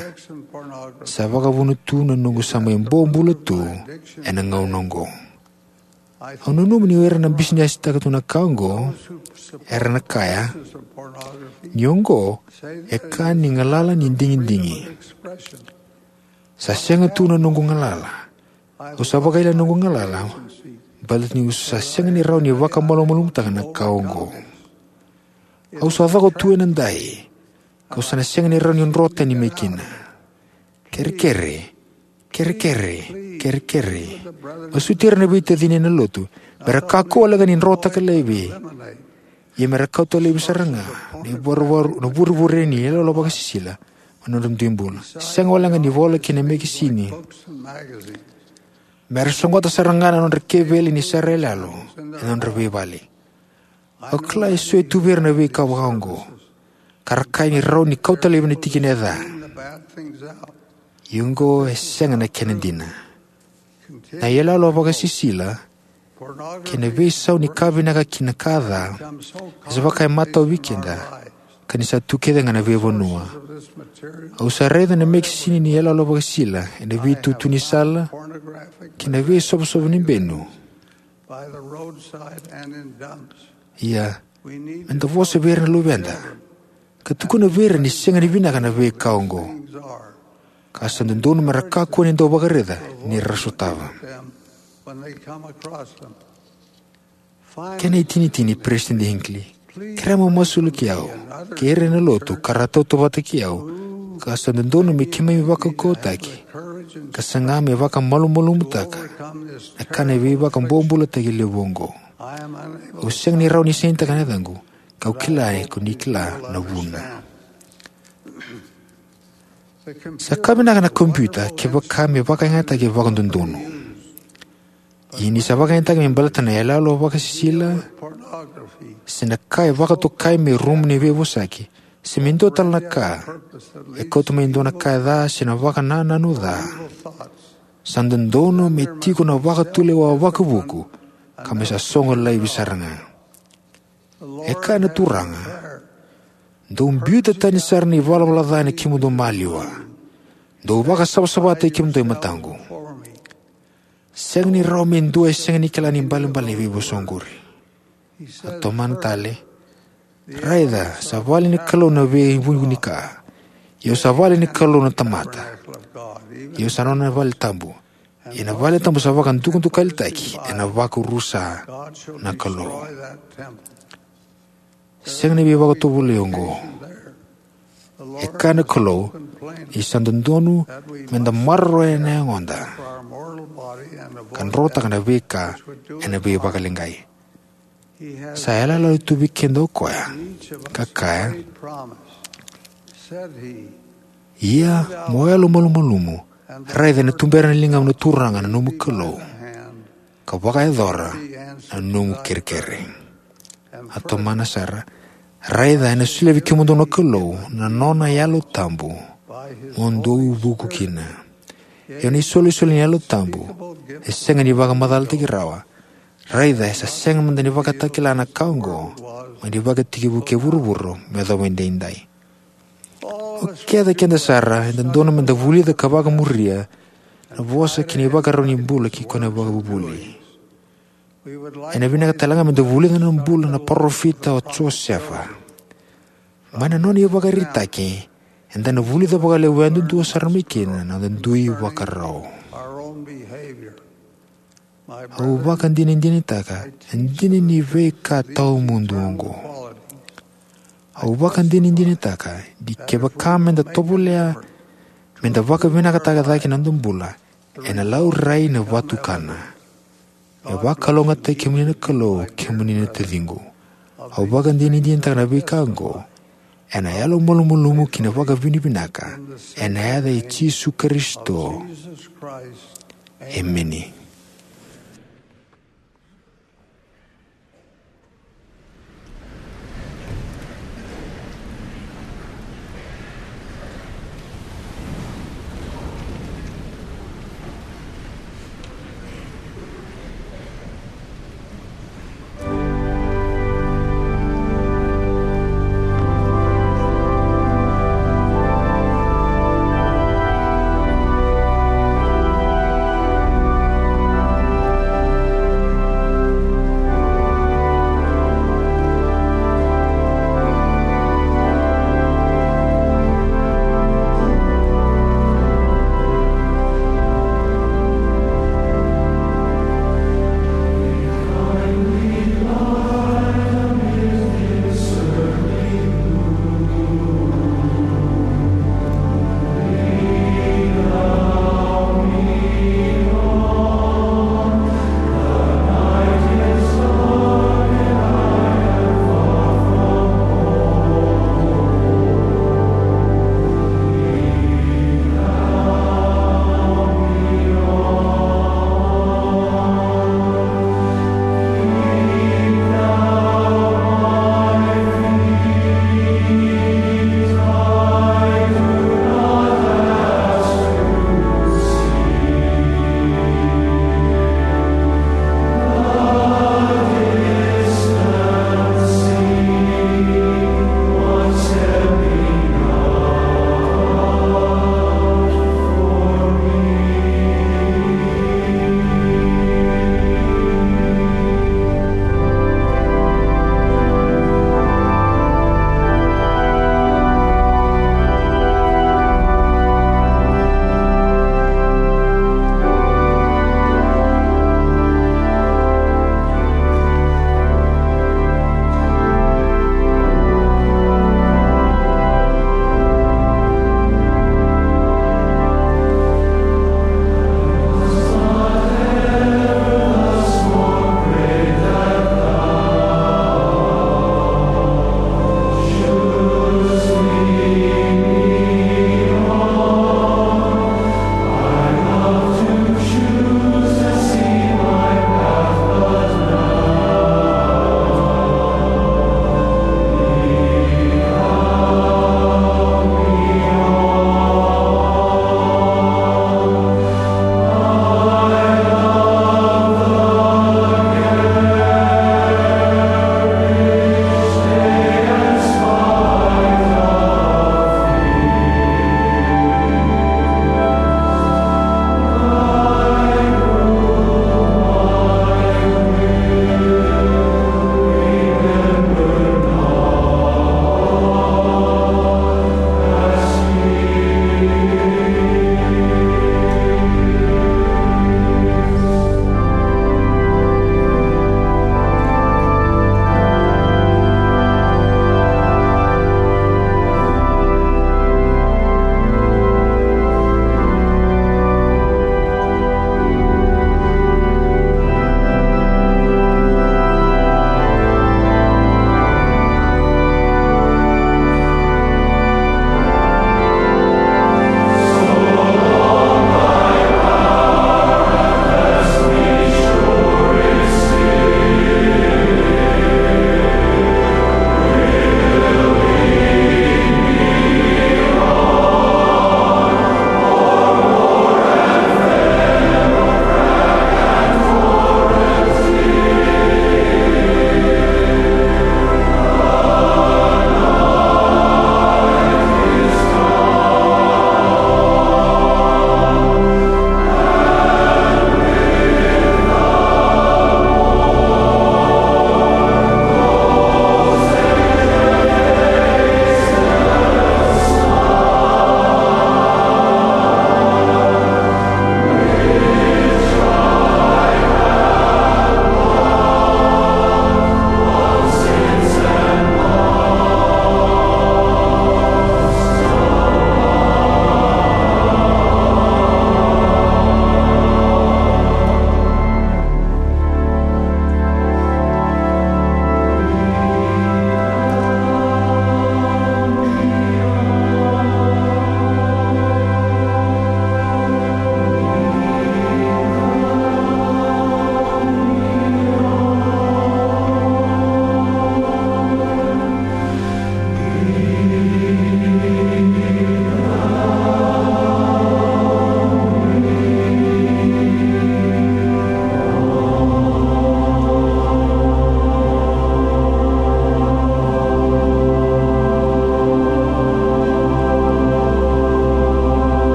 sa vakavuna tu na noqu sa mai bobula tu ena gauna oqo. Au nanuma ni o ira na bisinesitaka tu na ka oqo era na kaya ni oqo e ka ni galala ni digidigi. Sa sega tu na noqu galala. Au sa vakaila na noqu galala baleta niu sa sega ni rawa ni vakamalumalumutaka na ka oqo. Au sa coko tu ena dai, kau sa na sega ni rawa ni dro tani mai kina. Kerekere, kerekere, kerekere. Masuti ira na veitacini ena lotu me ra kakua walega ni drotaka laivi, ia me ra kauta laivi sara ga na ivurevure ni iyaloyalo vakasisila mai na nodra dui bula. Sega walega ni vola kei na mekisini, me ra sogota sara ga na nodra keveli ni sere iyaloyalo ena nodra veivale. Au kila e so e tu vei ira na veika vaka oqo, ka ra kaya ni rawa ni kauta laivi na tikina e ca. Ia oqo e sega na kena dina. Na iyaloyalo vakasisila kei na veisau ni ka vinaka ki na ka ca e sa vaka e matau vei keda, ka ni sa tu kece ga na veivanua. Au sa raica na mekisini ni iyaloyalo vakasisila ena veitutu ni sala kei na veisovosovo ni benu. Ia, me da vosa vei ira na luveda ka tukuna vei ira ni sega ni vinaka na veika oqo, ka sa dodonu me ra kakua ni dau vakaraica ni ra sotava. Kena itinitini, Peresitedi Hinckley, kerea mo masulaki au kei ira na lotu ka ra tautauvata kei au, ka sa dodonu me keimami vakaukauwataki ka saga me vakamalumalumutaka na ka ni veivakabobulataki levu oqo. Au sega ni rawa ni sainitaka na yacaqu, kau kila ni ko ni kila na vuna. Sa ka vinaka na kompiuta kevaka me vakayagataki vakadodonu. Ia ni sa vakayagataki me baleta na iyaloyalo vakasisila se na ka e vakatokai me rumu ni veivosaki, se me dua tale na ka e kauta mai e dua na ka e ca se na vakanananu ca, sa dodonu me tiko na vakatulewa vakavuku ka me sa sogo laivi sara ga. E kaya na Turaga, dou biuta tani sara na ivalavala ca ena kemudou maliwa. Dou vakasavasavataki kemudou e mataqu. Sega ni rawa me dua e sega ni kila na ibalebale ni veivosa oqori. A tomana tale, raica, sa vale ni Kalou na veivunika. Ia au sa vale ni Kalou na tamata. Ia au sa nona vale tabu. Ia na vale tabu sa vakadukadukalitaki ena vakarusa na Kalou. Sega ni veivakatovolei oqo. E kaya na Kalou ni sa dodonu meda maroroya na yagoda ka drotaka na veika ena veivakaleqai. Sa yalayala tu vei keda o koya ka kaya, ia mo yalomalumalumu, raica ena tubera na ligamu na Turaga na nomu Kalou, ka vakayacora na nomu kerekere. A tomana sara, raica ena solia vei kemudou na Kalou na nona Yalo Tabu mo dou vuku kina. Ia na isolisoli ni Yalo Tabu e sega ni vakamacalataki rawa. Raica, e sa sega mada ni vakatakila na ka oqo mai na ivakatekivu kei vuravura me yacova edaidai. O keda kece sara e dodonu meda vulica ka vakamuria na vosa kei na ivakarau ni bula kei koya na ivakavuvuli. Ena vinaka tale ga meda vulica na bula na parofita o Josefa. Mai na nona ivakaraitaki, eda na vulica vakalevu yadudua sara mai kina na noda dui ivakarau. Au vakadinadinataka e dina ni veika tawamudu oqo. Au vakadinadinataka ni kevaka meda tovolea meda vakavinakataka cake na noda bula, ena laurai na vatukana. Me vakalougatataki kemuni na Kalou, kemuni na taciqu. Au vakadinadinataka na veika oqo ena yalomalumalumu kei na vakavinavinaka, ena yaca i Jisu Karisito. Emeni.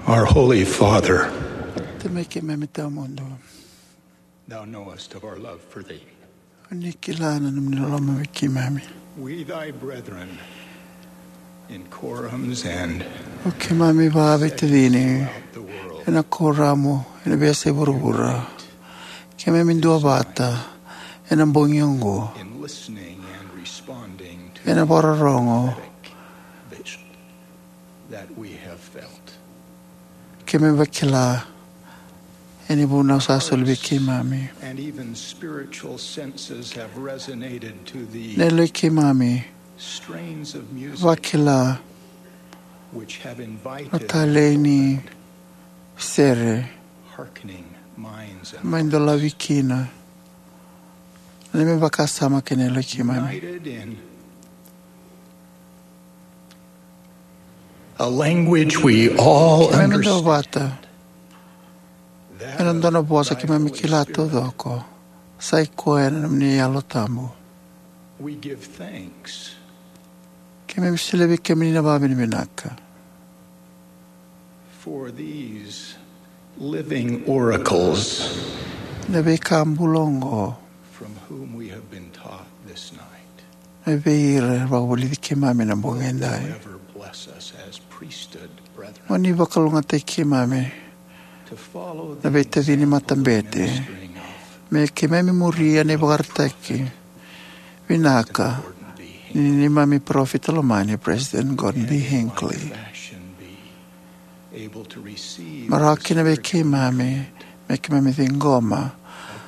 Our Holy Father, Tamai keimami tawamudu, thou knowest of our love for thee. O ni kila na nomuni loloma vei keimami. We, thy brethren, in quorums and O keimami vakaveitacini throughout the world, ena kuoramu ena veiyasai vuravura. Keimami duavata ena bogi oqo in listening and responding to ena vakarorogo prophetic vision that we have felt. Keimami vakila ena vunau sa soli vei keimami. And even spiritual senses have resonated to the Na yaloi keimami strains of music vakila which have na invited talei ni sere hearkening minds and mai dolavi kina na neimami vakasama kei na yaloi keimami. United in a language we all Keimami understand. Duavata ena dua na vosa keimami kila taucoko, sa i koya na nomuni Yalo Tabu. We give thanks Keimami solia vei kemuni na vakavinavinaka for these living oracles na veika bula oqo from whom we have been taught this night. Me vei ira era vakavulici keimami na bogi edai. Ever bless us as priesthood brethren. Mo ni vakalougatataki keimami na veitacini matabete me keimami muria na ivakaraitaki vinaka ni neimami parofita lomani, President Gordon B. Hinckley. Able to receive me rawa kina vei keimami me keimami ciqoma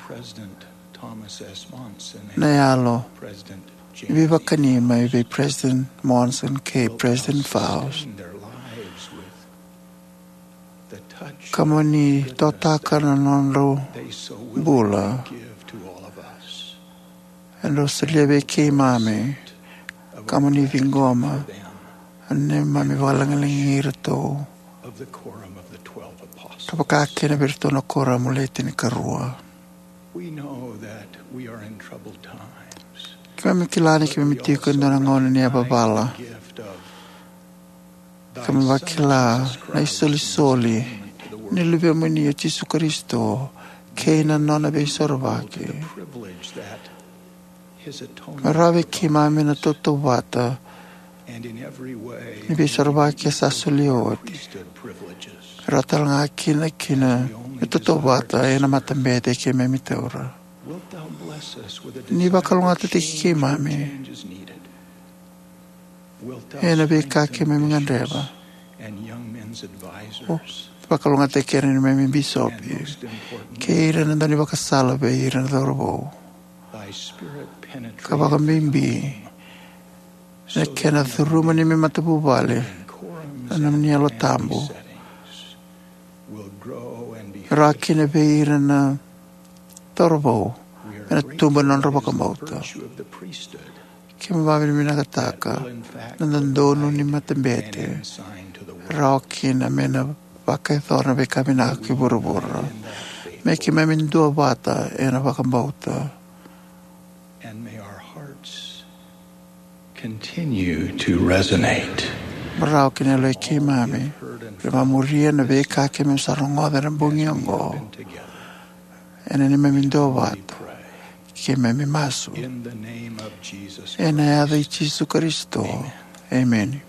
President Thomas S. Monson na yalo ni veivakani mai vei President Monson kei President Faust. Ka mo ni totaka na nodrau bula. Edrau solia vei keimami ka mo ni ciqoma na neimami vakalagilagi iratou ka vakakina vei iratou na kuoramu le tinikarua. Keimami kila ni keimami tiko e dua na gauna ni yavavala. Keimami vakila na isolisoli ni Luvemuni o Jisu Karisito kei na nona veisorovaki. Me rawa vei keimami na tautauvata ni veisorovaki e sa solia oti. Me rawa talega kina, kina me tautauvata ena matabete keimami taura. Ni vakalougatataki keimami ena veika keimami gadreva. Vakalougatataki ira na neimami bisopi kei ira na daunivakasala vei ira na cauravou. Ka vakabibi ena kena curuma neimami matavuvale na nomuni Yalo Tabu. Rawa kina vei ira na cauravou ena tubu na nodra vakabauta. Keimami vakavinavinakataka na dodonu ni matabete. Rawa kina me na vakayacora na veika vinaka ki vuravura. Me keimami duavata ena vakabauta. And may our hearts continue to resonate. Me rawa kina yaloi keimami me vakamuria na veika keimami sa rogoca ena bogi oqo. Ena neimami duavata keimami masu ena yaca i Jisu Karisito. Emeni.